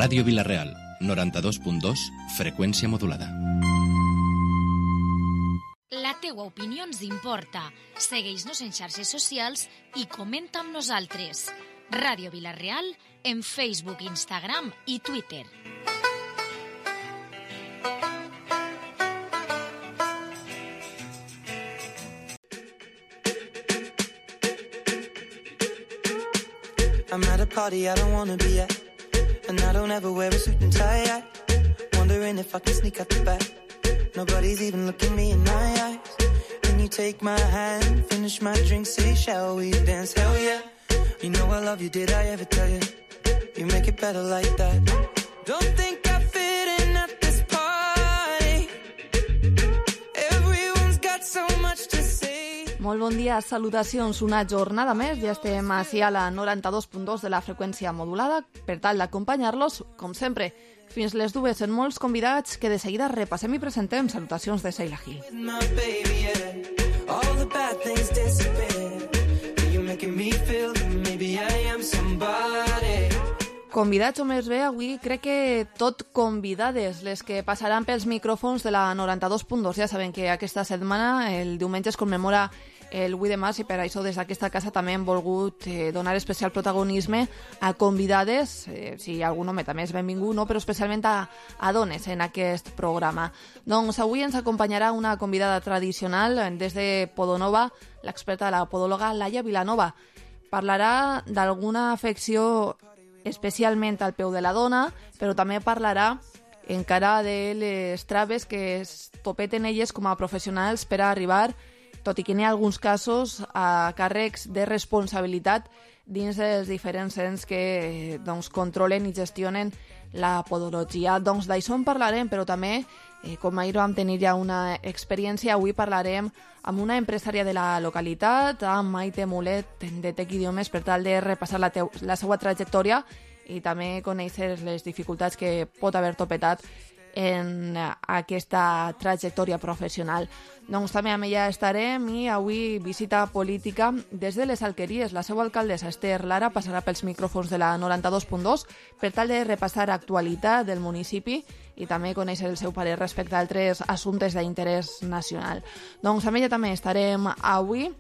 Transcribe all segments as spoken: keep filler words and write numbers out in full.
Ràdio Vila-real, noranta-dos punt dos, freqüència modulada. La teua opinió ens importa. Segueix-nos en xarxes socials i comenta amb nosaltres. Ràdio Vila-real en Facebook, Instagram i Twitter. I'm at a party I don't wanna be at, and I don't ever wear a suit and tie. I wondering if I can sneak out the back. Nobody's even looking me in my eyes. Can you take my hand, finish my drink, say shall we dance? Hell yeah. You know I love you, did I ever tell you? You make it better like that. Don't think I fit in at this party. Everyone's got so much to say. Molt bon dia, salutacions. Una jornada més, ja estem així a la noranta-dos punt dos de la freqüència modulada per tal d'acompanyar-los, com sempre, fins les dues en molts convidats que de seguida repassem i presentem. Salutacions de Sheila Gil. Convidats o més bé, avui crec que tot convidades les que passaran pels micròfons de la noranta-dos punt dos. Ja saben que aquesta setmana, el diumenge, es commemora el vuit de març i per això des d'aquesta casa també hem volgut eh, donar especial protagonisme a convidades, eh, si algun home també és benvingut, no? Però especialment a, a dones en aquest programa. Doncs avui ens acompanyarà una convidada tradicional des de Podonova, l'experta de la podòloga Laia Vilanova. Parlarà d'alguna afecció especialment al peu de la dona, però també parlarà encara de les traves que es topeten elles com a professionals per a arribar, tot i que n'hi ha alguns casos, a càrrecs de responsabilitat dins dels diferents ens que doncs, controlen i gestionen la podologia. Doncs d'això en parlarem, però també, eh, com ahir vam tenir ja una experiència, avui parlarem amb una empresària de la localitat, amb Maite Mulet, de Tec Idiomes, per tal de repassar la, teu, la seva trajectòria i també conèixer les dificultats que pot haver topetat en aquesta trajectòria professional. Doncs també amb ella estarem i avui visita política des de les Alqueries. La seva alcaldessa Esther Lara passarà pels micròfons de la noranta-dos punt dos per tal de repassar actualitat del municipi i també conèixer el seu parer respecte a altres assumptes d'interès nacional. Doncs amb ella també estarem avui.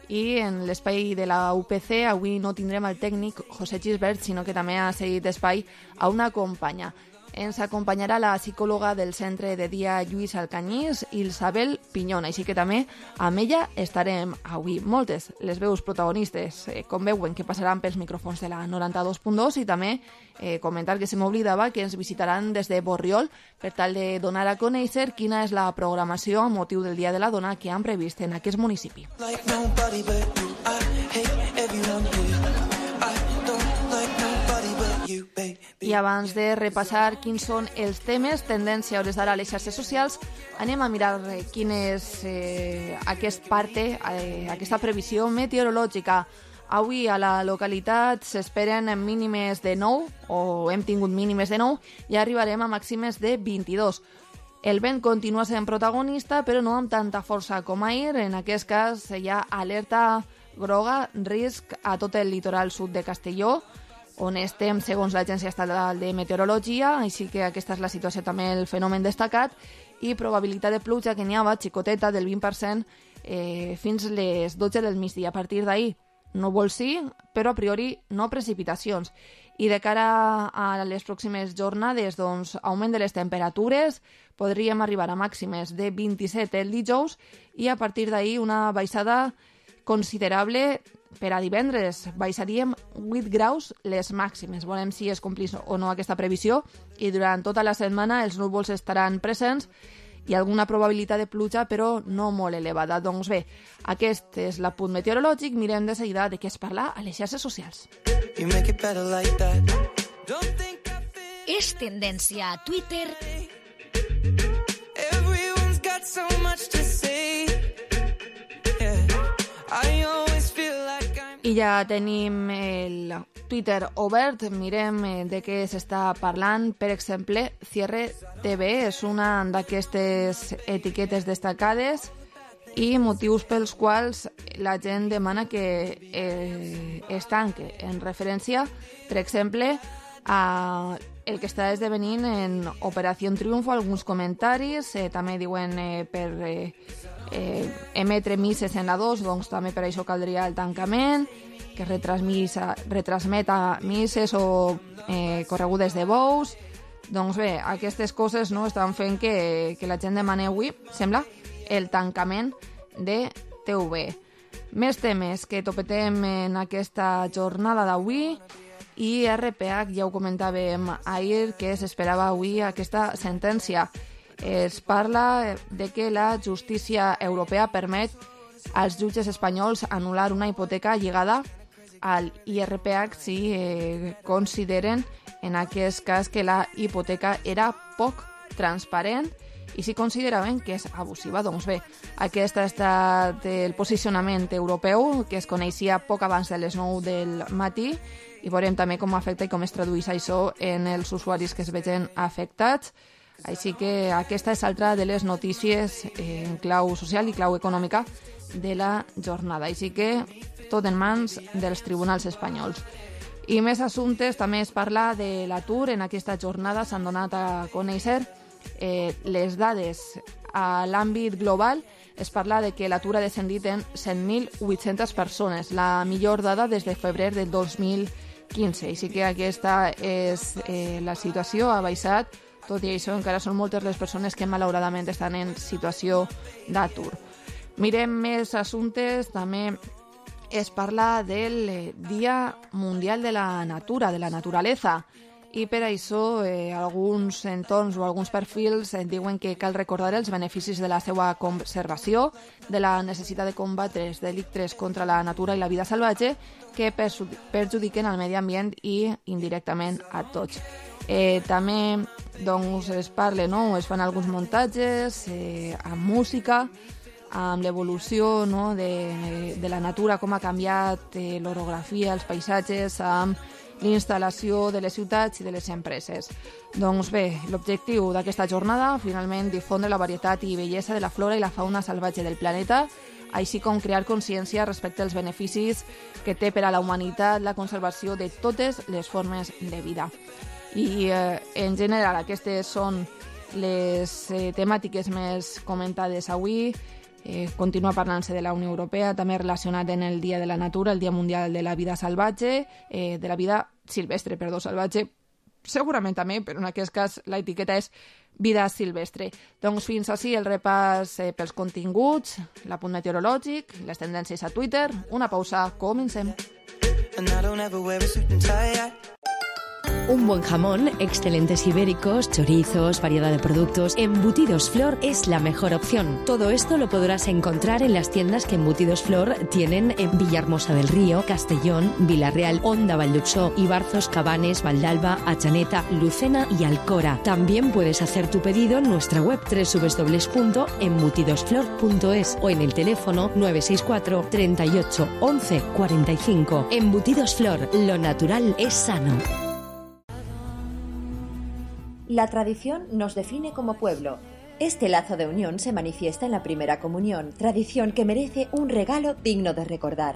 I en l'espai de la U P C avui no tindrem el tècnic José Gisbert, sinó que també ha cedit espai a una companya. Ens acompanyarà la psicòloga del Centre de Dia Lluís Alcanyís, Isabel Pinyón, així que també amb ella estarem avui. Moltes les veus protagonistes, eh, com veuen, que passaran pels micròfons de la noranta-dos punt dos i també eh, comentar que se m'oblidava que ens visitaran des de Borriol per tal de donar a conèixer quina és la programació a motiu del Dia de la Dona que han previst en aquest municipi. Like nobody but you, I hate everyone here. I don't like nobody but you, baby. I abans de repassar quins són els temes, tendència a hores d'ara a les xarxes socials, anem a mirar eh, quin és eh, aquest parte, eh, aquesta previsió meteorològica. Avui a la localitat s'esperen mínimes de nou, o hem tingut mínimes de nou, i arribarem a màximes de vint-i-dos. El vent continua sent protagonista, però no amb tanta força com ahir. En aquest cas hi ha alerta groga, risc a tot el litoral sud de Castelló, on estem segons l'Agència Estatal de Meteorologia, així que aquesta és la situació, també el fenomen destacat, i probabilitat de pluja que n'hi ha xicoteta del vint per cent eh, fins les dotze del migdia. A partir d'ahir, núvols sí, però a priori no precipitacions. I de cara a les pròximes jornades, doncs, augment de les temperatures, podríem arribar a màximes de vint-i-set el dijous i a partir d'ahir una baixada considerable per a divendres. Baixaríem vuit graus les màximes. Veurem si es complís o no aquesta previsió i durant tota la setmana els núvols estaran presents i alguna probabilitat de pluja, però no molt elevada. Doncs bé, aquest és l'apunt meteorològic. Mirem de seguida de què es parla a les xarxes socials. És tendència a Twitter. Everyone's got so much to say. Yeah. I always feel like I'm... I ja tenim el Twitter obert, mirem de què s'està parlant. Per exemple, Cierre T V és una d'aquestes etiquetes destacades i motius pels quals la gent demana que eh, es tanque, en referència, per exemple, a el que està esdevenint en Operació Triunfo, alguns comentaris, eh, també diuen eh, per eh, eh, emetre misses en la dos, doncs també per això caldria el tancament, que retransmeta misses o eh, corregudes de bous. Doncs bé, aquestes coses no estan fent que, que la gent demani avui, sembla, el tancament de T V. Més temes que topetem en aquesta jornada d'avui, i R P H, ja ho comentàvem ahir, que s'esperava avui aquesta sentència. Es parla de que la justícia europea permet als jutges espanyols anul·lar una hipoteca lligada al I R P H si eh, consideren en aquest cas que la hipoteca era poc transparent i si consideraven que és abusiva. Doncs bé, aquest ha estat el posicionament europeu, que es coneixia poc abans de les nou del matí, i veurem també com afecta i com es tradueix això en els usuaris que es vegen afectats. Així que aquesta és altra de les notícies en clau social i clau econòmica de la jornada. Així que tot en mans dels tribunals espanyols. I més assumptes, també es parla de l'atur. En aquesta jornada s'han donat a conèixer eh, les dades a l'àmbit global. Es parla de que l'atur ha descendit en cent mil vuit-centes persones, la millor dada des de febrer del dos mil quinze. Així que aquesta és eh, la situació, ha baixat. Tot i això, encara són moltes les persones que malauradament estan en situació d'atur. Mirem més assumptes, també es parla del Dia Mundial de la Natura, de la naturaleza, i per això eh, alguns entorns o alguns perfils eh, diuen que cal recordar els beneficis de la seva conservació, de la necessitat de combatre els delictes contra la natura i la vida salvatge que perjudiquen al medi ambient i indirectament a tots. Eh, també doncs, es parla, no? Es fan alguns muntatges eh, amb música, amb l'evolució, no? de, de la natura, com ha canviat eh, l'orografia, els paisatges, amb l'instal·lació de les ciutats i de les empreses. Doncs bé, l'objectiu d'aquesta jornada, finalment, difondre la varietat i bellesa de la flora i la fauna salvatge del planeta, així com crear consciència respecte als beneficis que té per a la humanitat la conservació de totes les formes de vida. I eh, en general aquestes són les eh, temàtiques més comentades avui. Eh, continua parlant-se de la Unió Europea, també relacionat en el Dia de la Natura, el Dia Mundial de la Vida Salvatge, eh, de la vida silvestre, perdó, salvatge, segurament també, però en aquest cas l'etiqueta és vida silvestre. Doncs fins així el repàs eh, pels continguts, l'apunt meteorològic, les tendències a Twitter. Una pausa, comencem. Un buen jamón, excelentes ibéricos, chorizos, variedad de productos. Embutidos Flor es la mejor opción. Todo esto lo podrás encontrar en las tiendas que Embutidos Flor tienen en Villahermosa del Río, Castellón, Vila-real, Onda, Valldupsó, Ibarzos, Cabanes, Valdalba, Achaneta, Lucena y Alcora. También puedes hacer tu pedido en nuestra web doble u doble u doble u punto embutidos flor punto es o en el teléfono nueve seis cuatro, treinta y ocho, once, cuarenta y cinco. Embutidos Flor, lo natural es sano. La tradición nos define como pueblo. Este lazo de unión se manifiesta en la primera comunión, tradición que merece un regalo digno de recordar.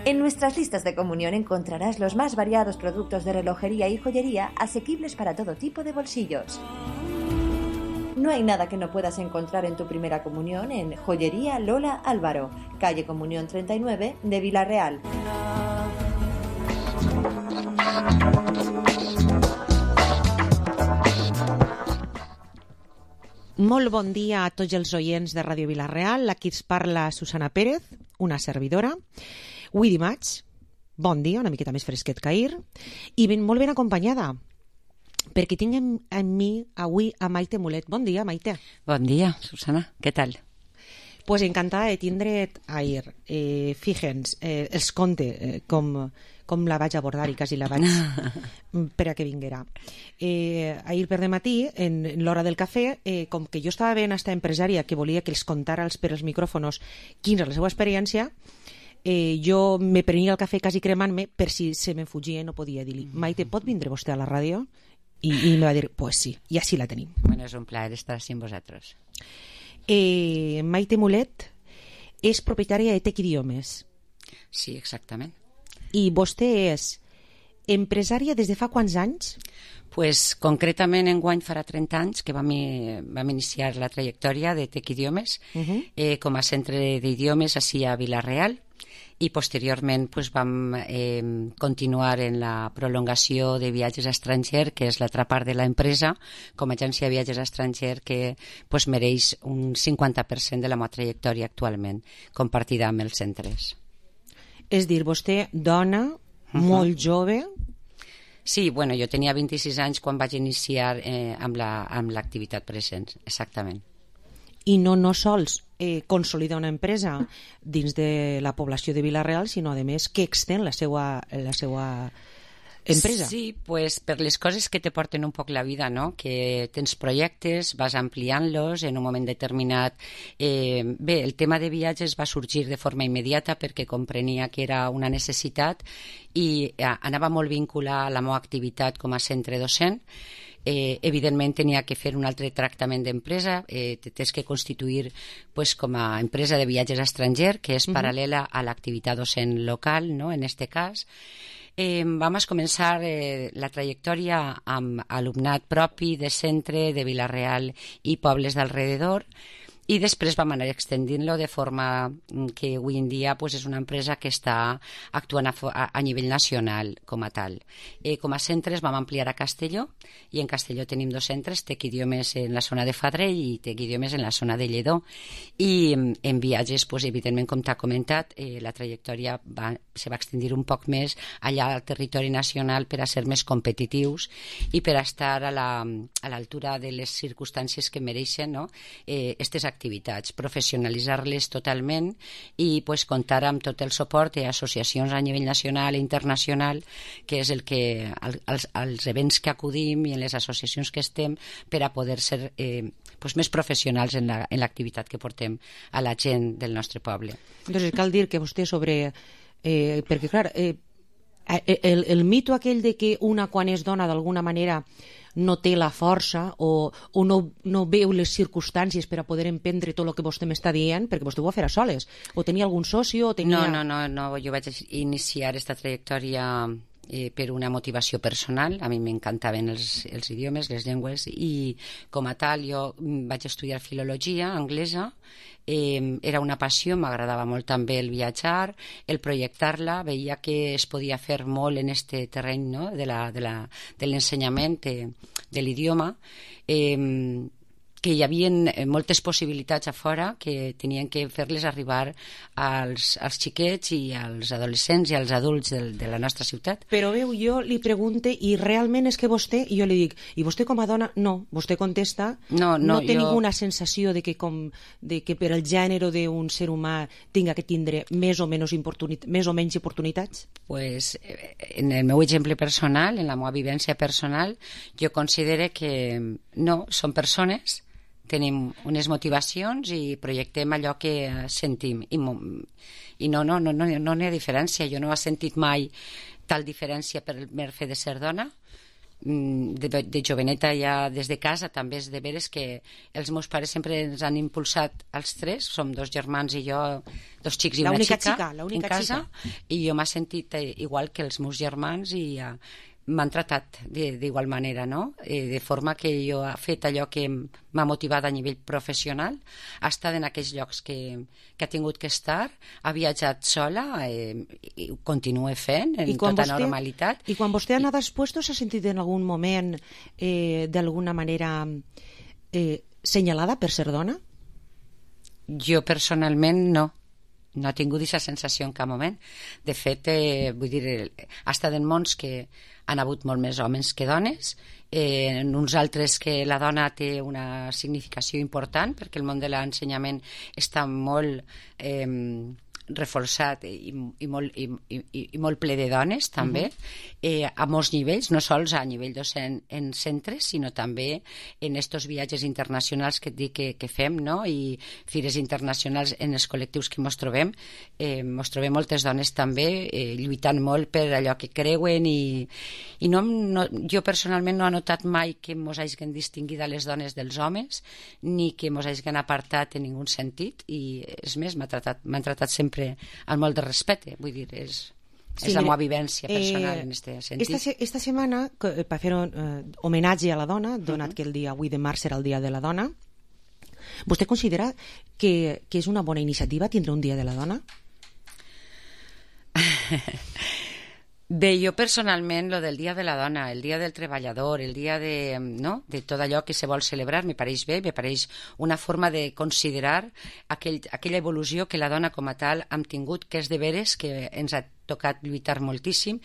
En nuestras listas de comunión encontrarás los más variados productos de relojería y joyería asequibles para todo tipo de bolsillos. No hay nada que no puedas encontrar en tu primera comunión en Joyería Lola Álvaro, calle Comunión treinta y nueve de Vila-real. Molt bon dia a tots els oients de Ràdio Vila-real. Aquí ens parla Susana Pérez, una servidora. Avui dimarts, bon dia, una miqueta més fresquet que ahir, i ben, molt ben acompanyada, perquè tinc en, en mi avui a Maite Mulet. Bon dia, Maite. Bon dia, Susana. Què tal? Pues encantada de tindre't ahir. Eh, Fíjense, eh, els conte eh, com... com la vaig abordar i quasi la vaig per a que vinguera. Eh, ahir per de matí, en, en l'hora del cafè, eh, com que jo estava veient esta empresària que volia que els contara els, per els micròfonos quina és la seva experiència, eh, jo me prenia el cafè quasi cremant-me per si se me fugia i no podia dir-li, Maite, pot vindre vostè a la ràdio? I, i me va dir, pues sí, i així la tenim. Bueno, és un plaer estar sin vosaltres. Eh, Maite Mulet és propietària de Tec Idiomes. Sí, exactament. I vostè és empresària des de fa quants anys? Pues, concretament, enguany farà trenta anys que vam, vam iniciar la trajectòria de Tec Idiomes uh -huh. eh, com a centre d'idiomes així a Vila-real, i posteriorment pues, vam eh, continuar en la prolongació de viatges a estranger, que és l'altra part de l'empresa, com a agència de viatges a estranger, que pues, mereix un cinquanta per cent de la meva trajectòria actualment, compartida amb els centres. És dir, vostè, dona, uh-huh. molt jove... Sí, bueno, jo tenia vint-i-sis anys quan vaig iniciar eh, amb l'activitat la, present, exactament. I no no sols eh, consolida una empresa dins de la població de Vila-real, sinó, a més, que extén la seva, la seva empresa. Sí, pues, per les coses que te porten un poc la vida, no? Que tens projectes, vas ampliant-los en un moment determinat. Eh, bé, el tema de viatges va sorgir de forma immediata perquè comprenia que era una necessitat i eh, anava molt vinculat a la meva activitat com a centre docent. Eh, evidentment tenia que fer un altre tractament d'empresa, eh, tens que constituir pues, com a empresa de viatges a estranger, que és uh-huh. paral·lela a l'activitat docent local, no? En este cas. Eh, vam començar eh, la trajectòria amb alumnat propi de centre de Vila-real i pobles d'alrededor, i després vam anar extendint-lo de forma que avui en dia pues, és una empresa que està actuant a, a, a nivell nacional com a tal. Eh, com a centres vam ampliar a Castelló, i en Castelló tenim dos centres, Tec Idiomes en la zona de Fadrell i Tec Idiomes en la zona de Lledó. I en viatges, pues, evidentment, com t'ha comentat, eh, la trajectòria va, se va extendir un poc més allà al territori nacional per a ser més competitius i per a estar a l'altura la, de les circumstàncies que mereixen, no? eh, estes activitats, professionalitzar-les totalment i pues, comptar amb tot el suport i associacions a nivell nacional i internacional, que és el que els, els events que acudim i en les associacions que estem per a poder ser eh, pues, més professionals en l'activitat la, que portem a la gent del nostre poble. Entonces cal dir que vostè sobre... Eh, perquè clar, eh, el, el mito aquell de que una quan és dona d'alguna manera no té la força o, o no, no veu les circumstàncies per a poder emprendre tot el que vostè m'està dient, perquè vostè ho va fer a soles, o tenia algun socio o tenia... No, no, no, no, jo vaig iniciar aquesta trajectòria eh, per una motivació personal. A mi m'encantaven els, els idiomes, les llengües, i com a tal jo vaig estudiar filologia anglesa. Eh, era una passió, m'agradava molt també el viatjar, el projectar-la, veia que es podia fer molt en este terreny, no? de la, de la, de l'ensenyament de, de l'idioma, eh, que hi havia moltes possibilitats a fora que tenien que fer-les arribar als, als xiquets i als adolescents i als adults de, de la nostra ciutat. Però veu, jo li pregunte, i realment és que vostè, i jo li dic, i vostè com a dona, no, vostè contesta, no, no, no té jo... ninguna sensació de que, com, de que per el gènere d'un ser humà tinga que tindre més o, menys més o menys oportunitats? Pues, en el meu exemple personal, en la meva vivència personal, jo considero que no, són persones, tenim unes motivacions i projectem allò que sentim i, i no, no, no, no, no n'hi ha diferència. Jo no he sentit mai tal diferència per el mer fet de ser dona. De, de joveneta ja des de casa també és de veres que els meus pares sempre ens han impulsat als tres, som dos germans i jo, dos xics i una xica, xica en casa, xica. I jo m'he sentit igual que els meus germans i uh, m'han tratat d'igual manera, no? Eh, de forma que jo he fet allò que m'ha motivat a nivell professional, ha estat en aquells llocs que, que ha tingut que estar, ha viatjat sola, eh, i ho continua fent en tota vostè, normalitat. I quan vostè ha anat als puestos s'ha sentit en algun moment eh, d'alguna manera eh, senyalada per ser dona? Jo personalment no. No he tingut aquesta sensació en cap moment. De fet, eh, vull dir, ha estat en mons que han hagut molt més homes que dones, eh, en uns altres que la dona té una significació important, perquè el món de l'ensenyament està molt eh, reforçat i, i, molt, i, i, i molt ple de dones, també, uh-huh. eh, a molts nivells, no sols a nivell docent en centres, sinó també en estos viatges internacionals que et dic que, que fem, no? I fires internacionals en els col·lectius que ens trobem. Eh, ens trobem moltes dones també eh, lluitant molt per allò que creuen i, i no, no, jo personalment no he notat mai que ens hagin distingit a les dones dels homes, ni que ens hagin apartat en ningú sentit, i és més, m'han tratat, m'han tratat sempre amb molt de respecte, vull dir, és... Sí, és la meva vivència personal eh, en aquest sentit. Esta, esta setmana, per fer un eh, homenatge a la dona, donat uh -huh. que el dia vuit de març serà el dia de la dona, vostè considera que, que és una bona iniciativa tindre un dia de la dona? Bé, jo personalment, lo del Dia de la Dona, el Dia del Treballador, el dia de, no? de tot allò que se vol celebrar, me pareix bé, me pareix una forma de considerar aquell, aquella evolució que la dona com a tal hem tingut, que és de veres que ens ha tocat lluitar moltíssim,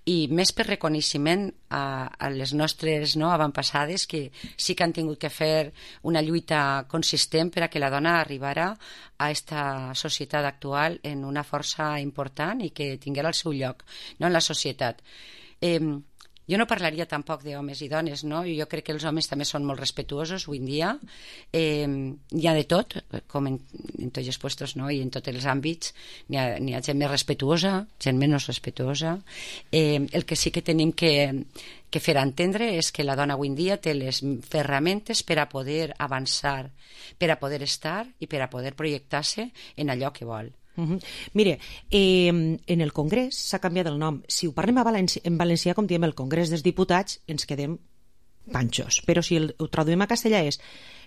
i més per reconeixement a, a les nostres no, avantpassades, que sí que han tingut que fer una lluita consistent per a que la dona arribara a esta societat actual en una força important i que tinguera el seu lloc, no, en la societat. Eh, jo no parlaria tampoc d'homes i dones, no? Jo crec que els homes també són molt respetuosos avui en dia. Eh, hi ha de tot, com en, en tots els puestos, no? I en tots els àmbits. N'hi ha, n'hi ha gent més respetuosa, gent menys respetuosa. Eh, el que sí que tenim que, que fer entendre és que la dona avui en dia té les ferramentes per a poder avançar, per a poder estar i per a poder projectar-se en allò que vol. Uh-huh. Mire, eh, en el Congrés s'ha canviat el nom. Si ho parlem a Valenci en valencià, com diem el Congrés dels Diputats, ens quedem panxos. Però si el, ho traduïm a castellà és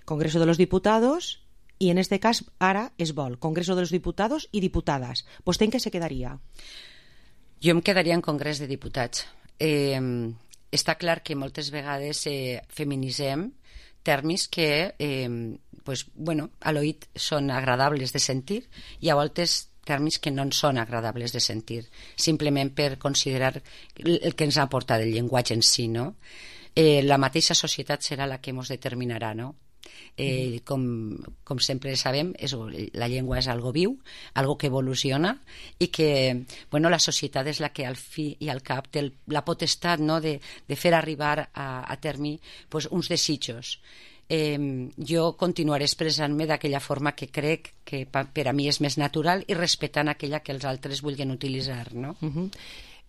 Congreso de los Diputados, i en este cas ara es vol Congreso de los Diputados i Diputades. Vostè en què se quedaria? Jo em quedaria en Congrés de Diputats. Eh, està clar que moltes vegades eh, feminitzem termes que eh, pues, bueno, a l'oït són agradables de sentir i a voltes termes que no en són agradables de sentir, simplement per considerar el que ens ha aportat el llenguatge en si, no? Eh, la mateixa societat serà la que ens determinarà, no? Eh, com, com sempre sabem, és, la llengua és algo viu, algo que evoluciona i que bueno, la societat és la que al fi i al cap té el, la potestat, no, de, de fer arribar a, a terme pues, uns desitjos. Eh, jo continuaré expressant-me d'aquella forma que crec que pa, per a mi és més natural i respectant aquella que els altres vulguin utilitzar, no? Uh-huh.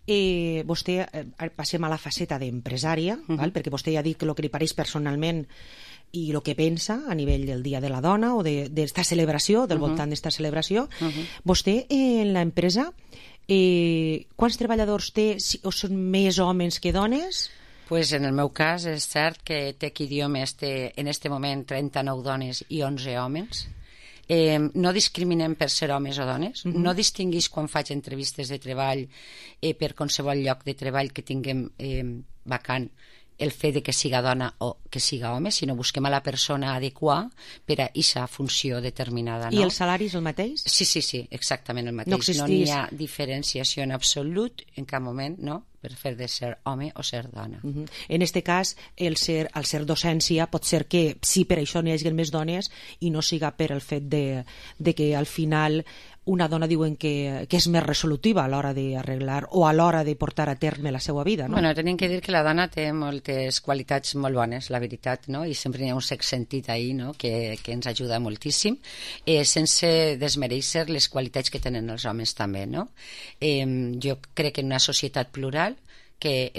Eh, vostè, eh, passem a la faceta d'empresària, uh-huh. val? Perquè vostè ja ha dit que el que li pareix personalment i el que pensa a nivell del Dia de la Dona o d'esta de, celebració, del uh-huh. voltant d'esta celebració. Uh-huh. Vostè en l'empresa, eh, quants treballadors té, o són més homes que dones? Pues en el meu cas és cert que Tec Idiomes té en este moment trenta-nou dones i onze homes. Eh, no discriminem per ser homes o dones, uh-huh. no distinguís quan faig entrevistes de treball eh, per qualsevol lloc de treball que tinguem eh, vacant el fet de que siga dona o que siga home, sinó busquem a la persona adequada per a aquesta funció determinada. No? I el salari és el mateix? Sí, sí, sí, exactament el mateix. No, no n'hi ha diferenciació en absolut en cap moment, no?, per fer de ser home o ser dona. Uh-huh. En este cas, el ser, el ser docència pot ser que sí, per això n'hi hagi més dones i no siga per el fet de, de que al final una dona diuen que, que és més resolutiva a l'hora d'arreglar o a l'hora de portar a terme la seva vida, no? Bueno, tenim que dir que la dona té moltes qualitats molt bones, la veritat, no? I sempre hi ha un sex sentit ahí, no?, que, que ens ajuda moltíssim, eh, sense desmereixer les qualitats que tenen els homes també, no? Eh, jo crec que en una societat plural que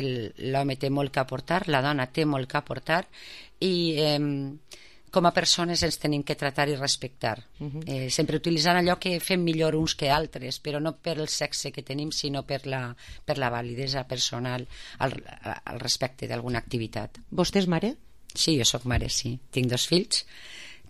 l'home té molt que aportar, la dona té molt que aportar i eh, com a persones ens tenim que tratar i respectar. Uh-huh. eh, sempre utilitzant allò que fem millor uns que altres, però no per el sexe que tenim, sinó per la, per la validesa personal al, al respecte d'alguna activitat. Vostè és mare? Sí, jo sóc mare, sí. Tinc dos fills.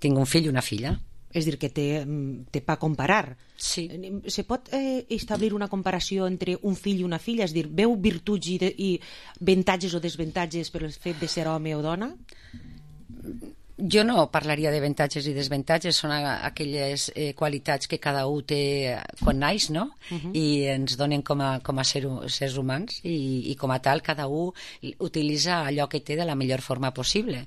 Tinc un fill i una filla. És dir, que té, té pa comparar. Sí. Se pot eh, establir una comparació entre un fill i una filla? És dir, veu virtuts i, de, i avantatges o desventatges per el fet de ser home o dona? Jo no parlaria d'avantatges i desventatges, són aquelles eh, qualitats que cada un té quan naix, no? Uh-huh. I ens donen com a, com a ser, sers humans i, i com a tal cada un utilitza allò que té de la millor forma possible.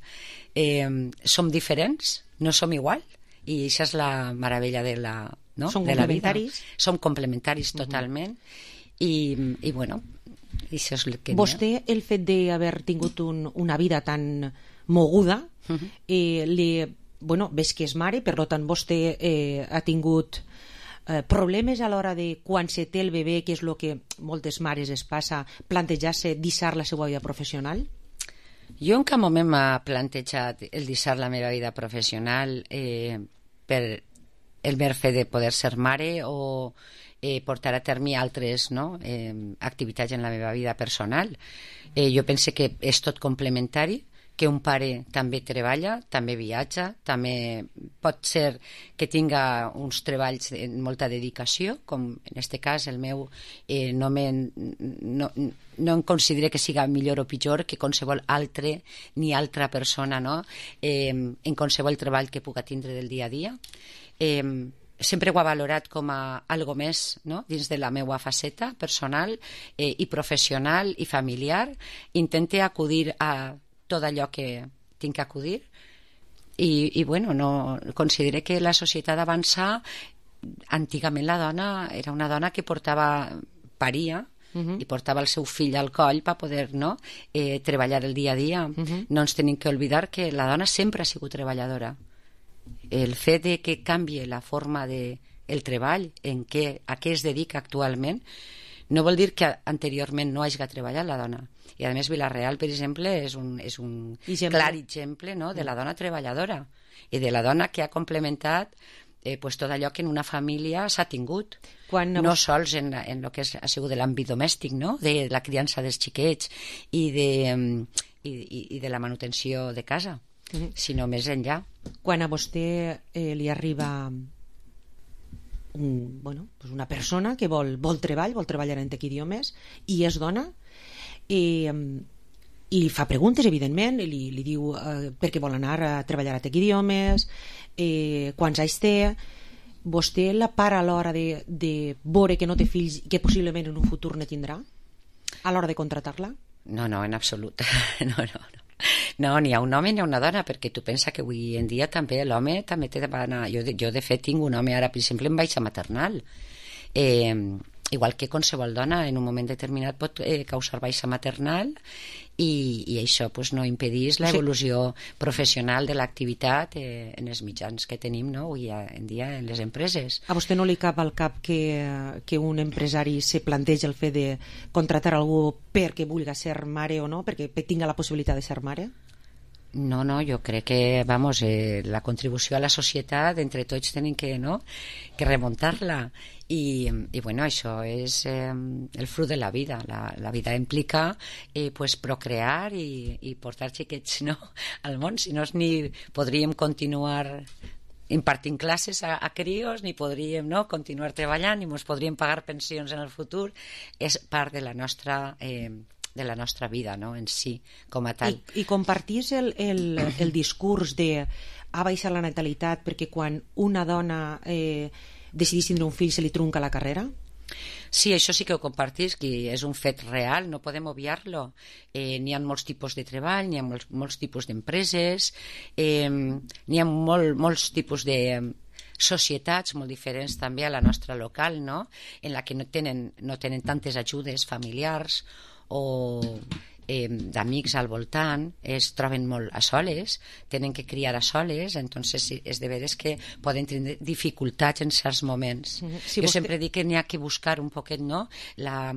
Eh, som diferents, no som igual, i això és la meravella de la, no? Som de la complementaris. Vida. Som complementaris totalment. Uh-huh. I, i bueno, això és el que... Vostè, el fet d'haver tingut un, una vida tan moguda, uh-huh. eh, li, bueno, ves que és mare, per tant vostè eh, ha tingut eh, problemes a l'hora de quan se té el bebè, que és el que moltes mares es passa, plantejar-se deixar la seva vida professional? Jo en cap moment m'ha plantejat el deixar la meva vida professional eh, per el mer fet de poder ser mare o eh, portar a terme altres no? eh, activitats en la meva vida personal. Eh, jo penso que és tot complementari, que un pare també treballa, també viatja, també pot ser que tinga uns treballs de molta dedicació, com en aquest cas el meu eh, no, me, no, no em considero que siga millor o pitjor que qualsevol altre ni altra persona no? eh, en qualsevol treball que puga tindre del dia a dia. Eh, sempre ho ha valorat com a algo més no? dins de la meva faceta personal eh, i professional i familiar. Intente acudir a tot allò que tinc que acudir i, i bueno, no, considero que la societat avança. Antigament la dona era una dona que portava paria uh-huh. i portava el seu fill al coll per poder no, eh, treballar el dia a dia. Uh-huh. No ens tenim que oblidar que la dona sempre ha sigut treballadora. El fet de que canvie la forma de el treball, en què, a què es dedica actualment, no vol dir que anteriorment no hagi treballat la dona. I a més Vila-real, per exemple, és un, és un exemple. clar exemple no? de la dona treballadora i de la dona que ha complementat eh, pues, tot allò que en una família s'ha tingut. Quan no vos... sols en, en el que és, ha sigut de l'àmbit domèstic, no? de la criança dels xiquets i de, i, i, i de la manutenció de casa, mm-hmm. sinó més enllà. Quan a vostè eh, li arriba un, bueno, pues una persona que vol, vol treball, vol treballar en tec idiomes i és dona, i, i li fa preguntes, evidentment, i li, li diu eh, per què vol anar a treballar a tec idiomes, eh, quants anys té. Vostè la para a l'hora de, de veure que no té fills i que possiblement en un futur ne tindrà a l'hora de contratar-la? No, no, en absolut. No, no, no. No, ni a un home ni a una dona, perquè tu pensa que avui en dia també l'home també té de anar... Jo, jo de fet tinc un home ara, per exemple, en baixa maternal. Eh, igual que qualsevol dona en un moment determinat pot eh, causar baixa maternal i, i això pues, no impedís l'evolució sí. professional de l'activitat eh, en els mitjans que tenim no? avui en dia en les empreses. A vostè no li cap al cap que, que un empresari se planteja el fet de contratar algú perquè vulgui ser mare o no, perquè tinga la possibilitat de ser mare? No, no, jo crec que vamos, eh, la contribució a la societat entre tots tenim que, no? que remuntar-la i, i bueno, això és eh, el fruit de la vida. La, la vida implica eh, pues, procrear i, i portar xiquets no? al món, si no ni podríem continuar impartint classes a, a crios, ni podríem no? continuar treballant, ni ens podríem pagar pensions en el futur. És part de la nostra eh, de la nostra vida, no? en si, com a tal. I, i compartís el, el, el discurs de ha baixat la natalitat perquè quan una dona eh, decidís tindre un fill se li trunca la carrera? Sí, això sí que ho compartís, que és un fet real, no podem obviar-lo. Eh, n'hi ha molts tipus de treball, n'hi ha molts, molts tipus d'empreses, eh, n'hi ha molt, molts tipus de societats molt diferents també a la nostra local, no? En la que no tenen, no tenen tantes ajudes familiars o eh, d'amics al voltant, es troben molt a soles, tenen que criar a soles, entonces és de veres que poden tenir dificultats en certs moments. Mm-hmm. Si jo vostè... sempre dic que n'hi ha que buscar un poquet, no?, la,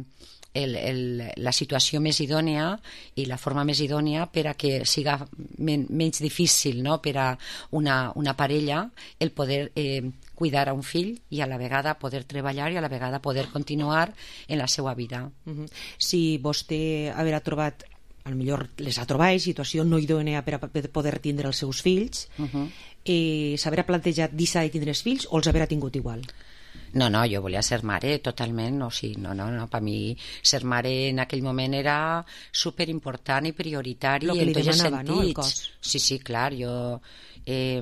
el, el, la situació més idònia i la forma més idònia per a que siga men, menys difícil, no?, per a una, una parella el poder eh, cuidar a un fill i a la vegada poder treballar i a la vegada poder continuar en la seva vida. Uh-huh. Si vostè haurà trobat, a lo millor les ha trobat situació no idònea per a poder tindre els seus fills, uh-huh. eh, s'haurà plantejat deixar de tindre els fills o els haurà tingut igual? No, no, jo volia ser mare totalment, o sigui, no, no, no, per mi ser mare en aquell moment era superimportant i prioritari en tots els sentits. No, el cos. Sí, sí, clar, jo... Eh,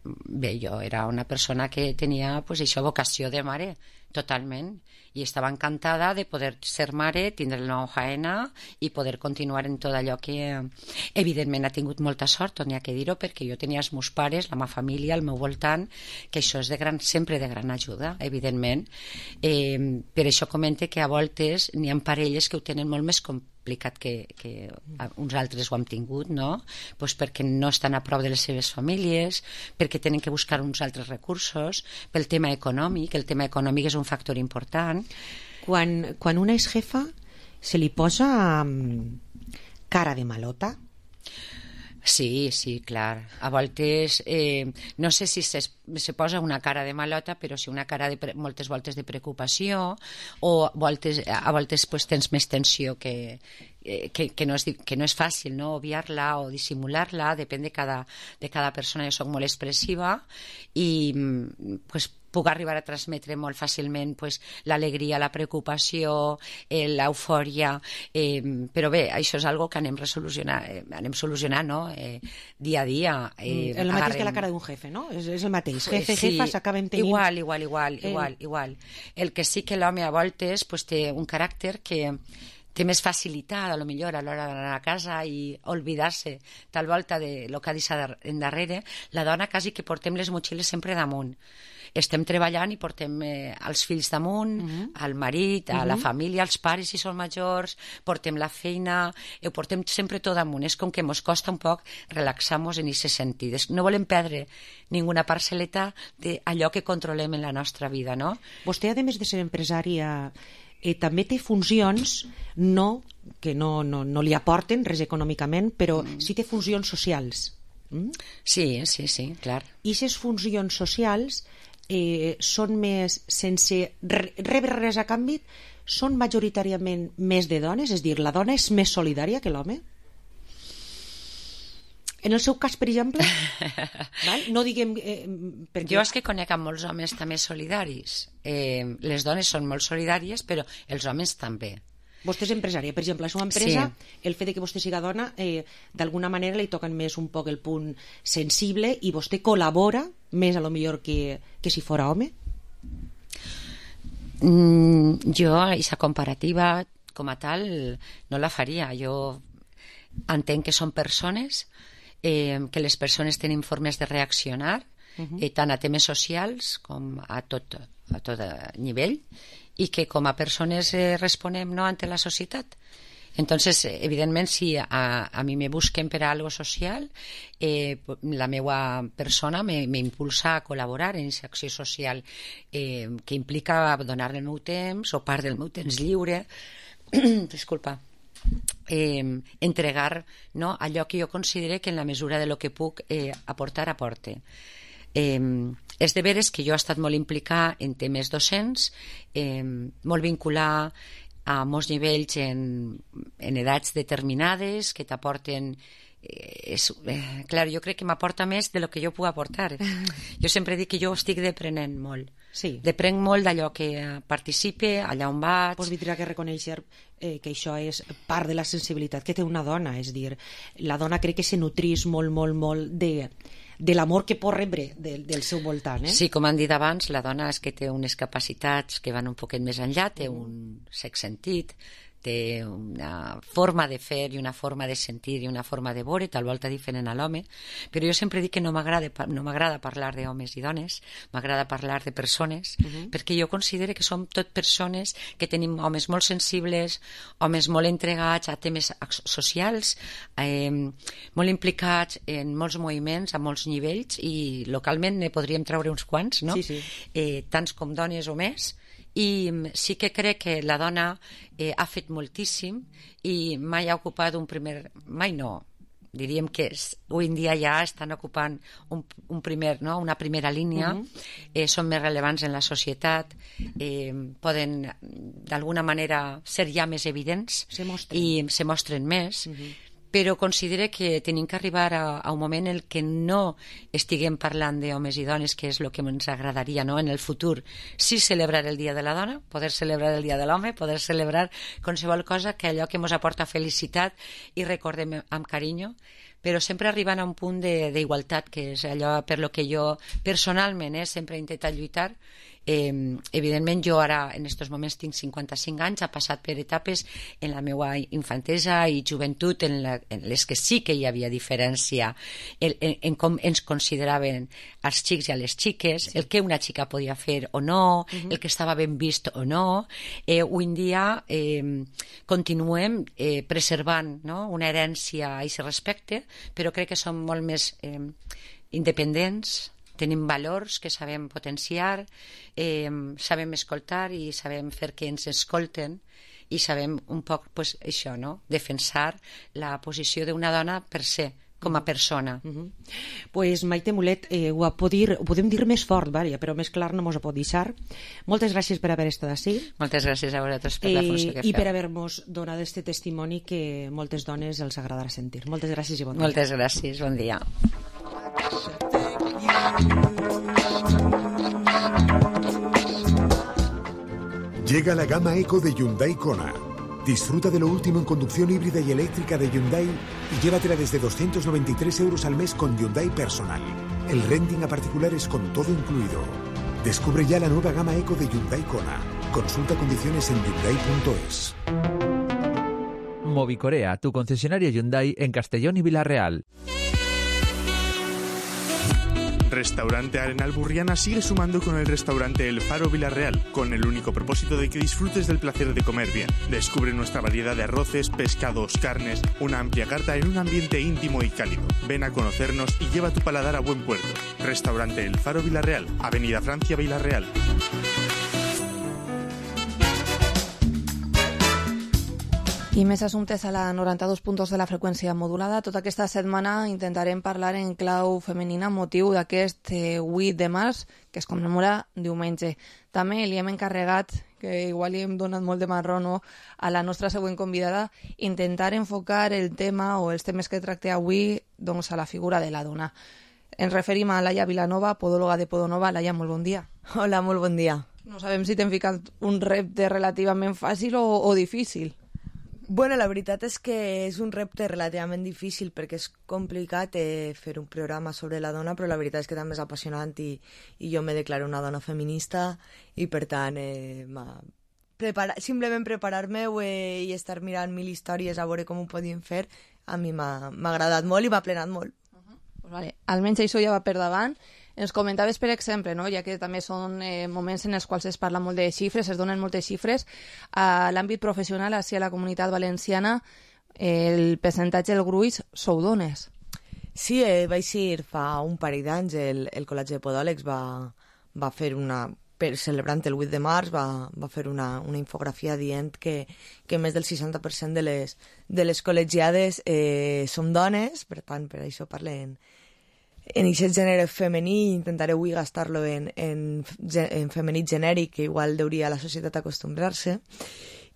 bé, jo era una persona que tenia pues, això, vocació de mare, totalment, i estava encantada de poder ser mare, tindre la meva faena i poder continuar en tot allò que evidentment ha tingut molta sort, n'hi ha que dir-ho, perquè jo tenia els meus pares, la meva família al meu voltant, que això és de gran, sempre de gran ajuda, evidentment. Eh, per això comente que a voltes n'hi ha parelles que ho tenen molt més complicat que, que uns altres ho han tingut, no? Pues perquè no estan a prop de les seves famílies, perquè tenen que buscar uns altres recursos, pel tema econòmic, el tema econòmic és un factor important. Quan, quan una és jefa se li posa um, cara de malota? Sí, sí, clar. A voltes, eh, no sé si se, se posa una cara de malota, però sí una cara de pre, moltes voltes de preocupació, o voltes, a voltes pues, tens més tensió que, que, que, no és, que no és fàcil, no? Obviar-la o dissimular-la, depèn de cada, de cada persona. Jo soc molt expressiva i pues, puc arribar a transmetre molt fàcilment pues, l'alegria, la preocupació, eh, l'eufòria, eh, però bé, això és algo que anem resolucionant, eh, anem solucionant, no? Eh, dia a dia. Eh, el mateix agarrem... que la cara d'un jefe, no? És, és el mateix. Jefe, sí, jefa, s'acaben tenint... Igual, igual, igual, eh... igual, igual. El que sí que l'home a voltes pues, té un caràcter que té més facilitat, a lo millor, a l'hora d'anar a casa i oblidar-se tal volta de lo que ha deixat endarrere. La dona quasi que portem les motxilles sempre damunt. Estem treballant i portem eh, els fills damunt, uh-huh. el marit, a uh-huh. la família, els pares si són majors, portem la feina, ho portem sempre tot damunt. És com que ens costa un poc relaxar-nos en aquest sentit. No volem perdre ninguna parcel·leta d'allò que controlem en la nostra vida, no? Vostè, a més de ser empresària, eh, també té funcions no, que no, no, no li aporten res econòmicament, però mm. sí té funcions socials. Mm? Sí, sí, sí, clar. I aquestes funcions socials eh, són més, sense re rebre res a canvi, són majoritàriament més de dones? És a dir, la dona és més solidària que l'home? En el seu cas, per exemple? Val? No diguem... Eh, perquè... Jo és que conec amb molts homes també solidaris. Eh, les dones són molt solidàries, però els homes també. Vostè és empresària, per exemple, la seva empresa, sí. El fet de que vostè siga dona, eh, d'alguna manera li toquen més un poc el punt sensible i vostè col·labora més a lo millor que, que si fora home? Mm, jo, aquesta comparativa com a tal no la faria. Jo entenc que són persones, eh, que les persones tenen formes de reaccionar, uh-huh. eh, tant a temes socials com a tot, a tot nivell, i que com a persones eh, responem no ante la societat. Entonces, evidentment, si a, a mi me busquen per a algo social, eh, la meva persona m'impulsa a col·laborar en aquesta acció social eh, que implica donar el meu temps o part del meu temps lliure, disculpa, eh, entregar no, allò que jo considere que en la mesura de lo que puc eh, aportar, aporte. Eh, és de veres que jo he estat molt implicada en temes docents, eh, molt vincular a molts nivells en, en edats determinades que t'aporten eh, és, eh, clar, jo crec que m'aporta més de lo que jo puc aportar. Jo sempre dic que jo estic deprenent molt. Sí. Deprenc molt d'allò que participe, allà on vaig. Pues vindrà que reconèixer eh, que això és part de la sensibilitat que té una dona, és dir, la dona crec que se nutrís molt, molt, molt de de l'amor que pot rebre de, del seu voltant. Eh? Sí, com han dit abans, la dona és que té unes capacitats que van un poquet més enllà, té un sex sentit, té una forma de fer i una forma de sentir i una forma de veure, tal volta diferent a l'home, però jo sempre dic que no m'agrada no m'agrada parlar d'homes i dones, m'agrada parlar de persones, uh-huh. perquè jo considero que som tot persones que tenim homes molt sensibles, homes molt entregats a temes socials, eh, molt implicats en molts moviments, a molts nivells, i localment ne podríem treure uns quants, no? Sí, sí. Eh, tants com dones o més, i sí que crec que la dona eh, ha fet moltíssim i mai ha ocupat un primer... mai no, diríem que avui en dia ja estan ocupant un, un primer, no? una primera línia, uh-huh. eh, són més rellevants en la societat, eh, poden d'alguna manera ser ja més evidents se i se mostren més, uh-huh. però considero que tenim que arribar a, a un moment en què no estiguem parlant d'homes i dones, que és el que ens agradaria, no? En el futur, sí celebrar el Dia de la Dona, poder celebrar el Dia de l'Home, poder celebrar qualsevol cosa que allò que ens aporta felicitat i recordem amb carinyo, però sempre arribant a un punt d'igualtat, que és allò per lo que jo personalment eh, sempre he intentat lluitar. Eh, evidentment jo ara en aquests moments tinc cinquanta-cinc anys, ha passat per etapes en la meva infantesa i joventut en, la, en les que sí que hi havia diferència en, en, en com ens consideraven els xics i a les xiques, el que una xica podia fer o no, uh-huh. el que estava ben vist o no. Eh, avui en dia eh, continuem eh, preservant no? una herència a aquest respecte, però crec que som molt més eh, independents, tenim valors que sabem potenciar, eh, sabem escoltar i sabem fer que ens escolten i sabem un poc pues, això, no? defensar la posició d'una dona per ser com a persona. Uh -huh. Pues Maite Mulet, eh, ho, pot dir, ho podem dir més fort, Vària, però més clar no mos ho pot deixar. Moltes gràcies per haver estat ací. Moltes gràcies a vosaltres per la funció que eh, i feu. per haver-nos donat este testimoni que moltes dones els agradarà sentir. Moltes gràcies i bon dia. Moltes gràcies, bon dia. Llega la gama Eco de Hyundai Kona. Disfruta de lo último en conducción híbrida y eléctrica de Hyundai y llévatela desde doscientos noventa y tres euros al mes con Hyundai Personal. El renting a particulares con todo incluido. Descubre ya la nueva gama Eco de Hyundai Kona. Consulta condiciones en hyundai punto es. Movicorea, tu concesionario Hyundai en Castellón y Villarreal. Restaurante Arenal Burriana sigue sumando con el restaurante El Faro Villarreal, con el único propósito de que disfrutes del placer de comer bien. Descubre nuestra variedad de arroces, pescados, carnes, una amplia carta en un ambiente íntimo y cálido. Ven a conocernos y lleva tu paladar a buen puerto. Restaurante El Faro Villarreal, Avenida Francia Villarreal. I més assumptes a la noranta-dos punt dos de la freqüència modulada. Tota aquesta setmana intentarem parlar en clau femenina motiu d'aquest eh, vuit de març, que es commemora diumenge. També li hem encarregat, que igual li hem donat molt de marró, no?, a la nostra següent convidada, intentar enfocar el tema o els temes que tracte avui doncs, a la figura de la dona. Ens referim a Laia Vilanova, podòloga de Podonova. Laia, molt bon dia. Hola, molt bon dia. No sabem si t'hem ficat un repte relativament fàcil o, o difícil. Bueno, la veritat és que és un repte relativament difícil perquè és complicat eh, fer un programa sobre la dona, però la veritat és que també és apassionant i, i jo me declaro una dona feminista i per tant eh, prepara, simplement preparar-me eh, i estar mirant mil històries a veure com ho podíem fer a mi m'ha agradat molt i m'ha plenat molt. Uh-huh. Pues vale. Almenys això ja va per davant. Ens comentaves, per exemple, no? Ja que també són eh, moments en els quals es parla molt de xifres, es donen moltes xifres, a l'àmbit professional, així a la Comunitat Valenciana, el percentatge del gruix sou dones. Sí, eh, vaig ir fa un parell d'anys, el, el Col·legi de Podòlegs va, va fer una... Per, celebrant el vuit de març va, va fer una, una infografia dient que, que més del seixanta per cent de les, de les col·legiades eh, som dones, per tant, per això parlen en aquest gènere femení, intentaré avui gastar-lo en, en, en femení genèric, que igual hauria la societat acostumbrar-se.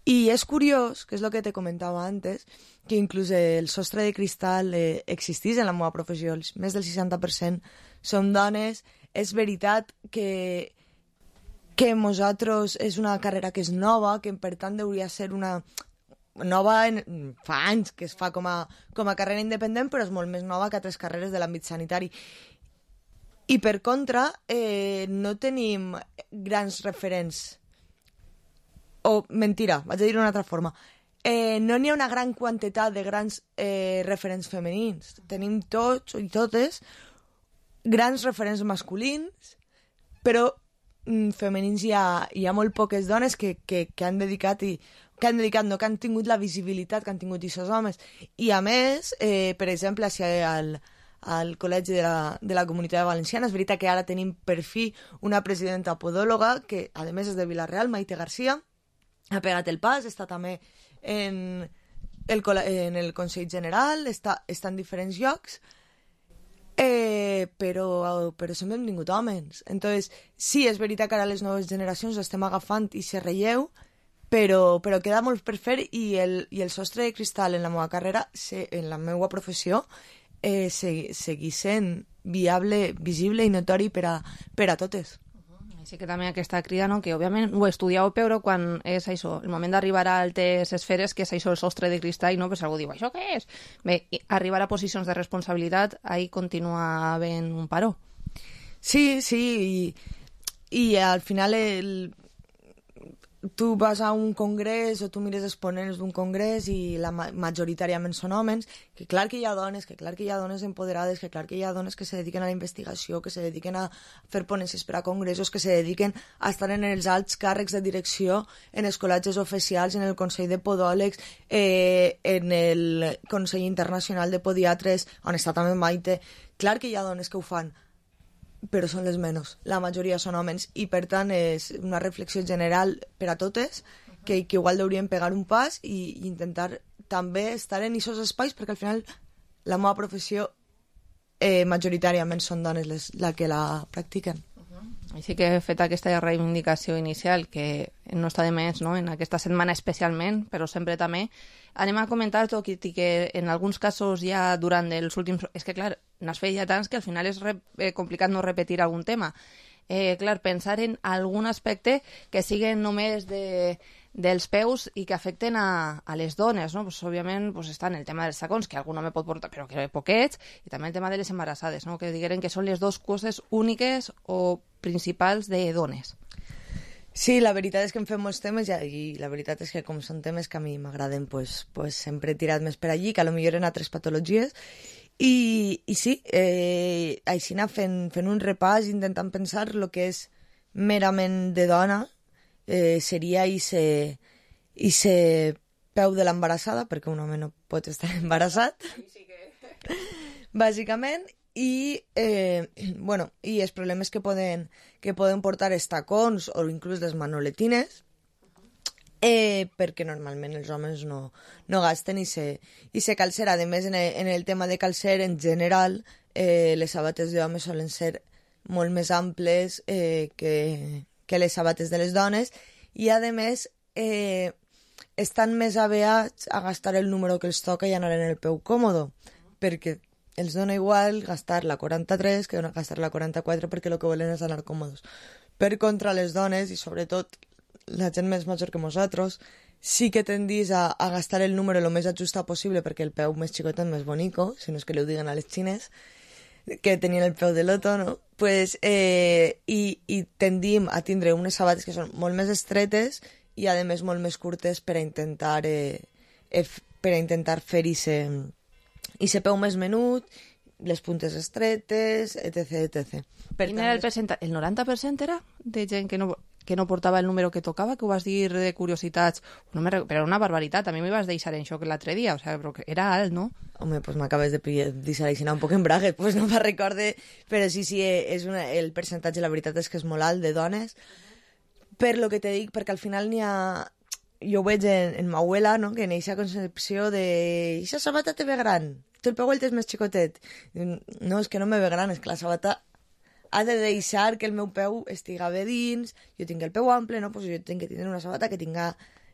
I és curiós, que és el que te comentava antes, que inclús el sostre de cristal eh, existís en la meva professió. Més del seixanta per cent som dones. És veritat que, que nosaltres és una carrera que és nova, que per tant hauria ser una... nova en, fa anys que es fa com a, com a carrera independent, però és molt més nova que altres carreres de l'àmbit sanitari. I per contra, eh, no tenim grans referents. O, mentira, vaig a dir d'una altra forma. Eh, no n'hi ha una gran quantitat de grans eh, referents femenins. Tenim tots i totes grans referents masculins, però mm, femenins hi ha, hi ha molt poques dones que, que, que han dedicat i que han dedicat, no que han tingut la visibilitat que han tingut aquests homes. I a més, eh, per exemple, al, al Col·legi de la, de la Comunitat Valenciana, és veritat que ara tenim per fi una presidenta podòloga, que a més és de Villarreal, Maite García, ha pegat el pas, està també en el, en el Consell General, està, està en diferents llocs, eh, però, però sempre hem tingut homes. Entonces, sí, és veritat que ara les noves generacions estem agafant i se relleu, però, però queda molt per fer i el, i el sostre de cristal en la meva carrera, se, en la meva professió, eh, se, segueix sent viable, visible i notori per a, per a totes. Així que també aquesta crida, no? Que òbviament ho estudieu, però quan és això, el moment d'arribar a altes esferes, que és això el sostre de cristall, no? Pues algú diu, això què és? Bé, arribar a posicions de responsabilitat, ahí continua havent un paró. Sí, sí, i, i al final el... tu vas a un congrés o tu mires exponents d'un congrés i la ma majoritàriament són homes, que clar que hi ha dones, que clar que hi ha dones empoderades, que clar que hi ha dones que se dediquen a la investigació, que se dediquen a fer ponències per a congressos, que se dediquen a estar en els alts càrrecs de direcció, en els col·legis oficials, en el Consell de Podòlegs, eh, en el Consell Internacional de Podiatres, on està també Maite. Clar que hi ha dones que ho fan, però són les menys. La majoria són homes i, per tant, és una reflexió general per a totes que, que igual hauríem pegar un pas i, i intentar també estar en aquests espais perquè al final la meva professió eh, majoritàriament són dones les, la que la practiquen. Així que he fet aquesta reivindicació inicial, que no està de més, no?, en aquesta setmana especialment, però sempre també. Anem a comentar tot i que en alguns casos ja durant els últims... És que, clar, n'has fet ja tants que al final és re... eh, complicat no repetir algun tema. Eh, clar, pensar en algun aspecte que siguen només de, dels peus i que afecten a, a les dones, no? Pues, òbviament pues, està en el tema dels tacons, que algun home pot portar, però que poquets, i també el tema de les embarassades, no? Que digueren que són les dues coses úniques o principals de dones. Sí, la veritat és que em fem molts temes i, i la veritat és que com són temes que a mi m'agraden, pues, pues sempre he tirat més per allí, que a lo millor en altres patologies. I, i sí, eh, així anar fent, fent un repàs, intentant pensar el que és merament de dona, eh, seria ese, ese peu de l'embarassada, perquè un home no pot estar embarassat, sí que... bàsicament, i, eh, bueno, i els problemes que poden, que poden portar els tacons o inclús les manoletines, eh, perquè normalment els homes no, no gasten i se, i se calcer. A més, en el, en el tema de calcer, en general, eh, les sabates d'homes solen ser molt més amples eh, que, que les sabates de les dones i, a més, eh, estan més aveats a gastar el número que els toca i anar en el peu còmodo, perquè els dona igual gastar la quaranta-tres que gastar la quaranta-quatre perquè el que volen és anar còmodes. Per contra, les dones, i sobretot la gent més major que nosaltres, sí que tendís a, a gastar el número el més ajustat possible perquè el peu més xicotet, més bonico, si no és que li ho diguen a les xines, que tenien el peu de loto, no? Pues, eh, i, i tendim a tindre unes sabates que són molt més estretes i, a més, molt més curtes per a intentar, eh, eh, per a intentar fer ese... i se peu més menut, les puntes estretes, etc, etcètera. Per Quin era el percentatge? El noranta per cent era de gent que no, que no portava el número que tocava, que ho vas dir de curiositats? No me... Però era una barbaritat, a mi m'hi vas deixar en xoc l'altre dia, o sea, però era alt, no? Home, pues m'acabes de deixar així un poc en braguet, pues no me'n recorde, però sí, sí, és una... el percentatge, la veritat és que és molt alt de dones, per lo que te dic, perquè al final n'hi ha... Jo ho veig en, en ma abuela, no?, que en aquesta concepció de «Ixa sabata te ve gran, tu el peu el tens més xicotet». No, és que no me ve gran, és que la sabata ha de deixar que el meu peu estiga bé dins, jo tinc el peu ample, no? Pues jo tinc que tenir una sabata que tinga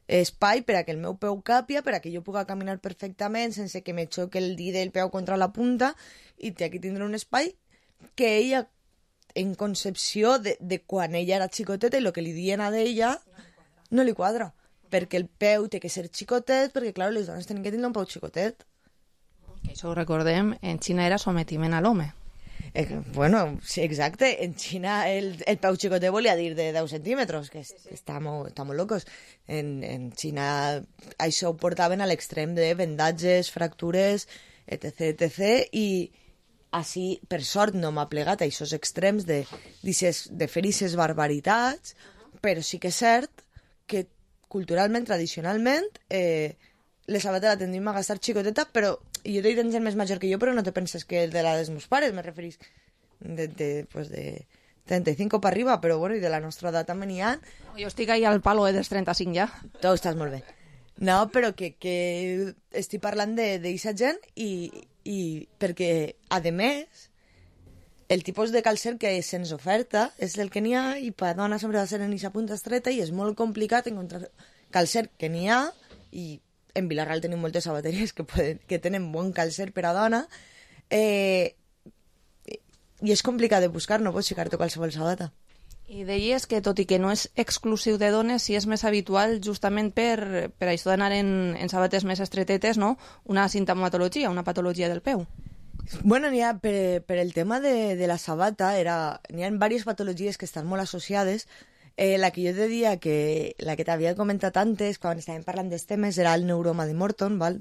espai per a que el meu peu càpia, per a que jo puga caminar perfectament sense que me xoque el dit del peu contra la punta, i té que tindre un espai que ella, en concepció de, de quan ella era xicoteta i el que li dien a d'ella, no li quadra. Perquè el peu té que ser xicotet, perquè, clar, les dones tenen que tindre un peu xicotet. Que això ho recordem, en Xina era sometiment a l'home. Eh, bueno, sí, exacte. En Xina el, el peu xicotet volia dir de deu centímetres, que sí, sí. Està, molt, està molt locos. En, en Xina això ho portaven a l'extrem de vendatges, fractures, etc, etcètera. I així, per sort, no m'ha plegat a aquests extrems de, de fer aquestes barbaritats, però sí que és cert que culturalment, tradicionalment, eh, les sabates la tendim a gastar xicoteta, però jo t'he dit gent més major que jo, però no te penses que el de la dels meus pares, me referís de, de, pues de trenta-cinc per arriba, però bueno, i de la nostra edat també n'hi ha. Jo estic ahí al palo eh, dels trenta-cinc ja. Tu estàs molt bé. No, però que, que estic parlant d'aquesta gent i, i perquè, a més, el tipus de calcer que se'ns oferta és el que n'hi ha i per dona sempre va ser en aquesta punta estreta i és molt complicat encontrar calcer que n'hi ha i en Vilarreal tenim moltes sabateries que, poden, que tenen bon calcer per a dona eh, i és complicat de buscar, no pots ficar-te qualsevol sabata. I deies que tot i que no és exclusiu de dones, sí és més habitual justament per, per això d'anar en, en sabates més estretetes, no? Una sintomatologia, una patologia del peu. Bueno, n'hi ha, per, per el tema de, de la sabata, era, n'hi ha diverses patologies que estan molt associades. Eh, la que jo te diria que la que t'havia comentat antes, quan estàvem parlant dels temes, era el neuroma de Morton, val?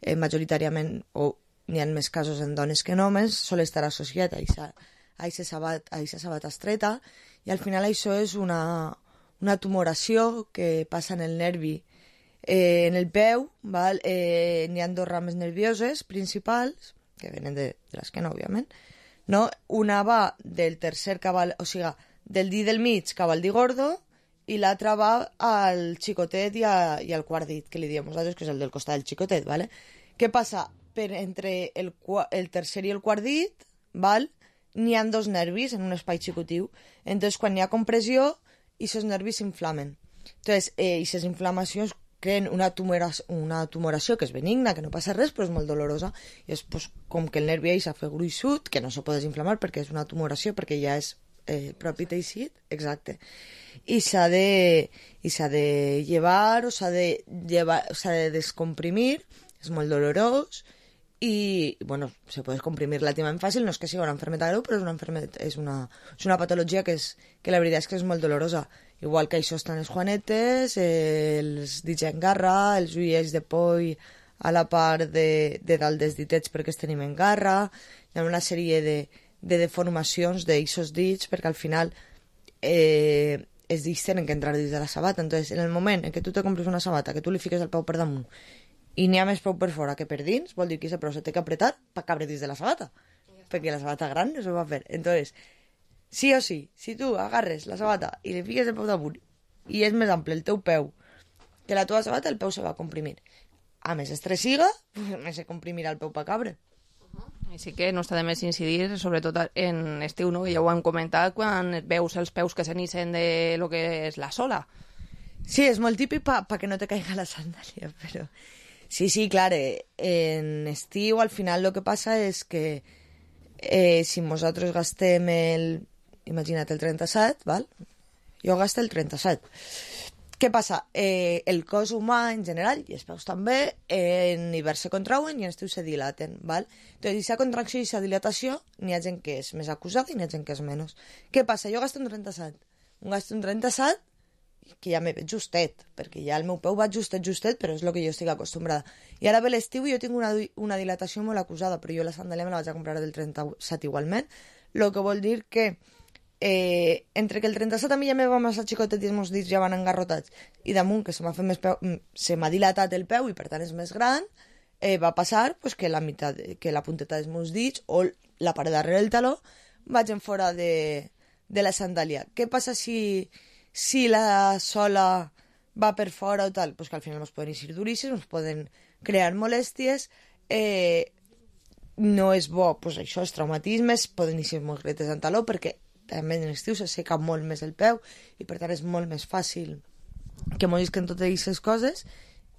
Eh, majoritàriament, o n'hi ha més casos en dones que en homes, sol estar associat a aquesta sabat, sabata estreta, i al final això és una, una tumoració que passa en el nervi, eh, en el peu, val? Eh, n'hi ha dos rames nervioses principals, que venen de, de l'esquena, òbviament, no? Una va del tercer cabal, o sigui, del dit del mig cap al dit gordo, i l'altra va al xicotet i, a, i al quart dit, que li diem nosaltres, que és el del costat del xicotet, ¿vale? Què passa? per entre el, el tercer i el quart dit, val? N'hi ha dos nervis en un espai xicotiu. Entonces, quan hi ha compressió, aquests nervis s'inflamen. Entonces, eh, aquestes inflamacions creen una, tumoració, una tumoració que és benigna, que no passa res, però és molt dolorosa. I és pues, com que el nervi s'ha fet gruixut, que no se pot desinflamar perquè és una tumoració, perquè ja és eh, propi teixit, exacte. I s'ha de, i s'ha de llevar o s'ha de, llevar, s'ha de descomprimir, és molt dolorós, i, bueno, se pot comprimir relativament fàcil, no és que sigui una enfermedad greu, però és una, enfermedad, és una, és una patologia que, és, que la veritat és que és molt dolorosa. Igual que això estan les juanetes, eh, els dits en garra, els ulls de poll a la part de, de dalt dels ditets perquè es tenim en garra, hi ha una sèrie de, de deformacions d'aixos dits perquè al final eh, els dits tenen que entrar dins de la sabata. Entonces, en el moment en què tu te compres una sabata, que tu li fiques el peu per damunt i n'hi ha més peu per fora que per dins, vol dir que aquest peu se té que apretar per cabre dins de la sabata, perquè la sabata gran no se va fer. Entonces, sí o sí, si tu agarres la sabata i li fiques el peu damunt i és més ample el teu peu que la teva sabata, el peu se va comprimir. A més estressiga, pues, més se comprimirà el peu per cabre. Així que no està de més incidir, sobretot en estiu, no? Ja ho hem comentat, quan veus els peus que s'anissen de lo que és la sola. Sí, és molt típic per pa que no te caiga la sandàlia, però... Sí, sí, clar, eh, en estiu al final el que passa és que eh, si nosaltres gastem el... Imagina't el trenta-set, val? Jo gasto el trenta-set. Què passa? Eh, el cos humà en general, i els peus també, eh, en hivern se contrauen i en estiu se dilaten, val? Entonces, aquesta contracció i aquesta dilatació, n'hi ha gent que és més acusada i n'hi ha gent que és menys. Què passa? Jo gasto un trenta-set. Un gasto un trenta-set que ja me veig justet, perquè ja el meu peu va justet, justet, però és el que jo estic acostumbrada. I ara ve l'estiu i jo tinc una, una dilatació molt acusada, però jo la sandàlia me la vaig a comprar del trenta-set igualment, el que vol dir que eh, entre que el trenta-set a mi ja me va massa xicotet i els meus dits ja van engarrotats, i damunt que se m'ha fet més peu, se m'ha dilatat el peu i per tant és més gran, eh, va passar pues, que, la meitat, que la punteta dels meus dits o la part darrere del taló vagin fora de, de la sandàlia. Què passa si... Si la sola va per fora o tal, pues que al final ens poden eixir duríssims, ens poden crear molèsties, eh, no és bo, pues això, els traumatismes, poden eixir molt gretes en taló, perquè també en l'estiu se seca molt més el peu, i per tant és molt més fàcil que morisquen totes aquestes coses,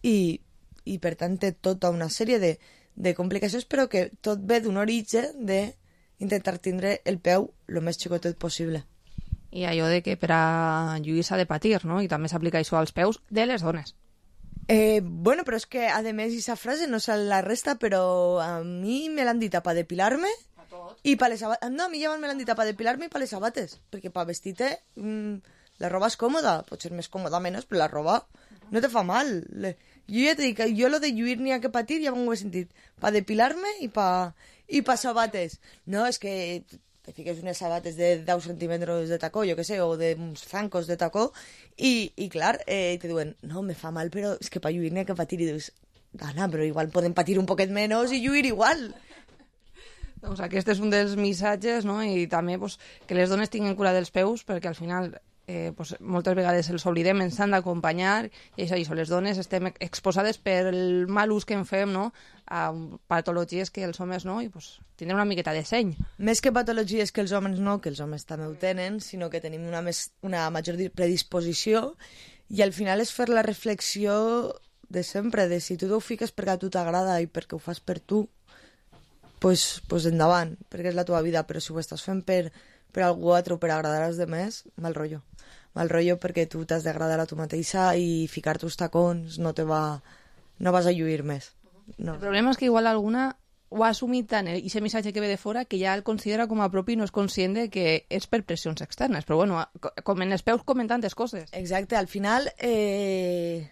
i, i per tant té tota una sèrie de, de complicacions, però que tot ve d'un origen d'intentar tindre el peu el més xicotet possible. I allò de que per a lluir s'ha de patir, no? I també s'aplica això als peus de les dones. Eh, bueno, però és que, a més, aquesta frase no se la resta, però a mi me l'han dit per depilar-me i per les sabates. No, a mi ja me l'han dit per depilar-me i per les sabates, perquè per vestir-te mmm, la roba és còmoda, pot ser més còmoda menys, però la roba no te fa mal. Le... Jo ja t'he dit que jo lo de lluir n'hi ha que patir ja m'ho he sentit, per depilar-me i per i per sabates. No, és que... te fiques unes sabates de deu centímetres de tacó, jo què sé, o d'uns zancos de tacó, i, i clar, eh, te diuen, no, me fa mal, però és que per lluir n'hi ha que patir, i dius, Dana, però igual podem patir un poquet menys i lluir igual. Doncs aquest és un dels missatges, no? I també pues, que les dones tinguin cura dels peus, perquè al final eh, pues, moltes vegades els oblidem, ens han d'acompanyar, i és això, les dones estem exposades per el mal ús que en fem, no?, a patologies que els homes no, i pues, tindrem una miqueta de seny. Més que patologies que els homes no, que els homes també ho tenen, sinó que tenim una, més, una major predisposició, i al final és fer la reflexió de sempre, de si tu t'ho fiques perquè a tu t'agrada i perquè ho fas per tu, pues, pues endavant, perquè és la teva vida, però si ho estàs fent per, per algú altre o per agradar als demés, mal rotllo. Mal rotllo perquè tu t'has d'agradar a tu mateixa i ficar-te uns tacons no te va... no vas a lluir més. No. El problema és que igual alguna ho ha assumit tant i aquest missatge que ve de fora que ja el considera com a propi i no és conscient de que és per pressions externes. Però bueno, com en els peus comen tantes coses. Exacte, al final eh,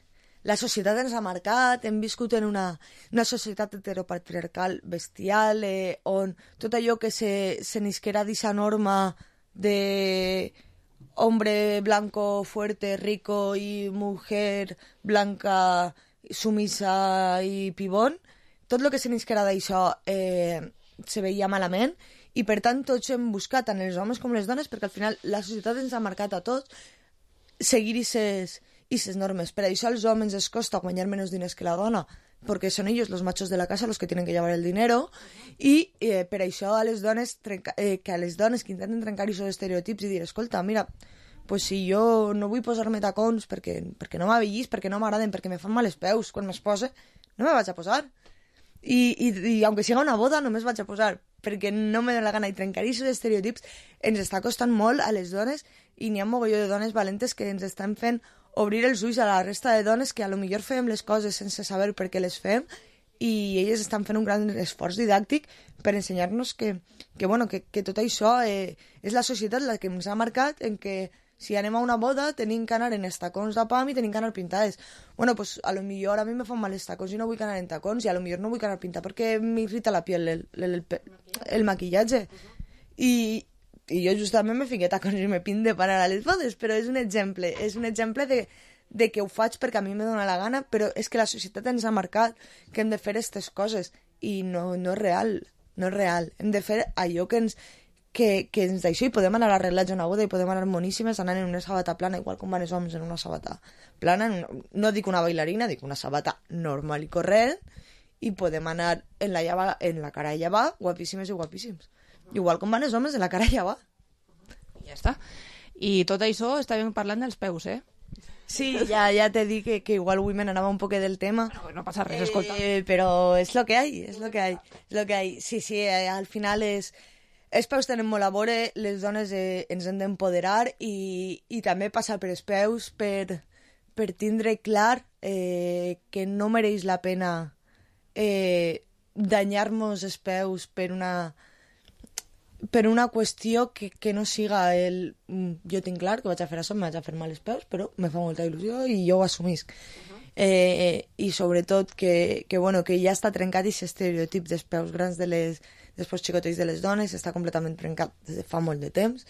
la societat ens ha marcat, hem viscut en una, una societat heteropatriarcal bestial eh, on tot allò que se, se nisquera d'aquesta norma de hombre blanco, fuerte, rico i mujer blanca sumisa i pibón, tot el que se n'isquera d'això eh, se veia malament i per tant tots hem buscat, tant els homes com les dones, perquè al final la societat ens ha marcat a tots seguir aquestes i les normes. Per això als homes es costa guanyar menys diners que la dona, perquè són ells els machos de la casa los que tienen que llevar el dinero, i eh, per això a les dones trenca, eh, que a les dones que intenten trencar aquests estereotips i dir, escolta, mira, pues si jo no vull posar-me tacons perquè, perquè no m'avellís, perquè no m'agraden, perquè me fan mal els peus quan me'ls pose, no me vaig a posar. I, i, i aunque siga una boda, només vaig a posar, perquè no me dóna la gana. I trencar aquests estereotips ens està costant molt a les dones, i n'hi ha mogolló de dones valentes que ens estan fent obrir els ulls a la resta de dones que a lo millor fem les coses sense saber per què les fem, i elles estan fent un gran esforç didàctic per ensenyar-nos que, que, bueno, que, que tot això eh, és la societat la que ens ha marcat en que si anem a una boda tenim que anar en els tacons de pam i tenim que anar pintades. Bueno, pues a lo millor a mi me fan mal els tacons i no vull anar en tacons, i a lo millor no vull anar pintada perquè m'irrita la piel el, el, el, el maquillatge. I, i jo justament me fiqué tacons i me pinto de parar a les bodes, però és un exemple, és un exemple de, de que ho faig perquè a mi me dóna la gana, però és que la societat ens ha marcat que hem de fer aquestes coses, i no, no és real, no és real. Hem de fer allò que ens... que, que ens d'això, i podem anar arreglats a una boda i podem anar moníssimes anant en una sabata plana, igual com van els homes en una sabata plana, en una, no dic una bailarina, dic una sabata normal i corrent, i podem anar en la, llava, en la cara a llevar, guapíssimes i guapíssims. Igual com van els homes en la cara a llevar. Ja està. I tot això estàvem parlant dels peus, eh? Sí, ja, ja te dic que, que igual avui me n'anava un poc del tema. Bueno, no passa res, escolta. Eh, però és lo que hay, és lo que hay. És lo que hay. Sí, sí, eh, al final és... Els peus tenen molt a veure, les dones eh, ens hem d'empoderar, i, i també passar per els peus per, per tindre clar eh, que no mereix la pena eh, danyar-nos els peus per una, per una qüestió que, que no siga el... Jo tinc clar que vaig a fer això, me vaig a fer mal els peus, però me fa molta il·lusió i jo ho assumisc. Uh-huh. eh, I sobretot que, que, bueno, que ja està trencat aquest estereotip dels peus grans de les... després xicotets de les dones, està completament trencat des de fa molt de temps,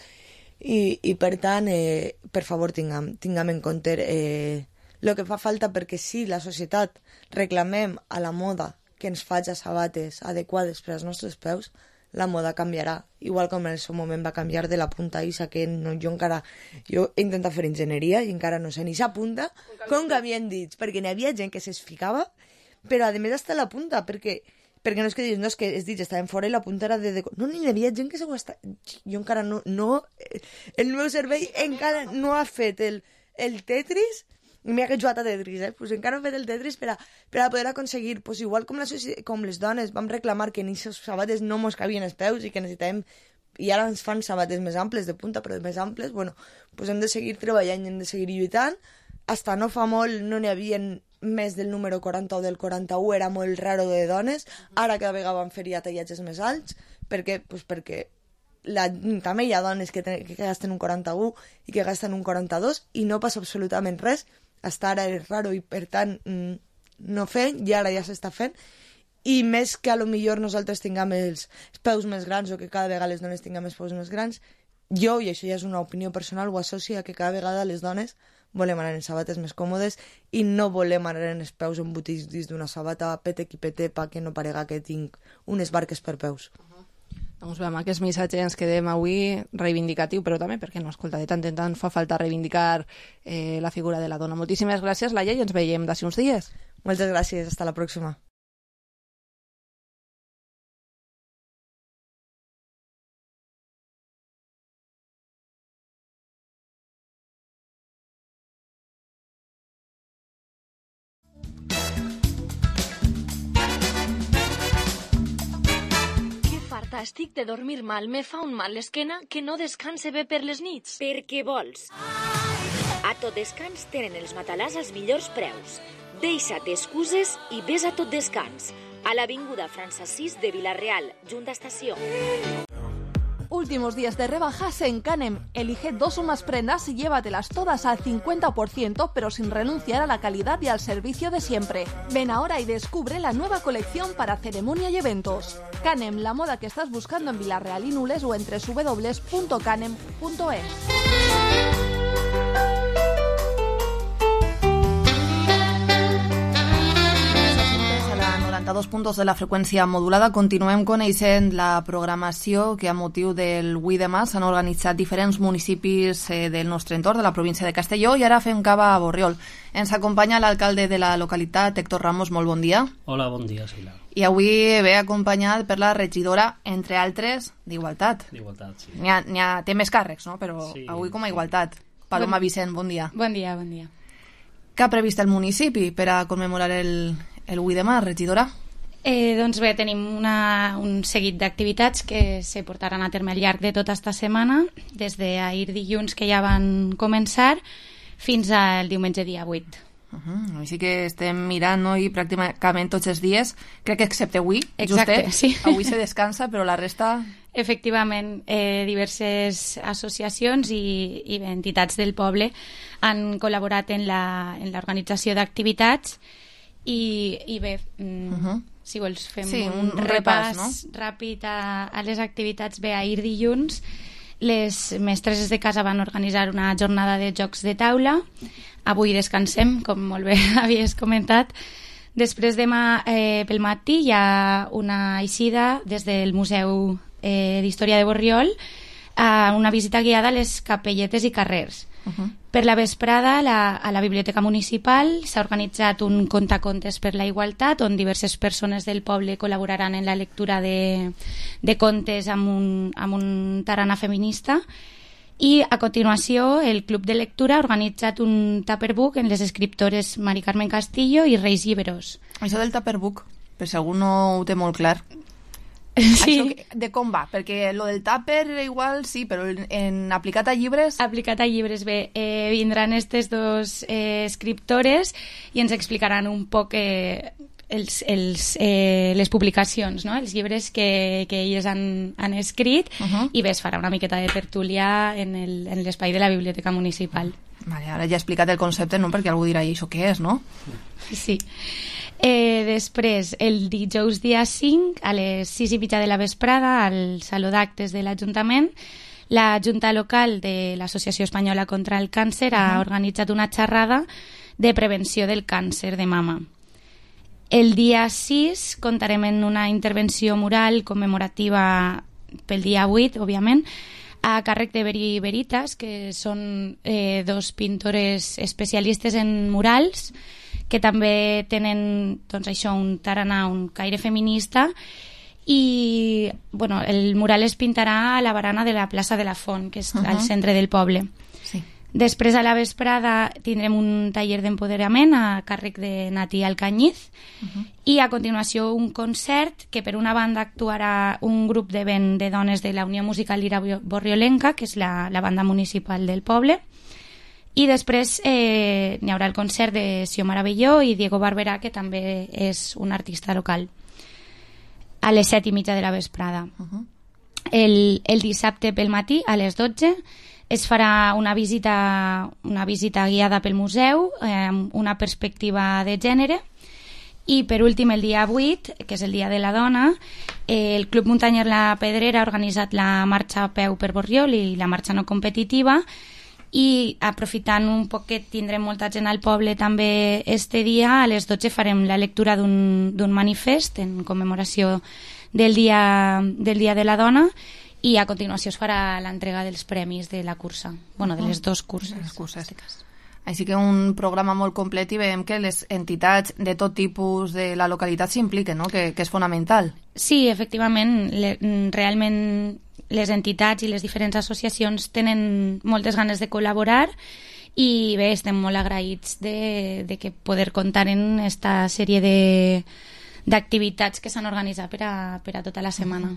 i, i per tant, eh, per favor, tinguem, tinguem en compte eh, el que fa falta, perquè si la societat reclamem a la moda que ens faci sabates adequades per als nostres peus, la moda canviarà, igual com en el seu moment va canviar de la punta isa, que no, jo encara jo he intentat fer enginyeria i encara no sé ni sa punta com canvien dits, perquè n'hi havia gent que se'ls ficava, però a més està la punta, perquè perquè no és que diguis, no, és que els dits estaven fora i la punta era de... de... No, ni hi havia gent que se ho està... Jo encara no... no el meu cervell encara no ha fet el, el Tetris, mira que jugat a Tetris, eh? Pues encara no ha fet el Tetris per a, per a poder aconseguir, pues igual com, la, com les dones vam reclamar que en aquestes sabates no mos cabien els peus i que necessitàvem... I ara ens fan sabates més amples de punta, però més amples, bueno, pues hem de seguir treballant i hem de seguir lluitant. Hasta no fa molt no n'hi havia més del número quaranta o del quaranta-u, era molt raro de dones. Ara cada vegada van fer ja tallatges més alts, perquè, pues perquè la, també hi ha dones que, ten, que gasten un quaranta-u i que gasten un quaranta-dos i no passa absolutament res. Hasta ara és raro i per tant no fent, i ara ja s'està fent. I més que a lo millor nosaltres tinguem els peus més grans o que cada vegada les dones tinguem els peus més grans, jo, i això ja és una opinió personal, ho associo a que cada vegada les dones volem anar en sabates més còmodes i no volem anar en els peus embotits dins d'una sabata pete qui pete pa que no parega que tinc unes barques per peus. Uh-huh. Doncs bé, amb aquest missatge ens quedem avui reivindicatiu, però també, perquè no, escolta, de tant en tant fa falta reivindicar eh, la figura de la dona. Moltíssimes gràcies, Laia, i ens veiem d'ací uns dies. Moltes gràcies, hasta la pròxima. Estic de dormir mal, me fa un mal l'esquena que no descanse bé per les nits. Per què vols? A Tot Descans tenen els matalàs als millors preus. Deixa't excuses i ves a Tot Descans. A l'avinguda França sis de Vila-real, junt a estació. Últimos días de rebajas en Canem. Elige dos o más prendas y llévatelas todas al cincuenta por ciento, pero sin renunciar a la calidad y al servicio de siempre. Ven ahora y descubre la nueva colección para ceremonia y eventos. Canem, la moda que estás buscando en Vila-real y Nules o en doble u doble u doble u punto canem punto es. noranta-dos punt dos de la freqüència modulada. Continuem coneixent la programació que a motiu del vuit de març s'han organitzat diferents municipis eh, del nostre entorn, de la província de Castelló, i ara fem cava a Borriol. Ens acompanya l'alcalde de la localitat, Héctor Ramos. Molt bon dia. Hola, bon dia, Sheila. I avui ve acompanyat per la regidora, entre altres, d'Igualtat. D'Igualtat, sí. N'hi ha, n'hi ha, té més càrrecs, no? Però sí, avui com a Igualtat. Paloma bon... Vicent, bon dia. Bon dia, bon dia. Què ha previst el municipi per a commemorar el, el vuit de març, regidora? Eh, doncs bé, tenim una, un seguit d'activitats que se portaran a terme al llarg de tota esta setmana, des d'ahir dilluns, que ja van començar, fins al diumenge dia vuit. Uh-huh. Així que estem mirant, no?, i pràcticament tots els dies, crec que excepte avui, exacte, justet, sí. Avui se descansa, però la resta... Efectivament, eh, diverses associacions i, i entitats del poble han col·laborat en la, en l'organització d'activitats i, i bé, mm, uh-huh. si vols fem sí, un, un repàs, repàs no? ràpid a, a les activitats. Bé, ahir dilluns les mestresses de casa van organitzar una jornada de jocs de taula. Avui descansem, com molt bé havies comentat. Després demà eh, pel matí hi ha una eixida des del Museu eh, d'Història de Borriol, a una visita guiada a les capelletes i carrers. Uh-huh. Per la vesprada, la, a la Biblioteca Municipal s'ha organitzat un contacontes per la igualtat, on diverses persones del poble col·laboraran en la lectura de, de contes amb un, amb un tarannà feminista. I a continuació el Club de Lectura ha organitzat un Tupperbook en les escriptores Mari Carmen Castillo i Reis Lliberós. Això del Tupperbook, per si algú no ho té molt clar, sí. Això de com va? Perquè lo del tàper igual sí, però en, en aplicat a llibres... Aplicat a llibres, bé, eh, vindran aquestes dos eh, escriptores i ens explicaran un poc eh, els, els, eh, les publicacions, no? Els llibres que, que elles han, han escrit, uh-huh. i bé, es farà una miqueta de tertúlia en, el, en l'espai de la Biblioteca Municipal. Vale, ara ja he explicat el concepte, no? Perquè algú dirà, i això què és, no? Sí. Eh, després, el dijous dia cinc, a les sis i mitja de la vesprada, al Saló d'Actes de l'Ajuntament, la Junta Local de l'Associació Espanyola contra el Càncer uh-huh. ha organitzat una xerrada de prevenció del càncer de mama. El dia sis comptarem en una intervenció mural commemorativa pel dia vuit, òbviament, a càrrec de Veri Veritas, que són eh, dos pintores especialistes en murals, que també tenen, doncs això, un tarannà, un caire feminista, i bueno, el mural es pintarà a la barana de la plaça de la Font, que és uh-huh. al centre del poble. Sí. Després, a la vesprada, tindrem un taller d'empoderament a càrrec de Nati Alcañiz, uh-huh. i a continuació un concert que per una banda actuarà un grup de vent de dones de la Unió Musical Lira Borriolenca, que és la, la banda municipal del poble. I després eh, n'hi haurà el concert de Xiomara Belló i Diego Barberà, que també és un artista local, a les set i mitja de la vesprada. Uh-huh. El, el dissabte pel matí, a les dotze, es farà una visita, una visita guiada pel museu, eh, amb una perspectiva de gènere. I per últim, el dia vuit, que és el Dia de la Dona, eh, el Club Muntanyer La Pedrera ha organitzat la marxa a peu per Borriol i la marxa no competitiva, i aprofitant un poc que tindrem molta gent al poble també este dia, a les dotze farem la lectura d'un, d'un manifest en commemoració del dia, del dia de la Dona, i a continuació es farà l'entrega dels premis de la cursa, bueno, de les dues curses. Les curses. Així que un programa molt complet, i veiem que les entitats de tot tipus de la localitat s'impliquen, no? que, que és fonamental. Sí, efectivament, le, realment les entitats i les diferents associacions tenen moltes ganes de col·laborar, i bé, estem molt agraïts de, de que poder comptar en esta sèrie de, d'activitats que s'han organitzat per a, per a tota la setmana.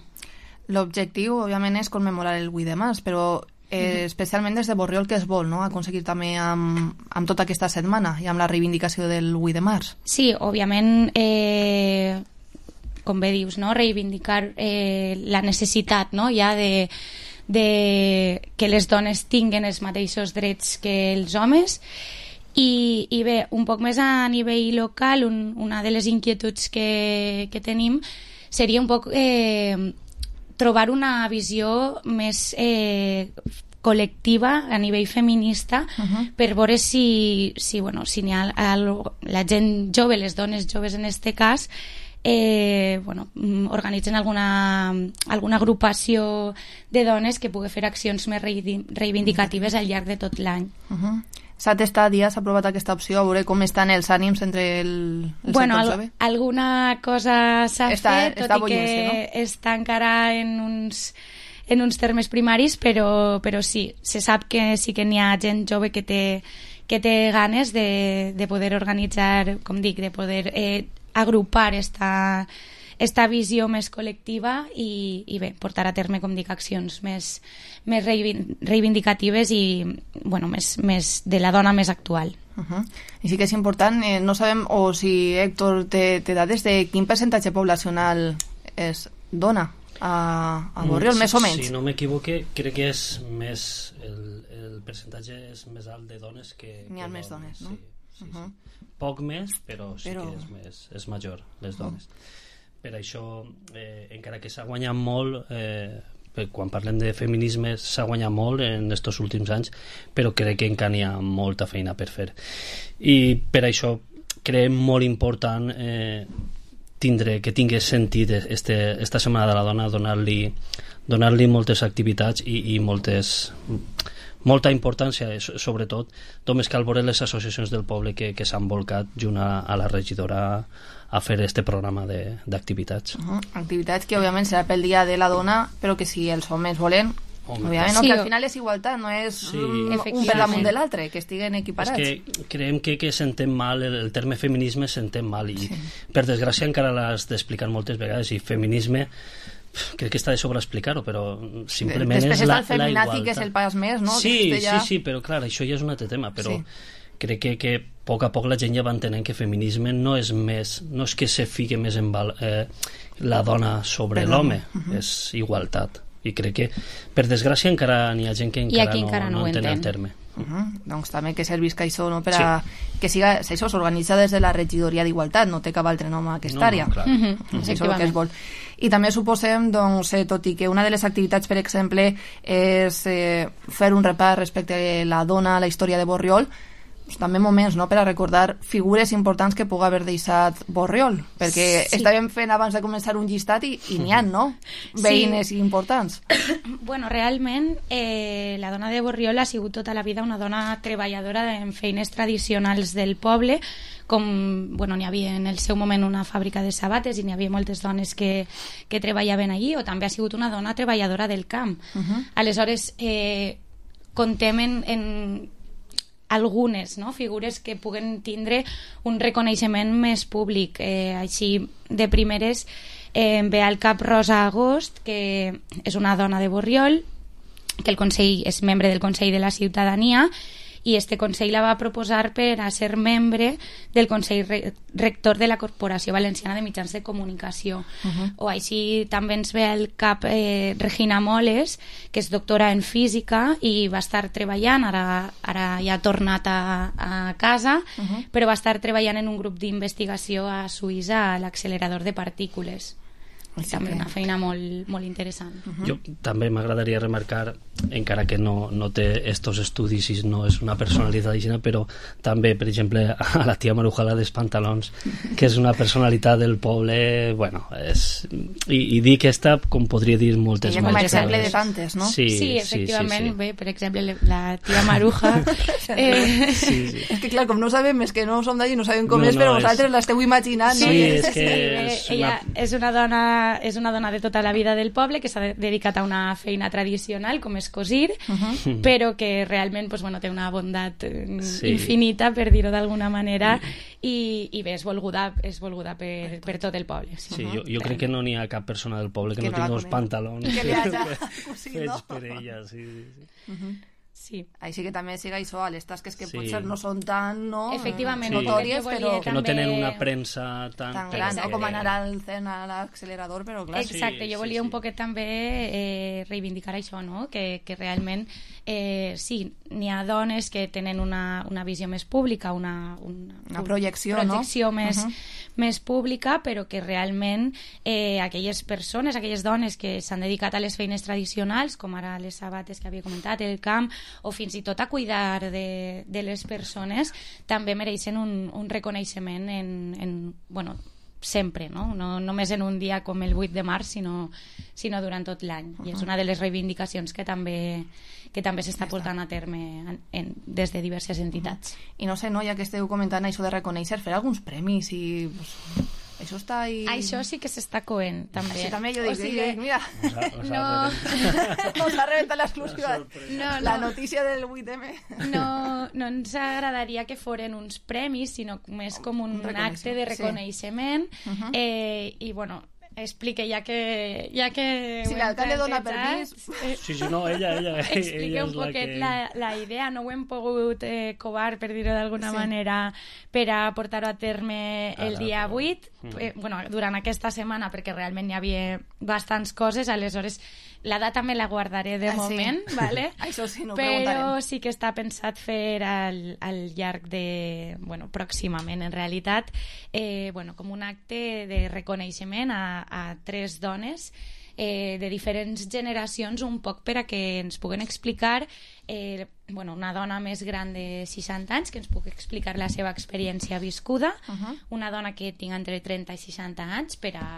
L'objectiu, òbviament, és commemorar el vuit de març, però eh, especialment des de Borriol, que es vol, no?, aconseguir també amb, amb tota aquesta setmana i amb la reivindicació del vuit de març. Sí, òbviament, eh, com bé dius, no?, reivindicar eh, la necessitat, no?, ja de, de que les dones tinguen els mateixos drets que els homes. I, i bé, un poc més a nivell local, un, una de les inquietuds que, que tenim seria un poc eh, trobar una visió més eh, col·lectiva a nivell feminista, uh-huh. per veure si, si, bueno, si n'hi ha a, la gent jove, les dones joves en este cas, eh, bueno, organitzen alguna, alguna agrupació de dones que pugui fer accions més reivindicatives al llarg de tot l'any. Uh-huh. S'ha testat ja, s'ha provat aquesta opció, a veure com estan els ànims entre el, el bueno, sector al, alguna cosa s'ha està, fet, tot està i que no? està encara en uns, en uns termes primaris, però, però sí, se sap que sí que n'hi ha gent jove que té, que té ganes de, de poder organitzar, com dic, de poder eh, agrupar esta, esta visió més col·lectiva i, i bé, portar a terme, com dic, accions més, més reivindicatives i bueno, més, més de la dona més actual. Uh-huh. I sí que és important, eh, no sabem, o si Héctor té, té dades de quin percentatge poblacional és dona a, a Borriol, mm, més o menys. Si no m'equivoque, crec que és més el, el percentatge és més alt de dones que... N'hi ha més dones, no? Sí, sí, uh-huh. sí. Poc més, però sí però... que és, més, és major, les dones. Uh-huh. Per això, eh, encara que s'ha guanyat molt, eh, quan parlem de feminisme s'ha guanyat molt en aquests últims anys, però crec que encara hi ha molta feina per fer. I per això creiem molt important eh, tindre, que tingui sentit este, esta Setmana de la Dona, donar-li donar-li moltes activitats i, i moltes... molta importància, sobretot només cal veure les associacions del poble que, que s'han volcat junt a, a la regidora a fer este programa d'activitats. Uh-huh. Activitats que òbviament serà pel dia de la dona, però que si els homes volen, Home, òbviament, no, sí, que al final és igualtat, no és sí, un per damunt de l'altre, que estiguen equiparats. És que creiem que, que s'entén mal, el, el terme feminisme s'entén mal i sí. Per desgràcia encara l'has d'explicar moltes vegades i feminisme crec que està de sobre explicar-ho, però simplement després és la, el feminazi, que és el pas més, no? Sí, ja... sí, sí, però clar, això ja és un altre tema, però sí. Crec que, que a poc a poc la gent ja va entenent que feminisme no és més, no és que se fique més en val, eh, la dona sobre l'home, uh-huh. És igualtat, i crec que per desgràcia encara n'hi ha gent que encara, no, encara no, no entén entén el terme. Uh-huh. Doncs també que servisca això, no? Per a sí. Que siga, això s'organitza des de la regidoria d'Igualtat, no té cap altre nom a aquesta no, àrea. No, clar. Uh-huh. Uh-huh. És això el que es vol. I també suposem, doncs, eh, tot i que una de les activitats, per exemple, és eh, fer un repàs respecte a la dona, a la història de Borriol, doncs, també moments, no?, per a recordar figures importants que pugui haver deixat Borriol, perquè sí. Estàvem fent abans de començar un llistat i, i n'hi ha, no?, veïnes sí. Importants. Bueno, realment eh, la dona de Borriol ha sigut tota la vida una dona treballadora en feines tradicionals del poble, com, bueno, n'hi havia en el seu moment una fàbrica de sabates i n'hi havia moltes dones que, que treballaven allí, o també ha sigut una dona treballadora del camp. Uh-huh. Aleshores, eh, contem en, en algunes, no?, figures que puguen tindre un reconeixement més públic. Eh, així, de primeres, eh, ve al cap Rosa Agost, que és una dona de Borriol, que el Consell és membre del Consell de la Ciutadania, i este Consell la va proposar per a ser membre del Consell Rector de la Corporació Valenciana de Mitjans de Comunicació. Uh-huh. O així també ens ve al cap eh, Regina Moles, que és doctora en física i va estar treballant, ara, ara ja ha tornat a, a casa, uh-huh. Però va estar treballant en un grup d'investigació a Suïssa a l'accelerador de partícules. Sí, també una feina molt, molt interessant. Uh-huh. Jo també m'agradaria remarcar, encara que no, no té estos estudis i no és una personalitat digna, però també, per exemple, a la tia Marujala dels Pantalons, que és una personalitat del poble, bueno, és... I, i dic aquesta, com podria dir moltes més. Com a exemple de tantes, no? Sí, sí, efectivament, sí, sí, sí. Bé, per exemple, la tia Maruja... eh... sí, sí. És que, clar, com no sabem, és que no som d'allí, no sabem com no, és, no, però és... vosaltres l'esteu imaginant, sí, no? Sí, és que... És una... Ella és una dona és una dona de tota la vida del poble que s'ha dedicat a una feina tradicional com és cosir, uh-huh. Però que realment pues, bueno, té una bondat sí. Infinita, per dir-ho d'alguna manera, i, i bé, és volguda, és volguda per, per tot el poble. Sí, sí, jo, jo crec que no n'hi ha cap persona del poble que, que no, no tingui uns pantalons que li hagi fets no? Per ella, sí, sí, sí. Uh-huh. Sí, així que també siga això a les tasques que sí. Potser no són tan no, efectivament, sí. notòries, però que no tenen una premsa tan, tan gran, no? Com anar al cen a l'accelerador, però clar. Exacte, sí, jo volia sí, un poquet també eh, reivindicar això, no? Que, que realment eh, sí, n'hi ha dones que tenen una, una visió més pública, una, una, una projecció, projecció no? més, uh-huh. més pública, però que realment eh, aquelles persones, aquelles dones que s'han dedicat a les feines tradicionals, com ara les sabates que havia comentat, el camp, o fins i tot a cuidar de, de les persones, també mereixen un, un reconeixement en, en, bueno, sempre, no? no només en un dia com el vuit de març, sinó, sinó durant tot l'any. I és una de les reivindicacions que també, que també s'està portant a terme en, en, des de diverses entitats. I no sé, no, ja que esteu comentant això de reconèixer, fer alguns premis i... Pues, això està ahí... Això sí que s'està coent, també. Sí, també jo dic, o sigui, mira, no... nos ha reventat l'exclusiva, no, no. la notícia del vuit eme. No, no ens agradaria que foren uns premis, sinó més com un, un acte de reconeixement. Sí. Uh-huh. eh, I, bueno, explique, ja que... Ja que si l'alcalde dona permís... Eh, sí, sí, no, ella, ella. Explique ella un poquet que... la, la idea. No ho hem pogut eh, covar, per dir-ho d'alguna sí. manera, per a portar-ho a terme el Ara, dia però... vuit. Mm. Eh, bueno, durant aquesta setmana, perquè realment hi havia bastants coses, aleshores la data me la guardaré de ah, moment, sí. ¿vale? Això sí, no però sí que està pensat fer al, al llarg de... Bueno, pròximament, en realitat, eh, bueno, com un acte de reconeixement a, a tres dones eh, de diferents generacions, un poc per a que ens puguen explicar eh, bueno, una dona més gran de seixanta anys que ens pugui explicar la seva experiència viscuda, uh-huh. una dona que tinga entre trenta i seixanta anys per a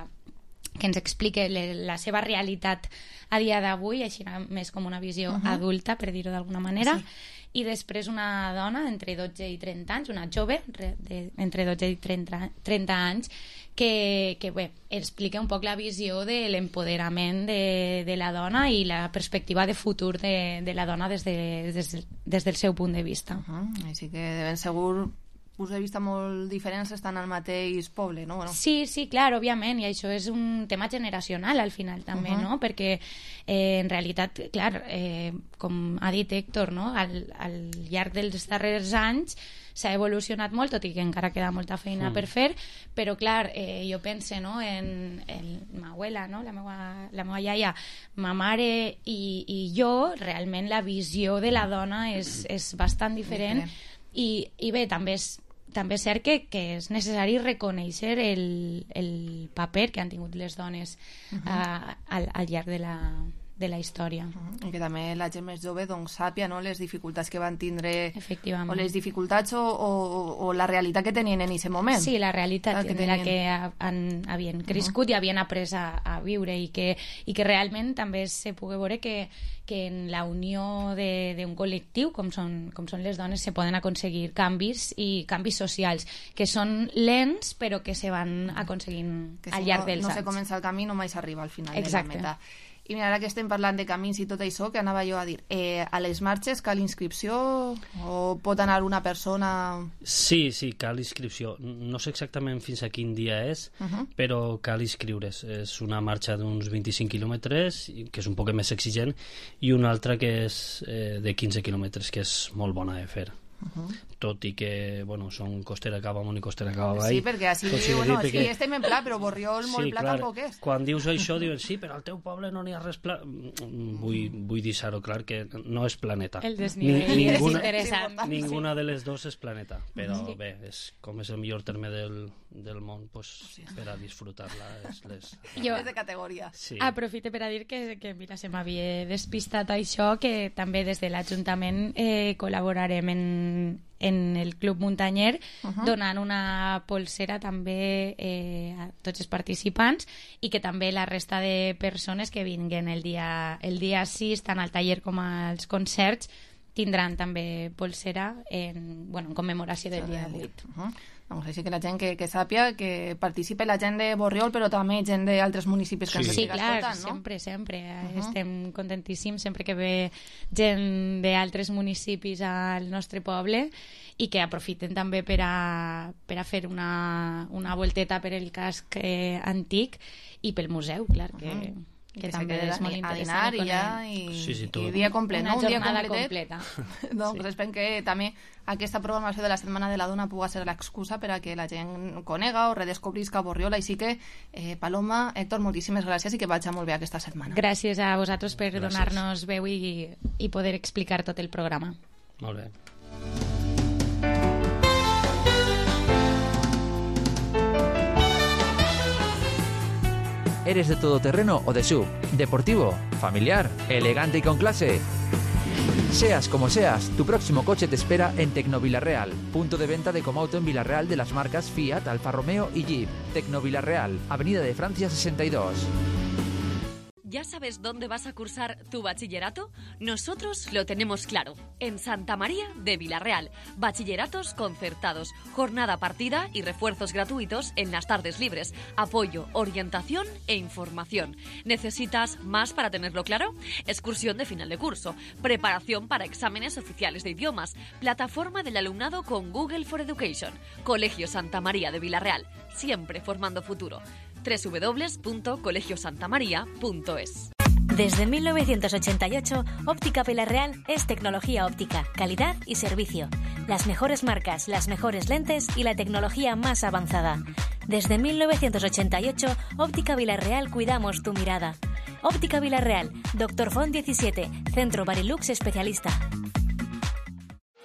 que ens explique le, la seva realitat a dia d'avui, així més com una visió uh-huh. adulta, per dir-ho d'alguna manera, sí. i després una dona entre dotze i trenta anys, una jove de, entre dotze i trenta, trenta anys, que, que bé, explica un poc la visió de l'empoderament de, de la dona i la perspectiva de futur de, de la dona des, de, des, des del seu punt de vista. Uh-huh. Així que de ben segur punts de vista molt diferents estan al mateix poble, no? Bueno. Sí, sí, clar, òbviament, i això és un tema generacional al final també, uh-huh. no? Perquè eh, en realitat, clar, eh, com ha dit Héctor, no? Al, al llarg dels darrers anys s'ha evolucionat molt, tot i que encara queda molta feina mm. per fer, però clar, eh, jo pense no, en, en ma abuela, no? la, meva, la meva iaia, ma mare i, i jo, realment la visió de la dona és, és bastant diferent, diferent. I, i bé, també és també és cert que, que és necessari reconèixer el, el paper que han tingut les dones uh-huh. a, al, al llarg de la, de la història. Uh-huh. I que també la gent més jove doncs, sàpia no, les dificultats que van tindre efectivament. O les dificultats o, o, o la realitat que tenien en aquest moment. Sí, la realitat que de la que han, havien crescut uh-huh. i havien après a, a viure i que, i que realment també se pugui veure que que en la unió d'un col·lectiu com són, com són les dones se poden aconseguir canvis i canvis socials que són lents però que se van aconseguint que si al llarg no, dels no anys. No se comença el camí, no mai s'arriba al final Exacte. de la meta. I mira, ara que estem parlant de camins i tot això, que anava jo a dir, eh, a les marxes cal inscripció o pot anar una persona... Sí, sí, cal inscripció. No sé exactament fins a quin dia és, uh-huh. però cal inscriure's. És una marxa d'uns vint-i-cinc quilòmetres, que és un poc més exigent, i una altra que és eh, de quinze quilòmetres, que és molt bona de fer. Uh-huh. Tot i que, bueno, són Costera Cava amunt i Costera Cava avall. Sí, perquè així, bueno, sí, perquè... estem en pla, però Borriol molt sí, pla clar, tampoc és. Quan dius això, diuen, sí, però al teu poble no n'hi ha res pla... Vull, vull deixar-ho clar que no és planeta. El desnivell Ni, és ninguna, interessant. Ninguna de les dues és planeta, però sí. bé, és, com és el millor terme del, del món, pues, sí. per a disfrutar-la és les... Jo és de categoria. Sí. Aprofite per a dir que, que mira, se m'havia despistat això, que també des de l'Ajuntament eh, col·laborarem en en el Club Muntanyer, uh-huh. donant una polsera també eh, a tots els participants i que també la resta de persones que vinguen el dia, el dia sis, tant al taller com als concerts, tindran també polsera en, bueno, en commemoració del dia vuit. Uh-huh. Doncs així que la gent que, que sàpia que participe la gent de Borriol, però també gent d'altres municipis que sí. ens sí, estiga clar, escoltant, no? sempre, sempre. Uh-huh. Estem contentíssims sempre que ve gent d'altres municipis al nostre poble i que aprofiten també per a, per a fer una, una volteta per el casc eh, antic i pel museu, clar, que... Uh-huh. que, que també és molt interessant a dinar i ja i, sí, sí, i dia complet, una no? Un dia jornada completet. completa doncs sí. Esperem que també aquesta programació de la Setmana de la Dona pugui ser l'excusa per a que la gent conega o redescobrisca Borriol, així que eh, Paloma, Héctor, moltíssimes gràcies i que vagi molt bé aquesta setmana. Gràcies a vosaltres per gràcies. donar-nos veu i, i poder explicar tot el programa. Molt bé. ¿Eres de todoterreno o de sub? ¿Deportivo? ¿Familiar? ¿Elegante y con clase? Seas como seas, tu próximo coche te espera en Tecnovilarreal, punto de venta de Comauto en Villarreal de las marcas Fiat, Alfa Romeo y Jeep. Tecnovilarreal, Avenida de Francia sesenta y dos. ¿Ya sabes dónde vas a cursar tu bachillerato? Nosotros lo tenemos claro. En Santa María de Villarreal. Bachilleratos concertados, jornada partida y refuerzos gratuitos en las tardes libres. Apoyo, orientación e información. ¿Necesitas más para tenerlo claro? Excursión de final de curso. Preparación para exámenes oficiales de idiomas. Plataforma del alumnado con Google for Education. Colegio Santa María de Villarreal. Siempre formando futuro. doble u doble u doble u punto colegio santa maría punto es. Desde mil novecientos ochenta y ocho, Óptica Villarreal es tecnología óptica, calidad y servicio. Las mejores marcas, las mejores lentes y la tecnología más avanzada. Desde mil novecientos ochenta y ocho, Óptica Villarreal cuidamos tu mirada. Óptica Villarreal, Doctor Font diecisiete, Centro Barilux especialista.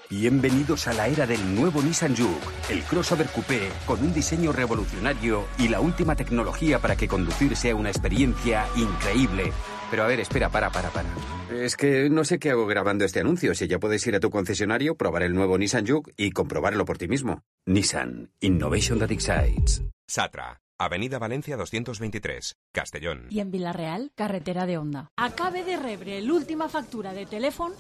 Bienvenidos a la era del nuevo Nissan Juke, el crossover coupé con un diseño revolucionario y la última tecnología para que conducir sea una experiencia increíble. Pero a ver, espera, para, para, para. Es que no sé qué hago grabando este anuncio. Si ya puedes ir a tu concesionario, probar el nuevo Nissan Juke y comprobarlo por ti mismo. Nissan, Innovation that excites. Satra, Avenida Valencia doscientos veintitrés, Castellón. I en Vila-real, carretera de Onda. Acabe de rebre l'última factura de telèfon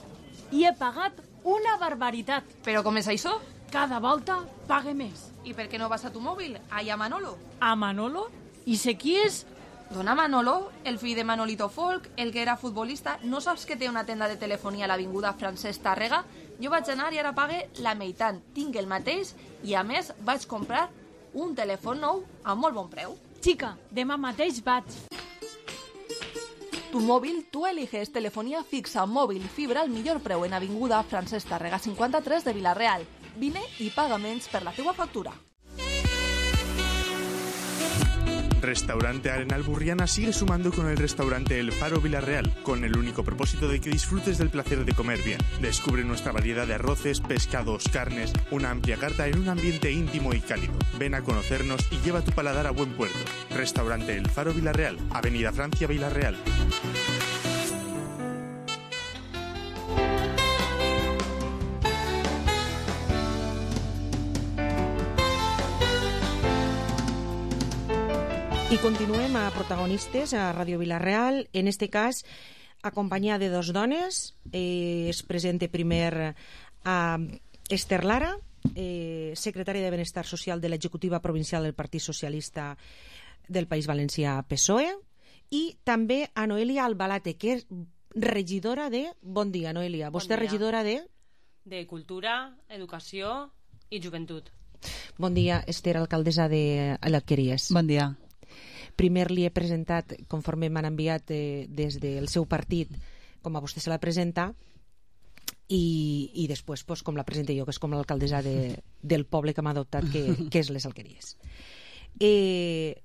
i he pagat una barbaritat. Però com és això? Cada volta pague més. I per què no vas a tu mòbil? Allà a Manolo. A Manolo? I sé qui és? Dona Manolo, el fill de Manolito Folk, el que era futbolista. No saps que té una tenda de telefonia a l'avinguda Francesc Tàrrega? Jo vaig anar i ara pague la meitat. Tinc el mateix i, a més, vaig comprar un telèfon nou a molt bon preu. Xica, demà mateix vaig. Tu móvil, tú eliges telefonía fixa, móvil, fibra al millor preu en avinguda Francesc Tàrrega cinquanta-tres de Vila-real. Vine i paga menys per la teua factura. Restaurante Arenal Burriana sigue sumando con el restaurante El Faro Villarreal, con el único propósito de que disfrutes del placer de comer bien. Descubre nuestra variedad de arroces, pescados, carnes, una amplia carta en un ambiente íntimo y cálido. Ven a conocernos y lleva tu paladar a buen puerto. Restaurante El Faro Villarreal, Avenida Francia Villarreal. I continuem a protagonistes a Ràdio Vila-real, en este cas acompanyada de dos dones. Eh, es presenta primer a Esther Lara, eh, secretària de Benestar Social de l'Executiva Provincial del Partit Socialista del País Valencià P S O E, i també a Noelia Albalate, que és regidora de... Bon dia, Noelia. Vostè és regidora de... De Cultura, Educació i Joventut. Bon dia, Esther, alcaldessa de l'Alqueries. Bon dia. Primer li he presentat, conforme m'han enviat eh, des del seu partit, com a vostè se la presenta, i, i després pues, com la presento jo, que és com l'alcaldessa de, del poble que m'ha adoptat, que, que és les Alqueries. Eh,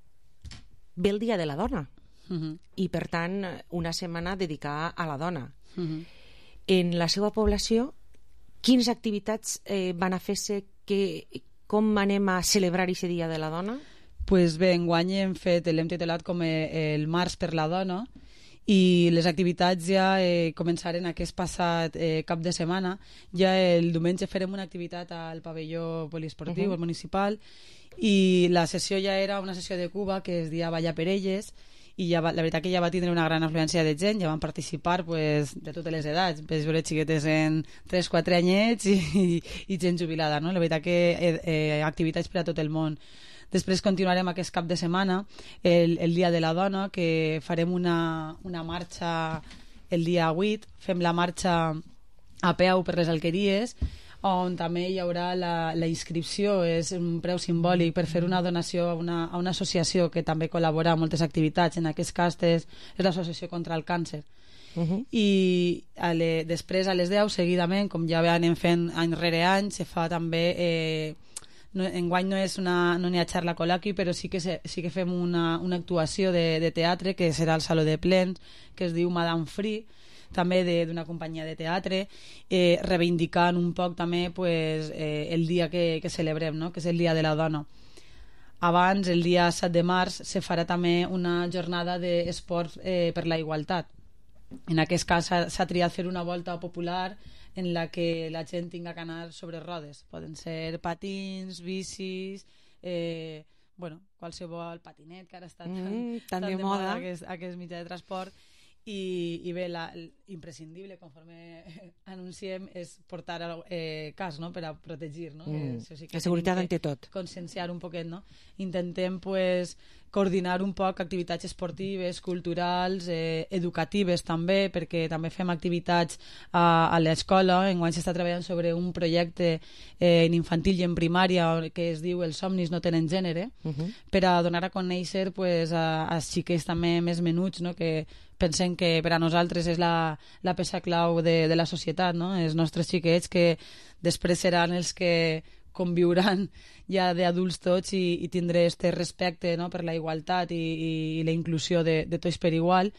ve el Dia de la Dona, uh-huh. i per tant una setmana dedicada a la dona. Uh-huh. En la seva població, quines activitats eh, van a fer-se, que, com anem a celebrar aquest Dia de la Dona? Pues bé, enguany hem fet, l'hem titulat com el Març per la Dona, i les activitats ja eh, començaren aquest passat eh, cap de setmana. Ja el diumenge farem una activitat al pavelló poliesportiu, uh-huh. al municipal, i la sessió ja era una sessió de Cuba que es deia Ballar per elles, i ja va, la veritat que ja va tindre una gran afluència de gent, ja van participar pues, de totes les edats, ves veure xiquetes en tres quatre anyets i, i, i gent jubilada, no? La veritat que eh, eh, activitats per a tot el món. Després continuarem aquest cap de setmana, el, el Dia de la Dona, que farem una, una marxa el dia vuit, fem la marxa a peu per les Alqueries, on també hi haurà la, la inscripció, és un preu simbòlic per fer una donació a una, a una associació que també col·labora en moltes activitats, en aquest cas és, és l'Associació contra el Càncer. Uh-huh. I a le, després a les deu, seguidament, com ja anem fent any rere any, se fa també... Eh, No, enguany no és una, no n'hi ha xarla col·loqui, però sí que, se, sí que fem una, una actuació de, de teatre que serà al Saló de Plens, que es diu Madame Free, també d'una companyia de teatre, eh, reivindicant un poc també pues, eh, el dia que, que celebrem, no? Que és el Dia de la Dona. Abans, el dia set de març, se farà també una jornada d'esports eh, per la igualtat. En aquest cas s'ha triat fer una volta popular en la que la gent tinga que anar sobre rodes. Poden ser patins, bicis, eh, bueno, qualsevol patinet, que ara està tan, mm, tan tan de, de moda, moda aquest, aquest mitjà de transport. I, i bé, la, imprescindible, conforme anunciem, és portar eh, cas, no?, per a protegir, no? Mm. Això sí que la seguretat tenim que ante tot. conscienciar un poquet, no? Intentem, pues, coordinar un poc activitats esportives, culturals, eh, educatives també, perquè també fem activitats a, a l'escola. Enguany s'està treballant sobre un projecte eh, en infantil i en primària que es diu Els somnis no tenen gènere, Uh -huh. per a donar a conèixer, pues, a, a xiquets també més menuts, no?, que pensem que per a nosaltres és la, la peça clau de, de la societat, no?, els nostres xiquets, que després seran els que conviuran ja d'adults tots i, i tindré este respecte, no?, per la igualtat i, i, i la inclusió de, de tots per igual,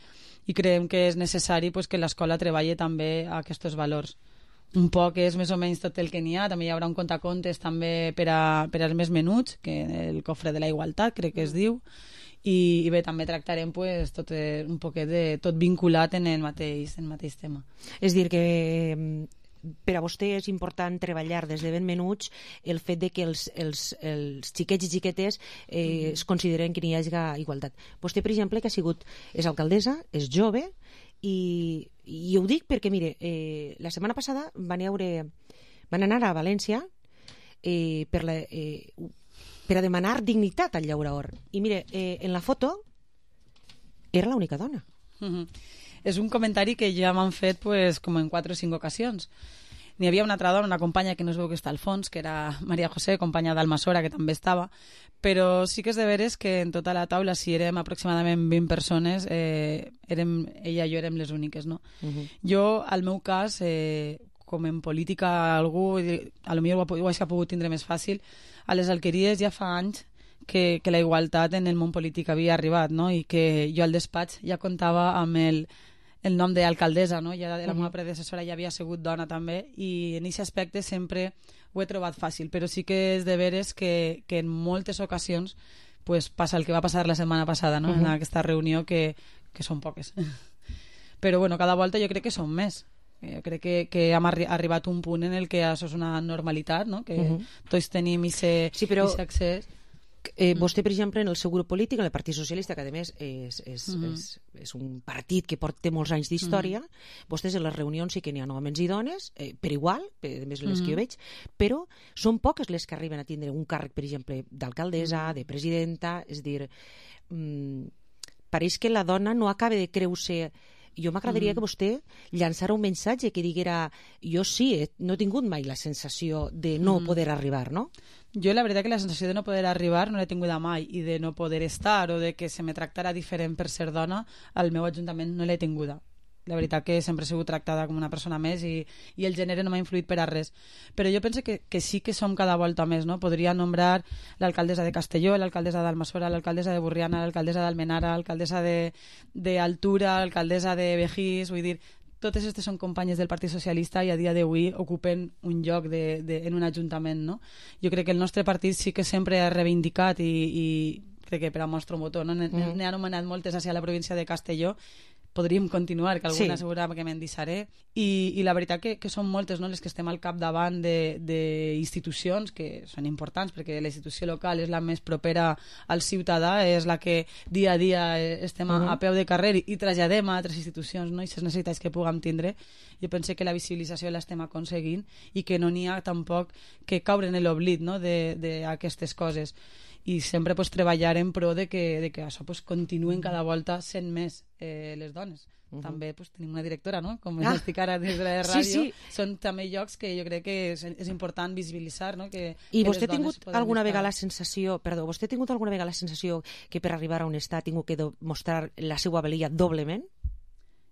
i creiem que és necessari, pues, que l'escola treballi també a aquests valors. Un poc és més o menys tot el que n'hi ha. També hi haurà un contacontes també per, a, per als més menuts, que el cofre de la igualtat crec que es diu, i, i bé, també tractarem, pues, tot, eh, un poquet de tot vinculat en el mateix, en el mateix tema. És dir que per a vostè és important treballar des de ben menuts el fet de que els, els, els xiquets i xiquetes eh, mm. es consideren que n'hi hagi igualtat. Vostè, per exemple, que ha sigut, és alcaldessa, és jove, i, i ho dic perquè, mire, eh, la setmana passada van, haure, van anar a València eh, per, la, eh, per a demanar dignitat al llaurador. I mire, eh, en la foto era l'única dona. Mm-hmm. És un comentari que ja m'han fet, pues, com en quatre o cinc ocasions. N'hi havia una altra dona, una companya que no es veu que està al fons, que era Maria José, companya d'Almassora, que també estava, però sí que és de veres que en tota la taula, si érem aproximadament vint persones, eh, érem, ella i jo érem les úniques, no? Uh-huh. Jo, al meu cas, eh, com en política algú, a lo millor ho, ho hagi pogut tindre més fàcil, a les alqueries ja fa anys que, que la igualtat en el món polític havia arribat, no? I que jo al despatx ja comptava amb el el nom d'alcaldessa, no? Ja la meva predecessora ja havia sigut dona també, i en aquest aspecte sempre ho he trobat fàcil, però sí que és de veres que, que en moltes ocasions pues, passa el que va passar la setmana passada, no? Uh-huh. En aquesta reunió, que, que són poques. Però bueno, cada volta jo crec que són més. Jo crec que, que hem arri arribat a un punt en el que això és una normalitat, no? Que uh-huh. tots tenim aquest sí, però... accés. Eh, vostè, per exemple, en el seu grup polític, en el Partit Socialista, que a més és, és, Mm-hmm. és, és un partit que porta molts anys d'història, Mm-hmm. vostès en les reunions sí que n'hi ha homes i dones, eh, per igual, per, a més les que jo Mm-hmm. veig, però són poques les que arriben a tindre un càrrec, per exemple, d'alcaldessa, de presidenta, és dir, mm, pareix que la dona no acaba de creure. Jo m'agradaria Mm. que vostè llançara un missatge que diguera, jo sí, eh, no he tingut mai la sensació de no Mm. poder arribar, no? Jo la veritat que la sensació de no poder arribar no l'he tinguda mai, i de no poder estar o de que se me tractara diferent per ser dona al meu ajuntament no l'he tinguda. La veritat que sempre he sigut tractada com una persona més, i, i el gènere no m'ha influït per a res. Però jo penso que, que sí que som cada volta més, no? Podria nombrar l'alcaldessa de Castelló, l'alcaldessa d'Almassora, l'alcaldessa de Burriana, l'alcaldessa d'Almenara, l'alcaldessa d'Altura, l'alcaldessa de Begís, vull dir, totes aquestes són companyes del Partit Socialista i a dia d'avui ocupen un lloc de, de, en un ajuntament, no? Jo crec que el nostre partit sí que sempre ha reivindicat, i, i crec que per a mostrar un botó, no? N'he Mm. anomenat moltes moltes hacia la província de Castelló. Podríem continuar, que alguna Sí. segurament que me'n deixaré, i, i la veritat que, que són moltes, no?, les que estem al capdavant d'institucions que són importants, perquè la institució local és la més propera al ciutadà, és la que dia a dia estem a, Mhm. a peu de carrer i traslladem a altres institucions, no?, i les necessitats que puguem tindre. Jo penso que la visibilització l'estem aconseguint, i que no n'hi ha tampoc que caure en l'oblit, no?, d'aquestes coses, i sempre pues, treballar en pro de que, de que això pues, continuïn cada volta sent més eh, les dones. Uh -huh. També pues, tenim una directora, no?, com ah. estic ara des de la ràdio. Sí, sí. Són també llocs que jo crec que és, és important visibilitzar, no? Que, I que vostè ha tingut alguna estar... vegada la sensació, perdó, vostè ha tingut alguna vegada la sensació que per arribar a on està ha tingut que mostrar la seva valia doblement?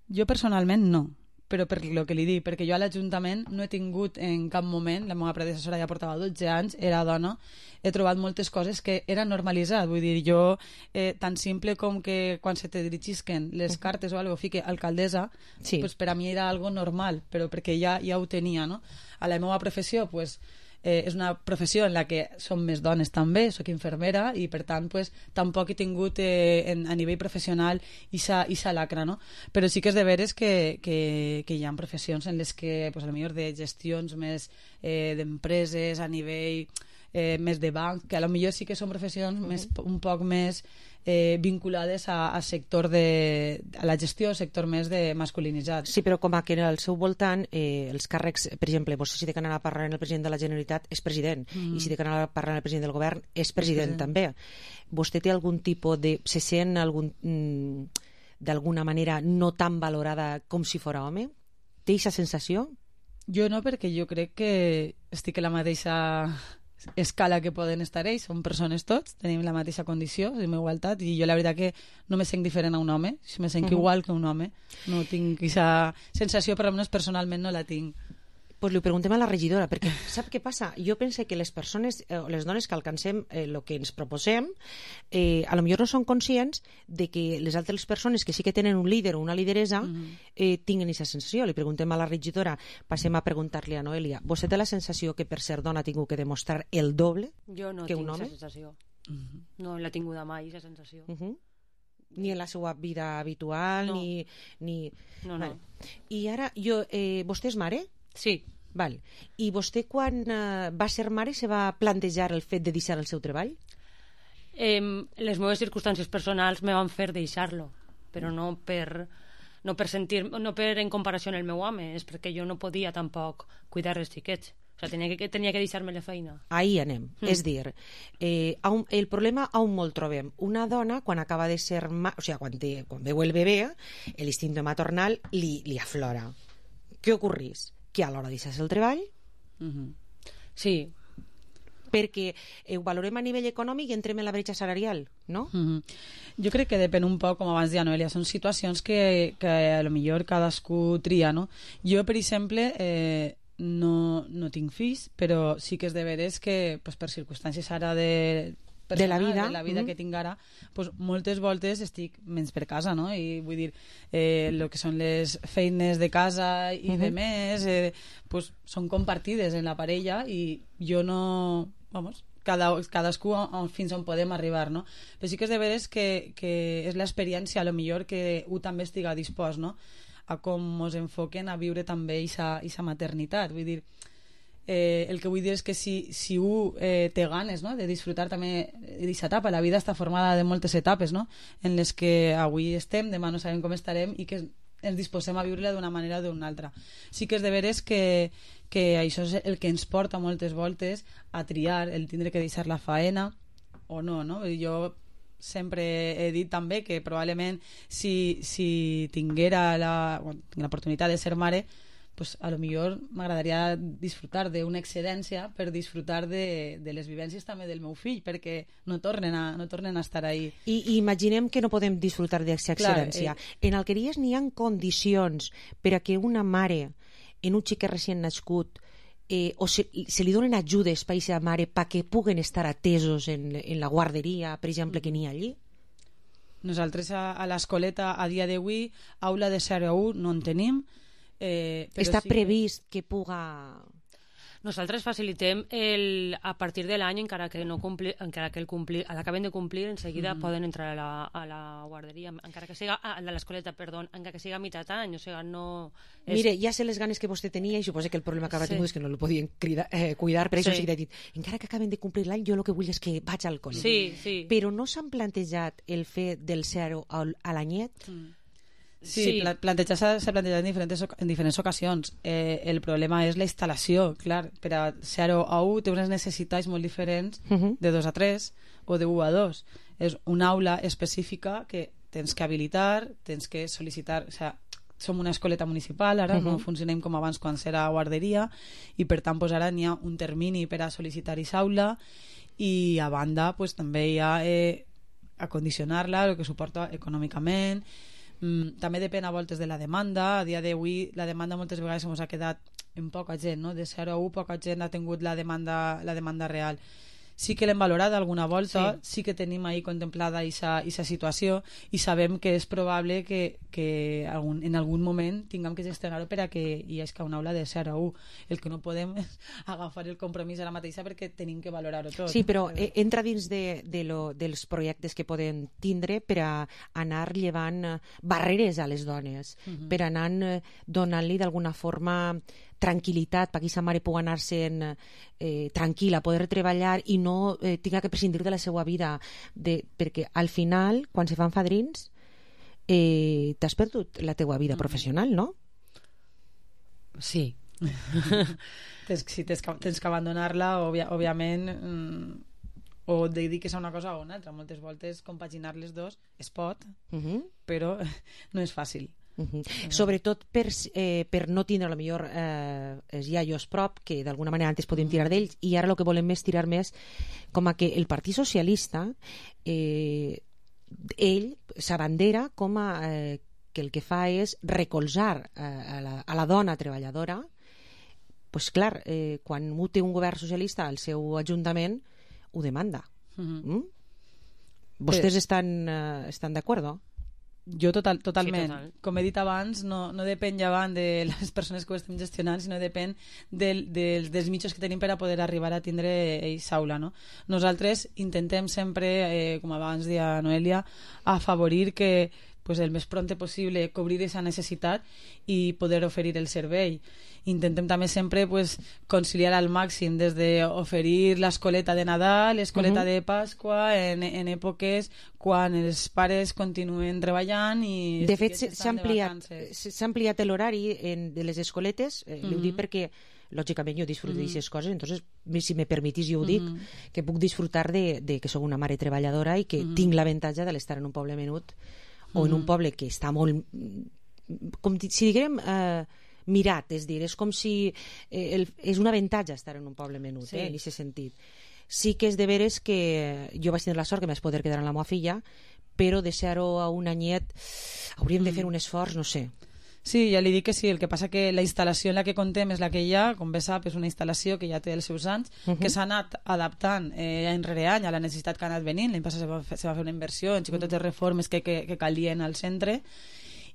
Jo personalment no, però per lo que li dic, perquè jo a l'Ajuntament no he tingut en cap moment, la meva predecessora ja portava dotze anys, era dona, he trobat moltes coses que era normalitzat, vull dir, jo, eh, tan simple com que quan se te dirigisquen les cartes o algo, fique alcaldessa, sí. Pues per a mi era algo normal, però perquè ja, ja ho tenia, no? A la meva professió, pues, eh, és una professió en la que som més dones també, soc infermera i per tant pues, tampoc he tingut eh, en, a nivell professional ixa, ixa lacra, no? Però sí que és de veres que, que, que hi ha professions en les que pues, a lo millor de gestions més eh, d'empreses a nivell eh, més de banc, que a lo millor sí que són professions uh-huh. més, un poc més Eh, vinculades a, a sector de a la gestió, sector més de masculinitzat. Sí, però com a que al seu voltant eh, els càrrecs, per exemple, vostè si té que anar a parlar amb el president de la Generalitat és president, mm. i si té que anar a parlar amb el president del govern és president, president. també. Vostè té algun tipus de... se sent algun, mm, d'alguna manera no tan valorada com si fora home? Té aquesta sensació? Jo no, perquè jo crec que estic a la mateixa escala que poden estar ells, som persones tots, tenim la mateixa condició, tenim igualtat, i jo la veritat que no me sent diferent a un home, me sent uh-huh. igual que un home, no tinc aquesta sensació, per almenys personalment no la tinc. Pues li ho preguntem a la regidora, perquè sap què passa? Jo penso que les persones, eh, les dones que alcancem el eh, que ens proposem, eh, a lo millor no són conscients de que les altres persones que sí que tenen un líder o una lideresa uh-huh. eh, tinguen aquesta sensació. Li preguntem a la regidora, passem a preguntar-li a Noelia, vostè té la sensació que per ser dona ha tingut que demostrar el doble jo no que un tinc home? aquesta sensació. Uh-huh. No l'he tinguda mai, aquesta sensació. Uh-huh. Ni en la seva vida habitual, no. ni... ni... No, no. Vale. I ara, jo, eh, vostè és mare? Sí. Val. I vostè quan eh, va ser mare se va plantejar el fet de deixar el seu treball? Eh, les meves circumstàncies personals me van fer deixar-lo, però no per, no per sentir, no per en comparació amb el meu home, és perquè jo no podia tampoc cuidar els xiquets. O sigui, tenia que, tenia que deixar-me la feina. Ahí anem. Mm. És dir, eh, un, el problema on molt trobem. Una dona, quan acaba de ser... Ma... O sigui, quan, té, quan veu el bebè, l'instinto maternal li, li aflora. Què ocorrís? Que a l'hora de deixar el treball uh-huh. sí, perquè eh, ho valorem a nivell econòmic i entrem en la bretxa salarial, no? Uh-huh. Jo crec que depèn un poc, com abans deia Noelia, són situacions que, que a lo millor cadascú tria, no? Jo, per exemple, eh, no, no tinc fills, però sí que és de veres que pues, per circumstàncies ara de de la vida, de la vida mm. que tinc ara, pues, moltes voltes estic menys per casa, no? I vull dir, eh, el que són les feines de casa i mm-hmm. de més, eh, pues, són compartides en la parella i jo no... Vamos, cada, cadascú fins on podem arribar, no? Però sí que és de veres que, que és l'experiència, a lo millor que un també estiga dispost, no? A com ens enfoquen a viure també aquesta maternitat, vull dir... Eh, el que vull dir és que si, si un eh, té ganes, no?, de disfrutar també d'aquesta etapa, la vida està formada de moltes etapes, no?, en les que avui estem, demà no sabem com estarem i que ens disposem a viure-la d'una manera o d'una altra. Sí que és de veres que, que això és el que ens porta moltes voltes a triar, el tindre que deixar la faena o no, no? Jo sempre he dit també que probablement si, si tinguera la, bueno, l'oportunitat de ser mare, pues a lo millor m'agradaria disfrutar d'una excedència per disfrutar de, de les vivències també del meu fill, perquè no tornen a, no tornen a estar ahí. I, i imaginem que no podem disfrutar d'aquesta excedència. Eh... En Alqueries n'hi ha condicions per a que una mare en un xiquet recient nascut eh, o se, se li donen ajudes per a aquesta mare perquè puguen estar atesos en, en la guarderia, per exemple, que n'hi ha allí? Nosaltres a, a l'escoleta a dia d'avui aula de zero a u no en tenim. Eh, Està sí previst que puga... Nosaltres facilitem el, a partir de l'any, encara que no compli, encara que el complir, l'acaben de complir, en seguida mm. poden entrar a la, a la guarderia, encara que siga a de l'escoleta, perdó, encara que siga a mitjà any, o sigui, no... És... Mire, ja sé les ganes que vostè tenia i suposo que el problema que va sí. tingut és que no el podien cridar, eh, cuidar, per això sí. sí que he dit, encara que acaben de complir l'any, jo el que vull és que vaig al col·le. Sí, sí. Però no s'han plantejat el fet del zero a l'anyet? Mm. Sí, sí. plantejar s'ha plantejat en diferents, en diferents ocasions. Eh, el problema és la instal·lació, clar, per a zero a u té unes necessitats molt diferents uh-huh. de dos a tres o de u a dos. És una aula específica que tens que habilitar, tens que sol·licitar, o sigui, som una escoleta municipal, ara uh-huh. no funcionem com abans quan era guarderia i per tant pues, ara n'hi ha un termini per a sol·licitar aquesta aula i a banda pues, també hi ha eh, acondicionar-la, el que suporta econòmicament. Mm, també depèn a voltes de la demanda. A dia d'avui la demanda moltes vegades ens ha quedat en poca gent, no? De zero a u poca gent ha tingut la demanda, la demanda real. sí que l'hem valorat alguna volta, Sí. sí que tenim ahí contemplada aquesta situació i sabem que és probable que, que algun, en algun moment tinguem que gestionar-ho per a que hi hagi una aula de zero a u. El que no podem és agafar el compromís a la mateixa perquè tenim que valorar-ho tot. Sí, però eh, entra dins de, de lo, dels projectes que poden tindre per a anar llevant eh, barreres a les dones, Mhm. per anar eh, donant-li d'alguna forma tranquil·litat perquè sa mare pugui anar-se'n eh, tranquil·la, poder treballar i no eh, tinga que prescindir de la seva vida, de, perquè al final, quan se fan fadrins, eh, t'has perdut la teua vida professional, no? Sí. tens, si tens que, tens que abandonar-la, òbvia, òbviament, mm, o et dediques a una cosa o una altra. Moltes voltes compaginar les dos es pot, Mhm. però no és fàcil. Uh -huh. Sobretot per, eh, per no tindre a lo millor eh, els iaios prop, que d'alguna manera antes podíem tirar d'ells, i ara el que volem és tirar més com a que el Partit Socialista eh, ell s'abandera com a eh, que el que fa és recolzar eh, a, la, a la dona treballadora. Pues clar, eh, quan ho té un govern socialista al seu ajuntament ho demanda. Mhm. Mm? Vostès estan, eh, estan d'acord? Jo total, totalment. Sí, total. Com he dit abans, no, no depèn llevant de les persones que ho estem gestionant, sinó depèn del, del, dels mitjans que tenim per a poder arribar a tindre aquesta aula. No? Nosaltres intentem sempre, eh, com abans deia Noelia, afavorir que pues, el més prompte possible cobrir aquesta necessitat i poder oferir el servei. Intentem també sempre pues, conciliar al màxim des d'oferir l'escoleta de Nadal, l'escoleta Mhm. de Pasqua en, en èpoques quan els pares continuen treballant i De fet, els s'ha xiquets estan de ampliat, vacances. s'ha ampliat l'horari en- de les escoletes, eh, li ho Mhm. dic perquè lògicament jo disfruto Mhm. d'aquestes coses, entonces si me permitís jo ho dic, Mhm. que puc disfrutar de, de que sóc una mare treballadora i que Mhm. tinc l'avantatge de l'estar en un poble menut o en un Mhm. poble que està molt, com di- si diguem eh, mirat, és dir, és com si eh, el, és un avantatge estar en un poble menut, Sí. eh, en aquest sentit. Sí que és de veres que jo vaig tenir la sort que m'haig poder quedar amb la meva filla, però deixar-ho a un anyet hauríem de fer un esforç, no sé. Sí, ja li dic que sí, el que passa que la instal·lació en la que contem és la que hi ha, com bé sap, és una instal·lació que ja té els seus anys, Mhm. que s'ha anat adaptant eh, any rere any a la necessitat que ha anat venint. L'any passat se va fer, se va fer una inversió en xicotetes reformes que, que, que calien al centre,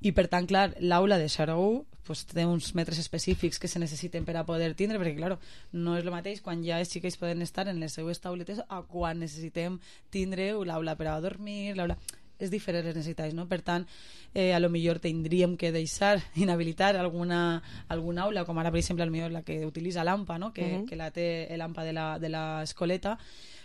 i per tant, clar, l'aula de zero a u pues, té uns metres específics que se necessiten per a poder tindre, perquè clar, no és el mateix quan ja els xiquets poden estar en les seues tauletes a quan necessitem tindre l'aula per a dormir, l'aula... és diferent les necessitats, no? Per tant, eh, a lo millor tindríem que deixar, inhabilitar alguna, alguna aula, com ara, per exemple, a lo millor la que utilitza l'AMPA, no? que, Mhm. que la té l'AMPA de la, de l'escoleta,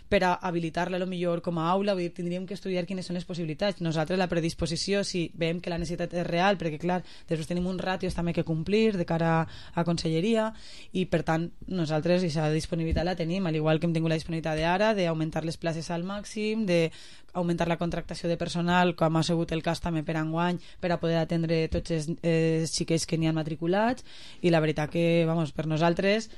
per a habilitar-la a lo millor com a aula, vull dir, tindríem que estudiar quines són les possibilitats. Nosaltres la predisposició, si veiem que la necessitat és real, perquè clar, després tenim uns ràtios també que complir de cara a, a conselleria, i per tant nosaltres aquesta disponibilitat la tenim, al igual que hem tingut la disponibilitat d'ara, d'augmentar les places al màxim, d'augmentar la contractació de personal, com ha sigut el cas també per enguany, per a poder atendre tots els eh, xiquets que n'hi han matriculats, i la veritat que, vamos, per nosaltres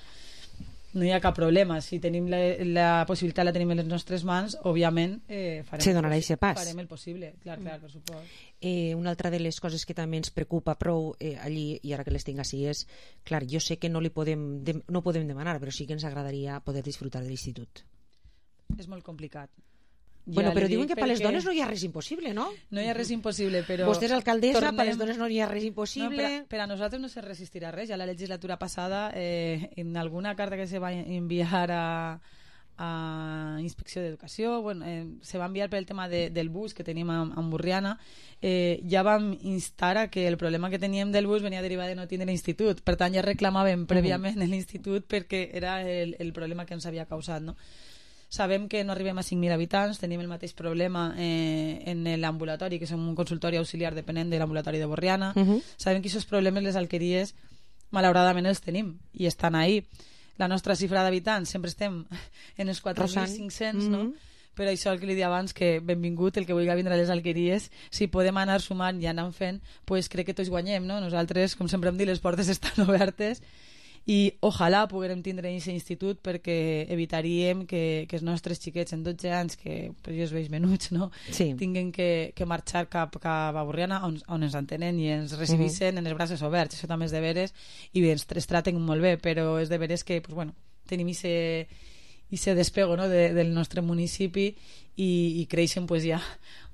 no hi ha cap problema. Si tenim la, la possibilitat, la tenim en les nostres mans, òbviament eh, farem, Se el donarà possi- eixe pas. farem el possible, clar, clar, per supost. Eh, una altra de les coses que també ens preocupa prou eh, allí, i ara que les tinc així, és, clar, jo sé que no li podem, de, no podem demanar, però sí que ens agradaria poder disfrutar de l'institut. És molt complicat. Bueno, Ja però li diuen dic que per les perquè dones no hi ha res impossible, no? No hi ha res impossible, però... Vostè és alcaldessa, tornem- per les dones no hi ha res impossible. No, per, a, per a nosaltres no se resistirà res. Ja la legislatura passada, eh, en alguna carta que se va enviar a, a Inspecció d'Educació, bueno, eh, se va enviar per el tema de, del bus que tenim a, a Burriana, eh, ja vam instar a que el problema que teníem del bus venia derivat de no tindre institut. Per tant, ja reclamàvem prèviament uh-huh. l'institut perquè era el, el problema que ens havia causat, no? Sabem que no arribem a cinc mil habitants, tenim el mateix problema eh, en l'ambulatori, que som un consultori auxiliar depenent de l'ambulatori de Borriana. Mhm. Sabem que aquests problemes les alqueries malauradament els tenim i estan ahí. La nostra xifra d'habitants sempre estem en els quatre mil cinc-cents, no? Mhm. Però això el que li dia abans, que benvingut el que vulgui vindre a les alqueries, si podem anar sumant i anar fent, pues crec que tots guanyem, no? Nosaltres, com sempre hem dit, les portes estan obertes i ojalà poguérem tindre aquest institut perquè evitaríem que, que els nostres xiquets en dotze anys, que per jo es veig menuts, no? Sí. Tinguin que, que marxar cap, cap a Borriana on, on ens entenen i ens recibissin uh -huh. en els braços oberts. Això també és de veres i bé, ens, ens traten molt bé, però és de veres que pues, bueno, tenim ese i se despego, no? de, del nostre municipi i, i creixen pues, ja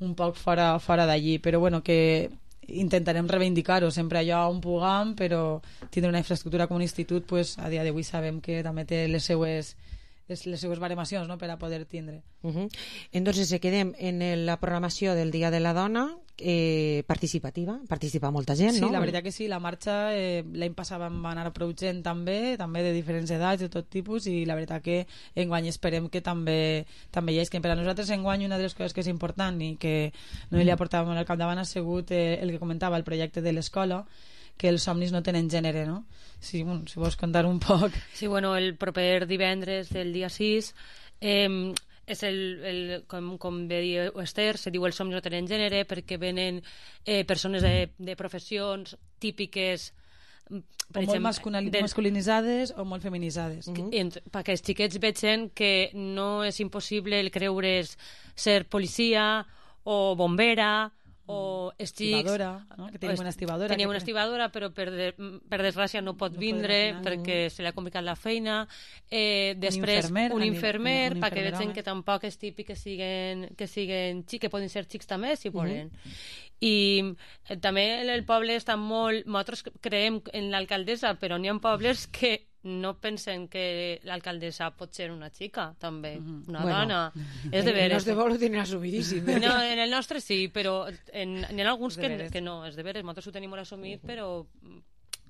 un poc fora, fora d'allí, però bueno, que intentarem reivindicar-ho sempre allò on puguem, però tindre una infraestructura com un institut, pues, a dia d'avui sabem que també té les seues les seues baremacions, no?, per a poder tindre. Uh -huh. Entonces se quedem en la programació del Dia de la Dona eh, participativa, participa molta gent, sí, no? Sí, la veritat que sí, la marxa eh, l'any passat vam anar produint també, també de diferents edats, de tot tipus, i la veritat que enguany esperem que també també hi és, que per a nosaltres enguany una de les coses que és important i que no li aportàvem al capdavant ha sigut eh, el que comentava, el projecte de l'escola, que els somnis no tenen gènere, no? Sí, bueno, si vols contar un poc. Sí, bueno, el proper divendres del dia sis eh, és el, el com, com ve dir Esther, se diu els somnis no tenen gènere perquè venen eh, persones de, de professions típiques per o exemple, molt del... masculinitzades o molt feminitzades. Uh -huh. Perquè els xiquets vegen que no és impossible el creure's ser policia o bombera o estics, estibadora, no? Que tenim una estibadora. Tenim una estibadora, però per, de, per desgràcia no pot no vindre perquè se li ha complicat la feina. Eh, després, un infermer, un infermer un perquè vegin que tampoc és típic que siguen, que siguen xics, que poden ser xics també, si volen. Uh -huh. I eh, també el poble està molt... Nosaltres creiem en l'alcaldessa, però n'hi ha pobles que no pensen que l'alcaldessa pot ser una xica, també, una bueno, dona. És de veres. En el nostre poble ho tenen assumidíssim. Eh? No, en el nostre sí, però en, en alguns que, que no, és de veres. Nosaltres ho tenim molt assumit, però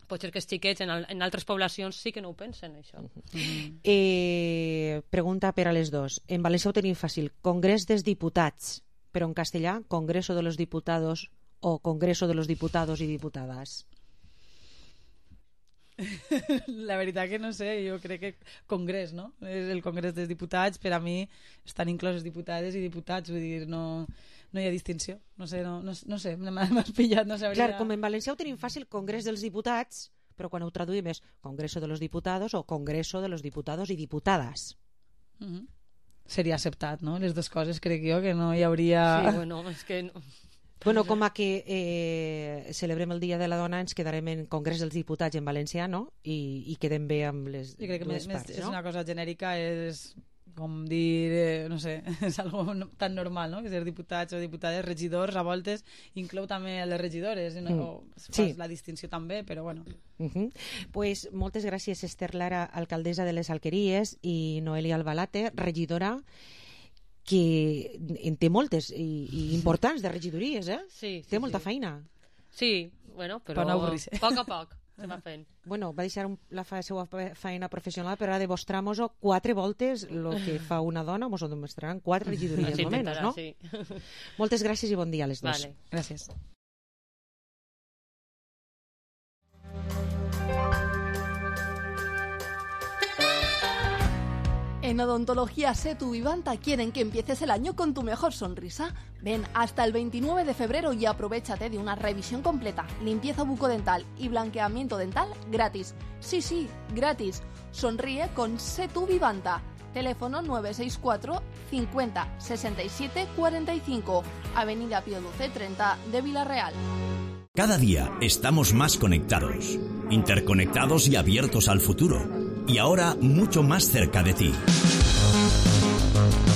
pot ser que els xiquets en, en altres poblacions sí que no ho pensen, això. Uh-huh. eh, pregunta per a les dos. En València ho tenim fàcil. Congrés dels Diputats, però en castellà, Congreso de los Diputados o Congreso de los Diputados y Diputadas. La veritat que no sé, jo crec que congrés, no? És el congrés dels diputats, per a mi estan incloses diputades i diputats, vull dir, no, no hi ha distinció, no sé, no, no, no sé, m'has pillat, no sabria... Clar, com en València ho tenim fàcil, congrés dels diputats, però quan ho traduïm és Congreso de los Diputados o Congreso de los Diputados y Diputadas. Uh -huh. Seria acceptat, no? Les dues coses crec jo que no hi hauria... Sí, bueno, és que... No. Bueno, com a que eh, celebrem el Dia de la Dona, ens quedarem en Congrés dels Diputats en valencià, no? I, i quedem bé amb les, jo crec que les més, parts, és no? una cosa genèrica, és com dir, eh, no sé, és algo tan normal, no? Que ser diputats o diputades, regidors, a voltes, inclou també les regidores, no? Mm. O fas sí. la distinció també, però bueno. Uh -huh. Pues moltes gràcies, Esther Lara, alcaldessa de les Alqueries, i Noelia Albalate, regidora, que en té moltes i, i importants de regidories, eh? Sí, sí, té molta sí. feina. Sí, bueno, però no a poc a poc se va fent. Bueno, va deixar un, la fa, seva feina professional, però ha de mostrar-nos quatre voltes el que fa una dona, mos ho demostraran quatre regidories, sí, almenys, no? Sí. Moltes gràcies i bon dia a les dues. Vale. Gràcies. En Odontología Setu Vivanta quieren que empieces el año con tu mejor sonrisa. Ven hasta el veintinueve de febrero y aprovéchate de una revisión completa, limpieza bucodental y blanqueamiento dental gratis. Sí, sí, gratis. Sonríe con Setu Vivanta. Teléfono nueve seis cuatro cincuenta sesenta y siete cuarenta y cinco, Avenida Pío doce treinta de Villarreal. Cada día estamos más conectados, interconectados y abiertos al futuro. Y ahora mucho más cerca de ti.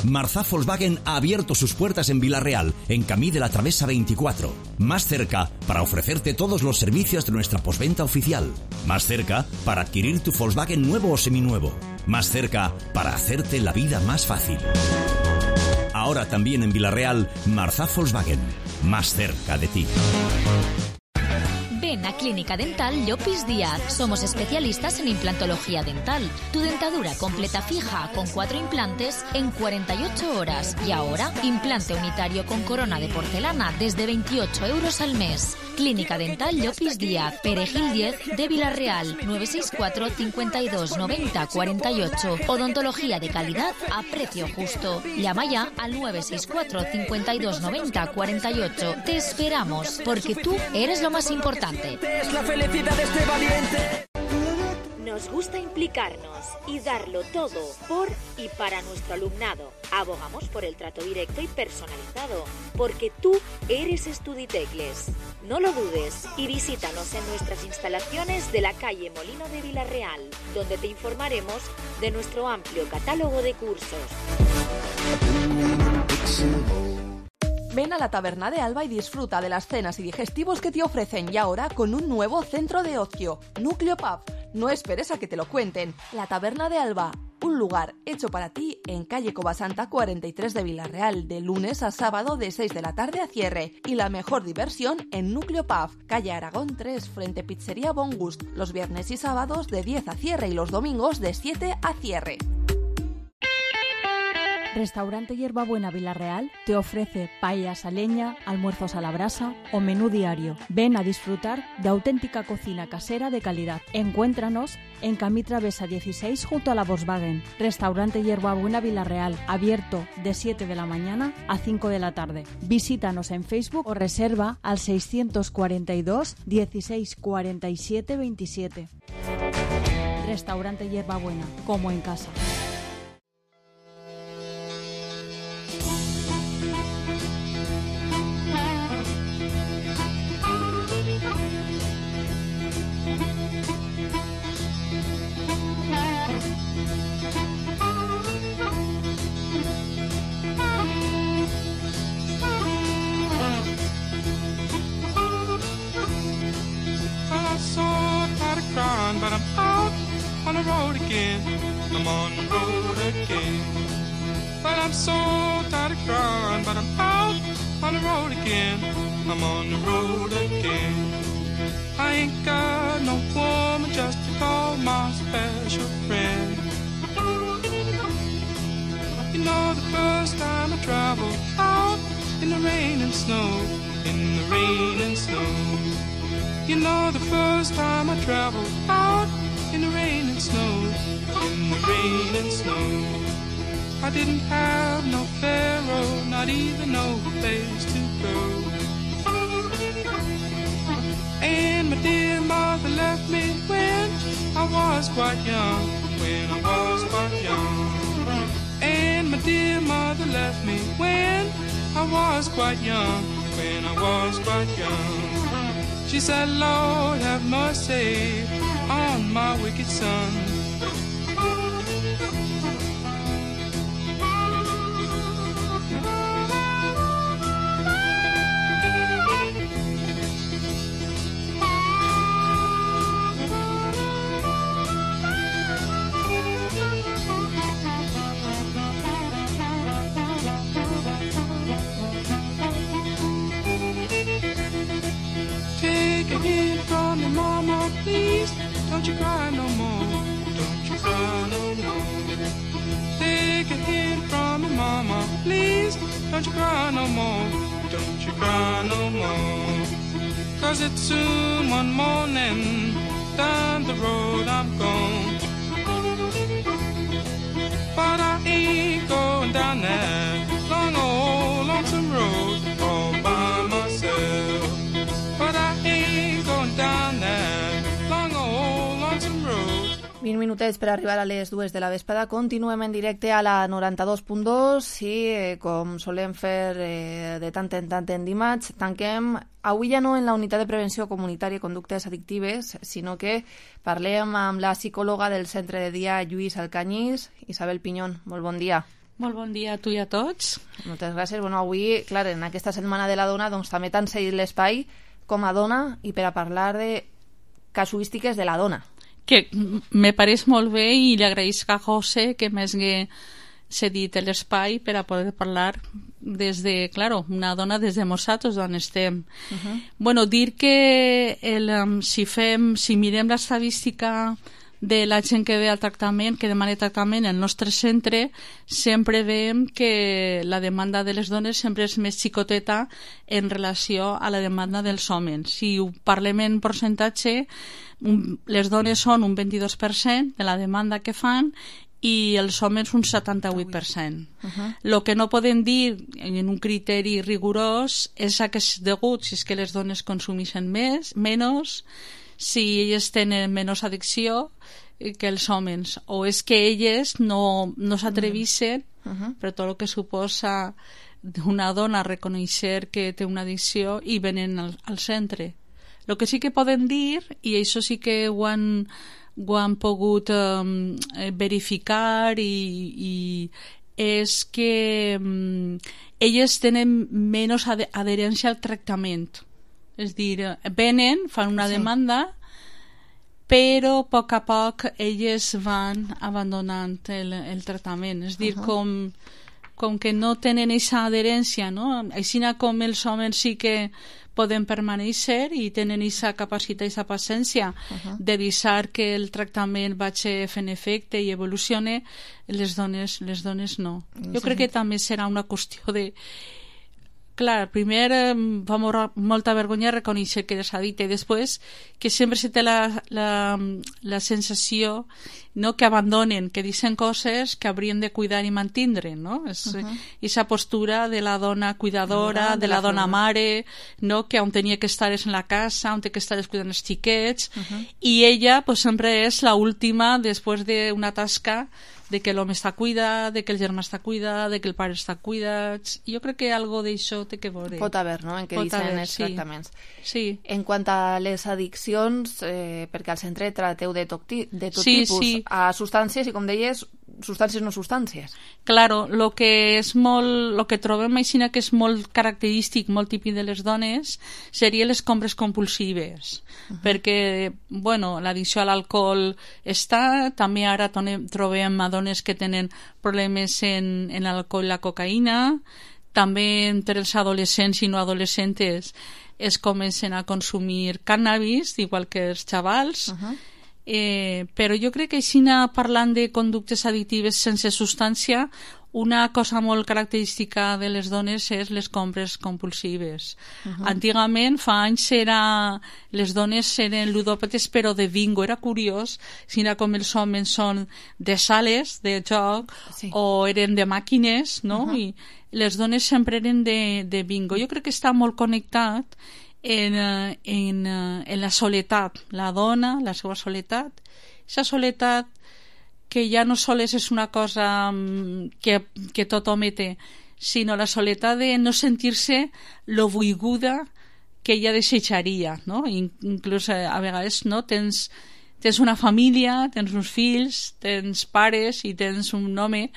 Marzá Volkswagen ha abierto sus puertas en Villarreal, en Camí de la Travesa veinticuatro. Más cerca para ofrecerte todos los servicios de nuestra postventa oficial. Más cerca para adquirir tu Volkswagen nuevo o seminuevo. Más cerca para hacerte la vida más fácil. Ahora también en Villarreal, Marzá Volkswagen. Más cerca de ti. Ven a Clínica Dental Llopis Díaz. Somos especialistas en implantología dental. Tu dentadura completa fija con cuatro implantes en cuarenta y ocho horas. Y ahora, implante unitario con corona de porcelana desde veintiocho euros al mes. Clínica Dental Llopis Díaz, Perejil diez de Villarreal, nueve seis cuatro cincuenta y dos noventa cuarenta y ocho. Odontología de calidad a precio justo. Llama ya al nueve seis cuatro cincuenta y dos noventa cuarenta y ocho. Te esperamos, porque tú eres lo más importante. Es la felicidad de este valiente. Nos gusta implicarnos y darlo todo por y para nuestro alumnado. Abogamos por el trato directo y personalizado, porque tú eres Estuditecles. No lo dudes y visítanos en nuestras instalaciones de la calle Molino de Villarreal, donde te informaremos de nuestro amplio catálogo de cursos. Ven a la Taberna de Alba y disfruta de las cenas y digestivos que te ofrecen, y ahora con un nuevo centro de ocio, Núcleo Pub. No esperes a que te lo cuenten. La Taberna de Alba, un lugar hecho para ti en calle Covasanta cuarenta y tres de Villarreal, de lunes a sábado de seis de la tarde a cierre. Y la mejor diversión en Núcleo Pub, calle Aragón tres, frente Pizzería Bon Gust, los viernes y sábados de diez a cierre y los domingos de siete a cierre. Restaurante Hierbabuena Villarreal te ofrece paellas a leña, almuerzos a la brasa o menú diario. Ven a disfrutar de auténtica cocina casera de calidad. Encuéntranos en Camí Travesa dieciséis junto a la Volkswagen. Restaurante Hierbabuena Villarreal, abierto de siete de la mañana a cinco de la tarde. Visítanos en Facebook o reserva al seiscientos cuarenta y dos dieciséis cuarenta y siete veintisiete. Restaurante Hierbabuena, como en casa. But I'm out on the road again. I'm on the road again. But I'm so tired of crying. But I'm out on the road again. I'm on the road again. I ain't got no woman just to call my special friend. You know the first time I traveled out in the rain and snow, in the rain and snow. You know the first time I traveled out in the rain and snow, in the rain and snow. I didn't have no pharaoh, not even no place to go. And my dear mother left me when I was quite young, when I was quite young. And my dear mother left me when I was quite young, when I was quite young. She said, Lord, have mercy on my wicked son. Take a hint from your mama, please. Don't you cry no more. Don't you cry no more. Take a hint from your mama, please. Don't you cry no more. Don't you cry no more. Cause it's soon one morning. Down the road I'm gone. But I ain't going down that long old lonesome road all by myself. But I ain't going down that long old lonesome road. vint minutets per arribar a les dues de la vesprada. Continuem en directe a la noranta-dos punt dos i, eh, com solem fer eh, de tant en tant en dimarts, tanquem avui ja no en la unitat de prevenció comunitària i conductes addictives, sinó que parlem amb la psicòloga del centre de dia Lluís Alcañiz, Isabel Piñón. Molt bon dia. Molt bon dia a tu i a tots. Moltes gràcies. Bueno, avui, clar, en aquesta setmana de la dona, doncs també t'han cedit l'espai com a dona i per a parlar de casuístiques de la dona. Que me pareix molt bé i li agraïsc a José que m'hagi cedit l'espai per a poder parlar des de, claro, una dona des de nosaltres d'on estem. Uh-huh. Bueno, dir que el, um, si fem, si mirem l'estadística de la gent que ve al tractament, que demana tractament al nostre centre, sempre veiem que la demanda de les dones sempre és més xicoteta en relació a la demanda dels homes. Si ho parlem en percentatge, les dones són un vint-i-dos per cent de la demanda que fan i els homes un setanta-vuit per cent. Uh-huh. Lo que no podem dir en un criteri rigorós és a què és degut, si és que les dones consumeixen més, menys, si elles tenen menys addicció que els homes, o és que elles no, no s'atrevissen uh -huh. per tot el que suposa una dona reconèixer que té una addicció i venen al, al centre. El que sí que poden dir, i això sí que ho han, ho han pogut um, verificar, i, i és que um, elles tenen menys ad adherència al tractament. És a dir, venen, fan una sí. demanda, però a poc a poc elles van abandonant el, el tractament. És a dir, uh -huh. com, com que no tenen aquesta adherència, no? Així com els homes sí que poden permanèixer i tenen aquesta capacitat i aquesta paciència uh -huh. de deixar que el tractament vagi fent efecte i evolucione, les dones, les dones no. Jo sí. crec que també serà una qüestió de... Clar, primer eh, fa molta vergonya reconèixer que eres addicte, i després que sempre se té la, la, la sensació, no, que abandonen, que dicen coses que haurien de cuidar i mantindre, no? És uh -huh. esa postura de la dona cuidadora, de, de la, la dona mare, no? Que on tenia que estar és en la casa, on té que estar és cuidant els xiquets, uh -huh. i ella pues, sempre és la última després d'una tasca de que l'home està cuidat, de que el germà està cuidat, de que el pare està cuidat. Jo crec que algo d'això té que veure. Pot haver, no?, en què Pot dicen haver, els sí. tractaments. Sí. En quant a les addiccions, eh, perquè al centre trateu de tot, de tot sí, tipus, sí. a substàncies i, com deies, substàncies no substàncies. Claro, lo que és molt, lo que trobem així que és molt característic, molt típic de les dones, serien les compres compulsives, uh -huh. perquè, bueno, l'addicció a l'alcohol està, també ara trobem a dones que tenen problemes en, en l'alcohol i la cocaïna, també entre els adolescents i no adolescentes es comencen a consumir cànnabis, igual que els xavals, uh -huh. Eh, però jo crec que així, parlant de conductes addictives sense substància, una cosa molt característica de les dones és les compres compulsives. Uh-huh. Antigament, fa anys, era... les dones eren ludòpates però de bingo. Era curiós, si era com els homes són de sales de joc, sí. o eren de màquines, no? Uh-huh. I les dones sempre eren de, de bingo. Jo crec que està molt connectat En, en, en la soledat, la dona, la seva soledat, aquesta soledat que ja no sols és una cosa que, que tot home té, sinó la soledat de no sentir-se lo volguda que ella desitjaria, no? Inclús a vegades, no? Tens, tens una família, tens uns fills, tens pares i tens un home,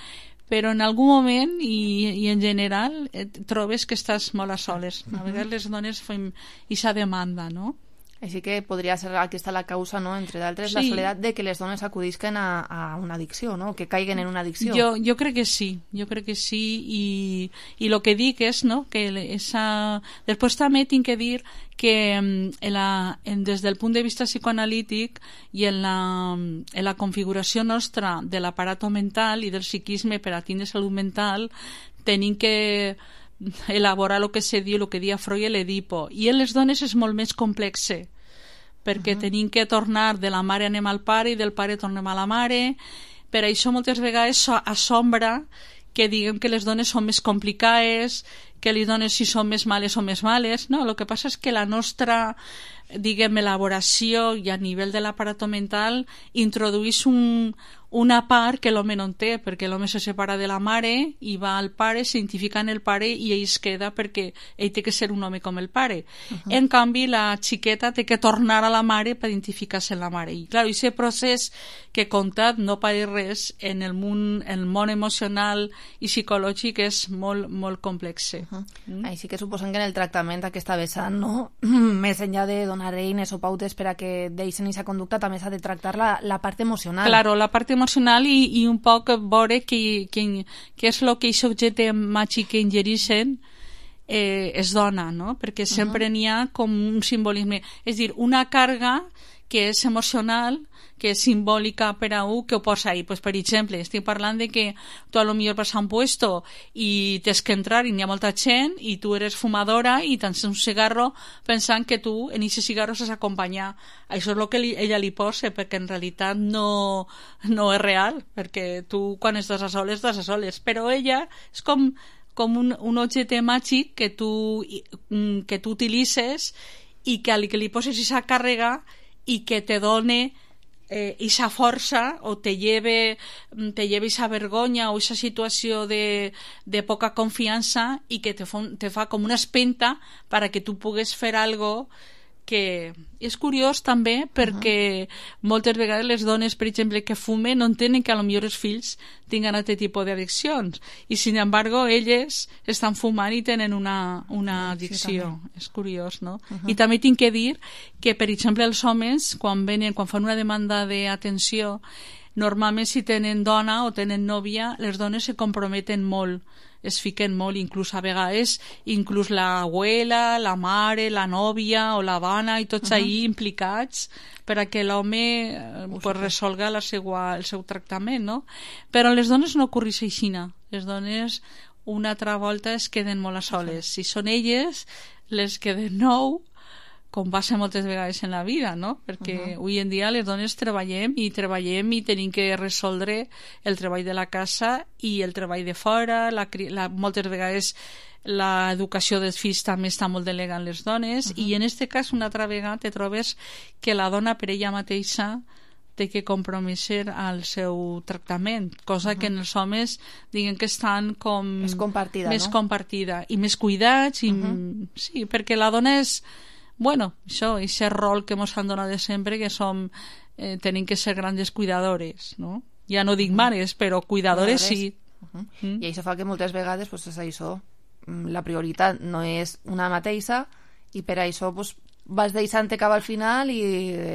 però en algun moment i, i en general et trobes que estàs molt a soles. A vegades les dones fem aquesta demanda, no? Així que podria ser aquesta la causa, no?, entre d'altres, sí. la soledat de que les dones acudisquen a, a una addicció, no?, que caiguen en una addicció. Jo, jo crec que sí, jo crec que sí, i, i el que dic és, no?, que esa... després també tinc que dir que en la, en, des del punt de vista psicoanalític i en la, en la configuració nostra de l'aparato mental i del psiquisme per a tindre salut mental, tenim que elaborar el que se diu, el que dia Freud, l'Edipo, i en les dones és molt més complexe, perquè uh-huh. tenim que tornar de la mare anem al pare i del pare tornem a la mare. Per això moltes vegades assombra que diguem que les dones són més complicades, que les dones si són més males o més males. No, el que passa és que la nostra, diguem, elaboració i a nivell de l'aparato mental introdueix un, una part que l'home no en té, perquè l'home se separa de la mare i va al pare, s'identifica en el pare i ell es queda perquè ell té que ser un home com el pare. Uh-huh. En canvi, la xiqueta té que tornar a la mare per identificar-se en la mare. I clar, aquest procés que he contat no pare res en el món, el món emocional i psicològic és molt, molt complex. Uh-huh. Mm? Així que suposem que en el tractament aquesta vessant, no? Més enllà de donar eines o pautes per a que deixen aquesta conducta, també s'ha de tractar la, la part emocional. Claro, la part emocional i, i un poc veure que, que, que és el que aquest objecte màgic que ingereixen eh, es dona, no? Perquè sempre uh-huh. n'hi ha com un simbolisme, és dir, una càrrega que és emocional, que és simbòlica per a un, que ho posa ahí. Pues, per exemple, estic parlant de que tu a lo millor vas a un puesto i tens que entrar i n'hi ha molta gent i tu eres fumadora i tens un cigarro pensant que tu en aquest cigarro s'has acompanyar. Això és el que li, ella li posa, perquè en realitat no, no és real, perquè tu quan estàs a soles, estàs a soles. Però ella és com, com un, un objecte màgic que tu, que tu utilitzes i que al que li poses aquesta càrrega i que te done eh, esa força o te lleve, te lleve esa vergonya o esa situació de, de poca confiança i que te fa, te fa com una espenta para que tu pugues fer algo que és curiós també perquè uh-huh. moltes vegades les dones, per exemple, que fumen no entenen que a lo millor els fills tinguen aquest tipus d'addiccions i sin embargo elles estan fumant i tenen una, una addicció. Sí, és curiós, no? Uh-huh. I també tinc que dir que, per exemple, els homes quan venen, quan fan una demanda d'atenció, normalment si tenen dona o tenen nòvia, les dones se comprometen molt, es fiquen molt, inclús a vegades inclús l'abuela, la mare, la nòvia o la dona i tots uh-huh. ahí implicats per a que l'home eh, pues, resolga la seua, el seu tractament, no? Però les dones no ocorreix així. Les dones una altra volta es queden molt a soles. Uh-huh. Si són elles les que de nou, com passa moltes vegades en la vida, no? Perquè uh-huh. avui en dia les dones treballem i treballem i tenim que resoldre el treball de la casa i el treball de fora, la, la, moltes vegades l'educació dels fills també està molt delegada en les dones uh-huh. i en aquest cas una altra vegada te trobes que la dona per ella mateixa té que comprometre al seu tractament, cosa uh-huh. que en els homes diguen que estan com més compartida, més no? compartida i més cuidats i, uh-huh. sí, perquè la dona és bueno, això, aquest rol que ens han donat de sempre que som, eh, tenim que ser grandes cuidadores, no? Ja no dic mares, però cuidadores sí. Uh-huh. Mm. I això fa que moltes vegades pues, és això, la prioritat no és una mateixa i per això pues, vas deixant cap al final i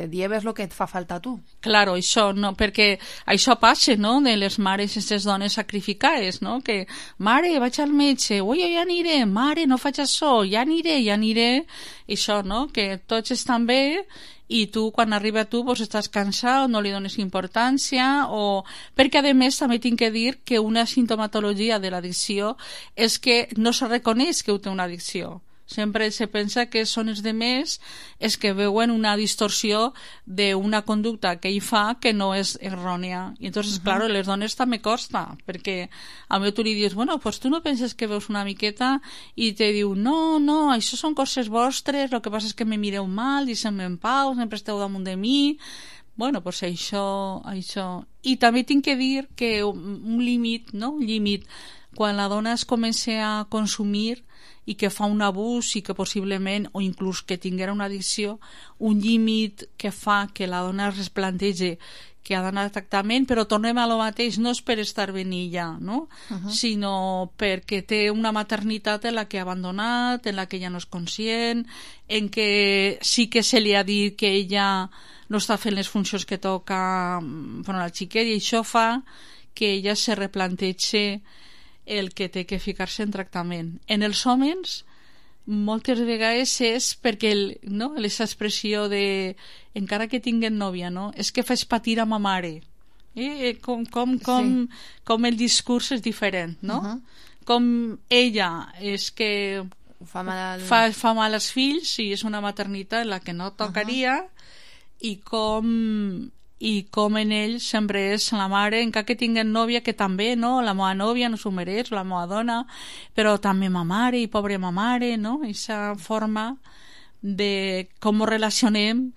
lleves el que et fa falta a tu. Claro, això, no, perquè això passa, no?, de les mares, aquestes dones sacrificades, no?, que, mare, vaig al metge, ui, ja aniré, mare, no faig això, ja aniré, ja aniré, i això, no?, que tots estan bé i tu, quan arriba a tu, pues, estàs cansat, no li dones importància, o... perquè, a més, també tinc que dir que una sintomatologia de l'addicció és que no se reconeix que ho té una addicció. Sempre se pensa que són els demés els que veuen una distorsió d'una conducta que ell fa que no és errònia. I entonces, uh-huh. claro, les dones també costa, perquè a mi tu li dius, bueno, pues tu no penses que veus una miqueta i te diu, no, no, això són coses vostres, el que passa és que me mireu mal, deixem-me en pau, sempre esteu damunt de mi... Bueno, pues això, això... I també tinc que dir que un límit, no?, un límit, quan la dona es comença a consumir i que fa un abús i que possiblement, o inclús que tinguera una addicció, un límit que fa que la dona es replantegi que ha d'anar a tractament, però tornem a lo mateix, no és per estar ben ella, no? Uh-huh. Sinó perquè té una maternitat en la que ha abandonat, en la que ella no és conscient, en que sí que se li ha dit que ella no està fent les funcions que toca per a la xiquet, i això fa que ella se replantegi el que té que ficar-se en tractament. En els homes moltes vegades és perquè el, no, aquesta expressió de encara que tinguen nòvia, no? És que fes patir a ma mare. Eh? Com, com, com, sí. com el discurs és diferent, no? Uh-huh. Com ella és que fa mal, fa, fa mal als fills i és una maternitat en la que no tocaria, uh-huh. i com i com en ell sempre és la mare, encara que tinguen nòvia, que també, no? La meva nòvia no s'ho mereix, la meva dona, però també ma mare, i pobre ma mare, no? Aquesta forma de com ens relacionem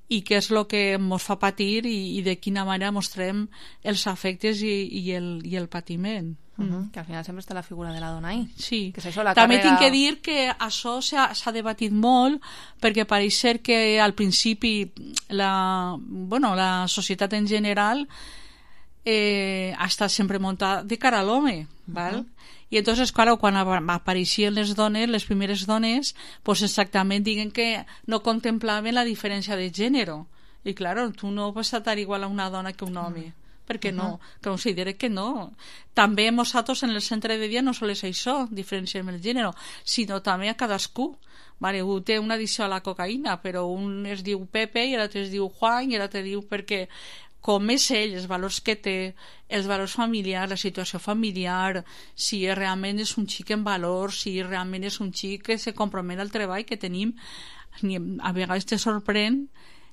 i què és el que ens fa patir i, i de quina manera mostrem els afectes i, i, el, i el patiment. Uh-huh. Que al final sempre està la figura de la dona ahí. Sí. Que és això, la també càrrega... tinc que dir que això s'ha debatit molt perquè pareix ser que al principi la, bueno, la societat en general eh, ha estat sempre muntada de cara a l'home, val? Uh-huh. I entonces, claro, quan apareixien les dones, les primeres dones, pues exactament diguen que no contemplaven la diferència de gènere. I claro, tu no vas estar igual a una dona que un home. Uh-huh. Perquè no, que considere que no. També nosaltres en el centre de dia no sols això, diferenciem el gènere, sinó també a cadascú. Vale, un té una addicció a la cocaïna, però un es diu Pepe i l'altre es diu Juan i l'altre diu perquè com és ell, els valors que té, els valors familiars, la situació familiar, si realment és un xic en valors, si realment és un xic que se compromet al treball que tenim, a vegades te sorprèn,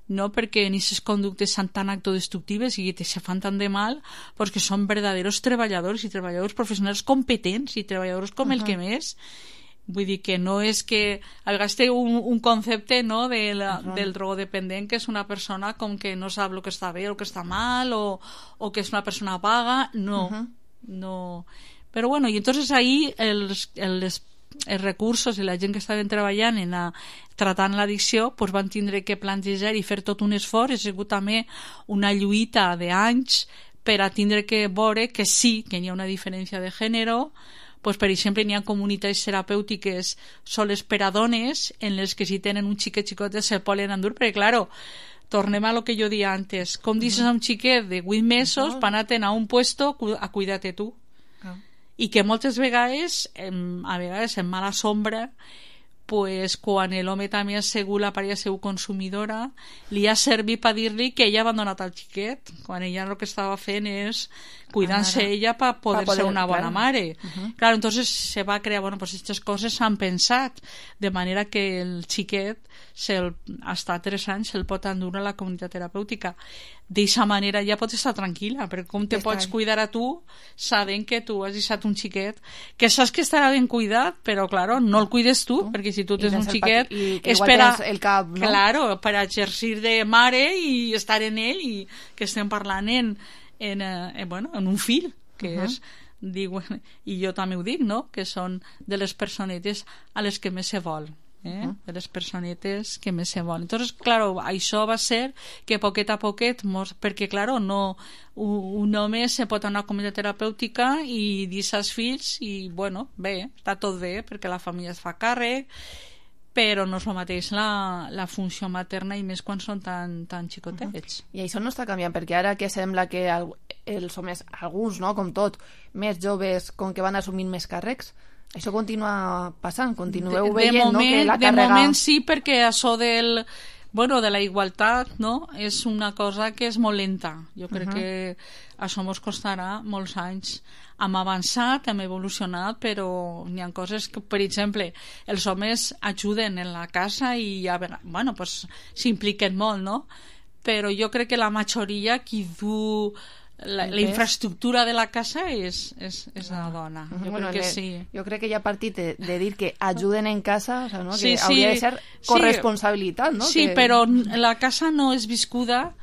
no perquè aquestes conductes són tan autodestructives i que se fan tant de mal, perquè són verdaderos treballadors i treballadors professionals competents i treballadors com uh-huh. el que més. Vull dir que no és que a vegades té un, un concepte, no, de la, uh-huh. del drogodependent, que és una persona com que no sap el que està bé o el que està mal, o, o que és una persona vaga. No, uh-huh. no. Però bueno, i entonces ahí els, els, els recursos i la gent que estaven treballant en a, tratant l'addicció pues van tindre que plantejar i fer tot un esforç. Ha sigut també una lluita d'anys per a tindre que veure que sí, que hi ha una diferència de gènere. Pues, per exemple, hi ha comunitats terapèutiques soles per a dones en les que si tenen un xiquet xicotet se poden endur, perquè, claro, tornem a lo que jo dia antes. Com dices a un xiquet de vuit mesos per anar-te'n a un puesto a cuidar-te tu. I que moltes vegades, a vegades en mala sombra, pues, quan l'home també ha sigut la parella seu consumidora, li ha servit per dir-li que ella ha abandonat el xiquet, quan ella el que estava fent és cuidant-se ella per poder, poder ser una bona claro. mare. Uh-huh. Claro, entonces se va crear, bueno, pues estas coses s'han pensat, de manera que el xiquet, se'l, hasta tres anys, se'l pot endur a la comunitat terapèutica. D'aquesta manera ja pots estar tranquil·la, perquè com te Està pots bé. cuidar a tu, sabent que tu has deixat un xiquet, que saps que estarà ben cuidat, però, claro, no el cuides tu, uh-huh. perquè si tu tens un xiquet, és per a, el cap, no? claro, per a exercir de mare i estar en ell, i que estem parlant en en, eh, bueno, en un fill, que uh-huh. és, diuen, i jo també ho dic, no?, que són de les personetes a les que més se vol, eh? Uh-huh. de les personetes que més se vol. Entonces, claro, això va ser que poquet a poquet, mos, perquè, claro, no, un, un home se pot anar a una comunitat terapèutica i deixar els fills i, bueno, bé, està tot bé, perquè la família es fa càrrec, però no és el mateix la, la funció materna, i més quan són tan, tan xicotets. Uh-huh. I això no està canviant, perquè ara que sembla que el, els homes, alguns, no, com tot, més joves, com que van assumint més càrrecs, això continua passant, continueu de, veient, de moment, no, que la de càrrega... De moment sí, perquè això del... Bueno, de la igualtat, no?, és una cosa que és molt lenta. Jo crec uh-huh. que això ens costarà molts anys. Hem avançat, hem evolucionat, però hi ha coses que, per exemple, els homes ajuden en la casa i ja, bueno, pues, s'impliquen molt, no? Però jo crec que la majoria qui du la, la infraestructura de la casa és, és, és la dona. Jo bueno, crec que le, sí. Jo crec que ja partit de, de dir que ajuden en casa, o sea, ¿no? Sí, que sí, hauria de ser corresponsabilitat, no? Sí, que... però la casa no és viscuda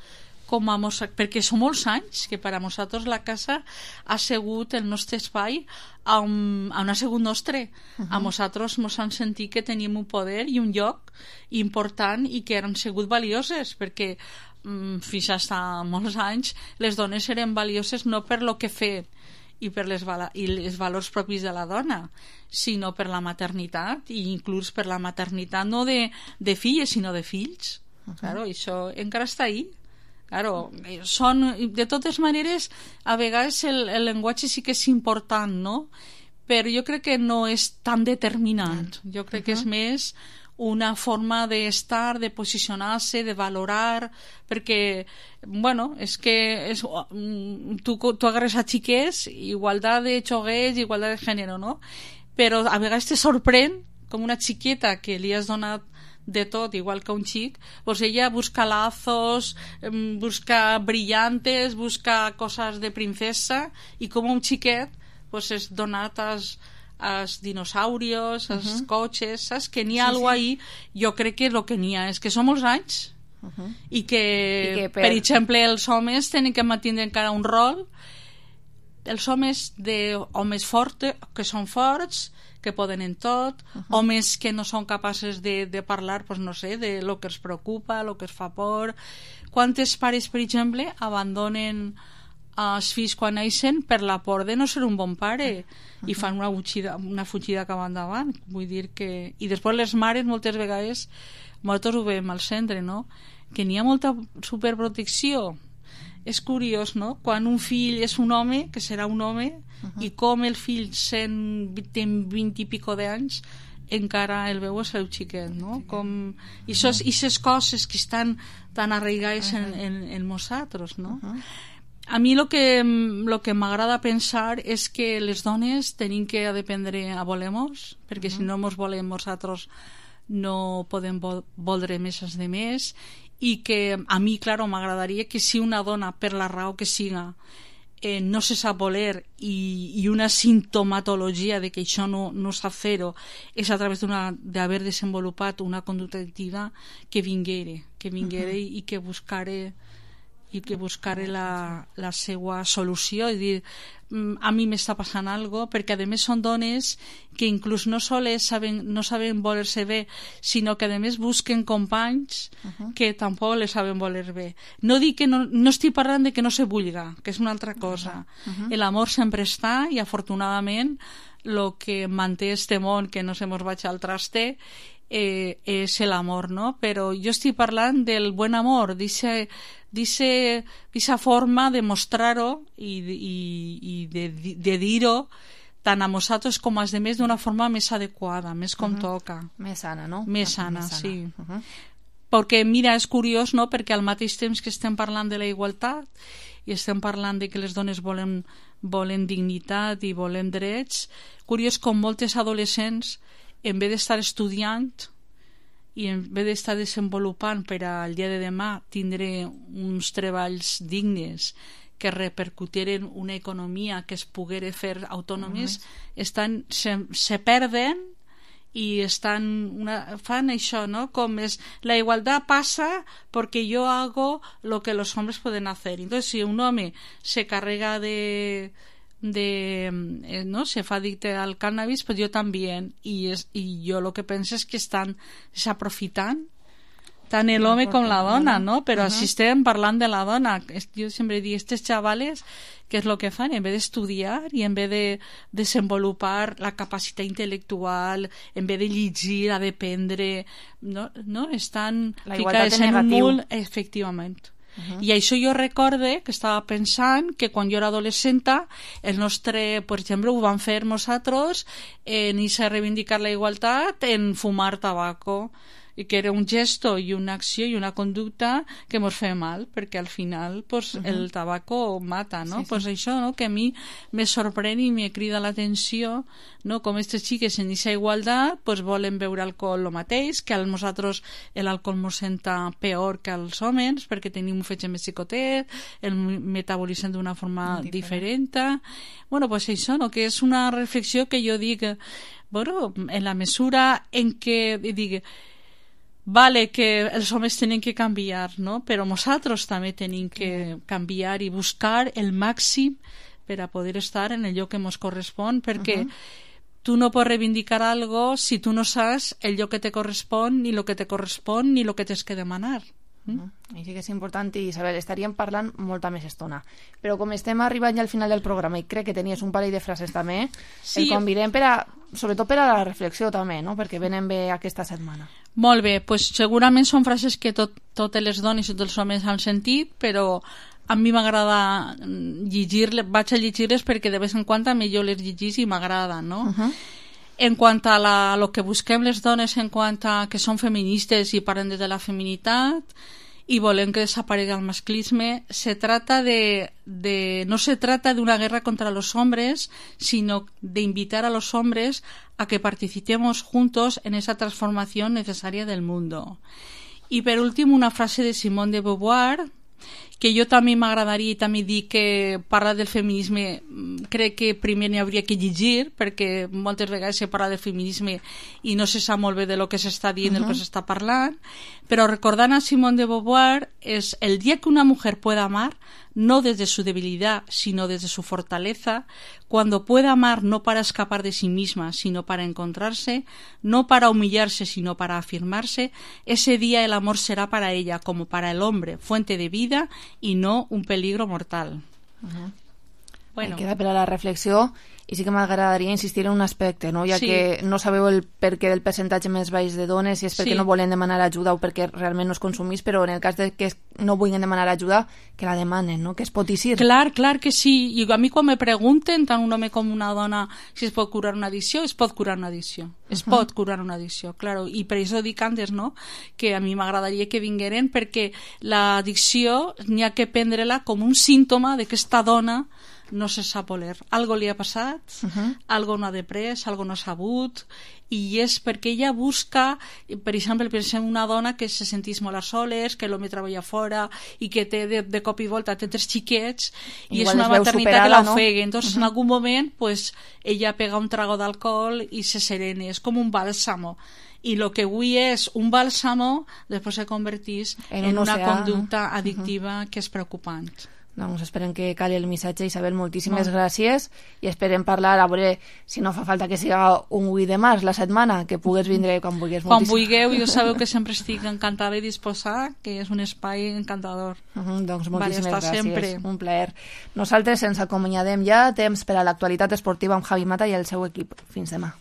com a mos... perquè són molts anys que per a nosaltres la casa ha sigut el nostre espai on, on ha sigut nostre. Uh-huh. A nosaltres ens han sentit que teníem un poder i un lloc important i que han sigut valioses, perquè mm, fins a molts anys les dones eren valioses no per lo que feien i per les, vala... i els valors propis de la dona, sinó per la maternitat, i inclús per la maternitat no de, de filles sinó de fills. Uh-huh. Claro, això encara està ahí. Claro, són, de totes maneres, a vegades el, el llenguatge sí que és important, no? Però jo crec que no és tan determinant. Jo crec uh-huh. que és més una forma d'estar, de posicionar-se, de valorar, perquè, bueno, és que és, tu, tu agarres a xiquets, igualtat de xoguets, igualtat de gènere, no? Però a vegades te sorprèn com una xiqueta que li has donat de tot, igual que un xic, pues ella busca lazos, busca brillantes, busca cosas de princesa, i com un xiquet pues és donat als, als dinosaurios, als uh-huh. cotxes, saps? Que n'hi ha sí, alguna sí. ahí. Jo crec que el que n'hi ha és que són molts anys uh-huh. i, que, I que per... per exemple els homes tenen que mantenir encara un rol, els homes de homes forts, que són forts, que poden en tot, uh-huh. homes que no són capaces de, de parlar, pues no sé, de lo que els preocupa, lo que els fa por. Quantes pares, per exemple, abandonen els fills quan neixen per la por de no ser un bon pare uh-huh. i fan una fugida, una fugida cap endavant. Vull dir que... I després les mares moltes vegades, nosaltres ho veiem al centre, no?, que n'hi ha molta superprotecció. És curiós, no?, quan un fill és un home, que serà un home, uh-huh. i com el fill sent, té vint i pico d'anys, encara el veu el seu xiquet, no? Com... I aquestes coses que estan tan arraigades uh-huh. en, en, en nosaltres, no? Uh-huh. A mi el que, lo que m'agrada pensar és que les dones tenim que aprendre a voler-nos, perquè uh-huh. si no mos volem nosaltres no podem vo- voldre més els de més, i que a mi, claro, m'agradaria que si una dona, per la raó que siga, eh, no se sap voler i, i una sintomatologia de que això no, no sap fer-ho és a través d'haver desenvolupat una conducta addictiva, que vinguere, que vinguere uh -huh. i que buscare i que buscare la, la seva solució, és dir, a mi m'està passant algo, perquè a més són dones que inclús no sols saben, no saben voler-se bé, sinó que a més busquen companys uh -huh. que tampoc les saben voler bé. No dic que no, no estic parlant de que no se vulga, que és una altra cosa. Uh -huh. L'amor sempre està i afortunadament el que manté este món, que no se mos vaig al traste, eh, és l'amor, no? Però jo estic parlant del buen amor, dice d'aquesta forma de mostrar-ho i, i, i de, de dir-ho tant a nosaltres com als demés d'una forma més adequada, més com uh -huh. toca. Més sana, no? Més sana, més sana. sí. Uh -huh. Perquè, mira, és curiós, no?, perquè al mateix temps que estem parlant de la igualtat i estem parlant de que les dones volen, volen dignitat i volen drets, curiós com moltes adolescents, en vez d'estar estudiant i en vez d'estar desenvolupant per al dia de demà tindre uns treballs dignes que repercutiren una economia que es poguera fer autònomes, uh-huh. estan, se, se perden i estan una, fan això, no? Com és, la igualdad pasa porque yo hago lo que los hombres pueden hacer. Entonces, si un home se carrega de de eh, no se fa adicte al cannabis, pues jo també, i, és, i jo el que penso és que estan s'aprofitant tant l'home com la dona, no? Però uh -huh. si estem parlant de la dona, jo sempre dic, estes xavales, què és el que fan? En vez d'estudiar i en vez de desenvolupar la capacitat intel·lectual, en vez de llegir, a d'aprendre, no? no? Estan ficades en un mul, efectivament. Uh-huh. I això jo recorde que estava pensant que quan jo era adolescenta el nostre, per exemple, ho vam fer nosaltres en irse a reivindicar la igualtat en fumar tabaco, i que era un gesto i una acció i una conducta que mos feia mal, perquè al final pues, uh-huh. el tabaco mata, no? Sí, sí. Pues això, no?, que a mi me sorprèn i me crida l'atenció, no?, com aquestes xiques en aquesta igualtat pues, volen beure alcohol el mateix, que a nosaltres l'alcohol mos senta peor que als homes, perquè tenim un fetge més xicotet, el metabolitzem d'una forma diferent. diferent. Bueno, pues això, no?, que és una reflexió que jo dic, bueno, en la mesura en què, dic, vale que els homes tenen que canviar, no? Però nosaltres també tenim que canviar i buscar el màxim per a poder estar en el lloc que ens correspon, perquè uh-huh. tu no pots reivindicar algo si tu no saps el lloc que te correspon, ni el que te correspon, ni el que tens que demanar. Mm? I sí que és important, i Isabel, estaríem parlant molta més estona, però com estem arribant ja al final del programa i crec que tenies un parell de frases també, sí. el convidem per a, sobretot per a la reflexió també, no? Perquè venen bé aquesta setmana. Molt bé, pues segurament són frases que tot, totes les dones i tots els homes han sentit, però a mi m'agrada llegir-les, vaig a llegir-les perquè de vez en quan també jo les llegís i m'agrada, no? Uh-huh. En quant a la, lo que busquem les dones en quant a que són feministes i parlen de la feminitat i volem que desaparegui el masclisme, se trata de, de, no se trata de una guerra contra los hombres, sino de invitar a los hombres a que participemos juntos en esa transformación necesaria del mundo. Y per últim, una frase de Simone de Beauvoir, que jo també m'agradaria i també dir que parlar del feminisme crec que primer n'hi hauria que llegir, perquè moltes vegades se parla del feminisme i no se sap molt bé de lo que s'està dient, uh-huh. del que s'està parlant, però recordant a Simone de Beauvoir és el dia que una mujer pueda amar no desde su debilidad sino desde su fortaleza, cuando pueda amar no para escapar de sí misma sino para encontrarse, no para humillarse sino para afirmarse, ese día el amor será para ella como para el hombre fuente de vida y no un peligro mortal. Uh-huh. Bueno. Queda per a la reflexió, i sí que m'agradaria insistir en un aspecte, no? Ja sí. que no sabeu el perquè del percentatge més baix de dones, si és perquè sí. no volen demanar ajuda o perquè realment no es consumís, però en el cas de que no vulguin demanar ajuda, que la demanen, no? Que es pot eixir. Clar, clar que sí. I a mi quan me pregunten, tant un home com una dona, si es pot curar una addicció, es pot curar una addicció. Es uh-huh. pot curar una addicció, claro. I per això dic antes, no?, que a mi m'agradaria que vingueren, perquè l'addicció n'hi ha que prendre-la com un símptoma de que esta dona no se sap voler. Algo li ha passat passat, uh -huh. algo no ha després, algo no ha sabut, i és perquè ella busca, per exemple, pensem una dona que se sentís molt a soles, que l'home treballa fora i que té de, de cop i volta té tres xiquets i igual és una maternitat superada, que la no? ofega. Entonces, uh -huh. en algun moment, pues, ella pega un trago d'alcohol i se serena. És com un bàlsamo. I el que avui és un bàlsamo, després se convertís en, en un una oceà, conducta no? addictiva uh -huh. que és preocupant. Doncs esperem que calli el missatge. Isabel, moltíssimes Molt. gràcies i esperem parlar, a veure si no fa falta que siga un vuit de març la setmana, que pugues vindre quan vulguis. Quan moltíssim. vulgueu, jo sabeu que sempre estic encantada i disposada, que és un espai encantador. Uh -huh, doncs moltíssimes vale, gràcies, sempre. un plaer. Nosaltres ens acomiadem ja, temps per a l'actualitat esportiva amb Javi Mata i el seu equip. Fins demà.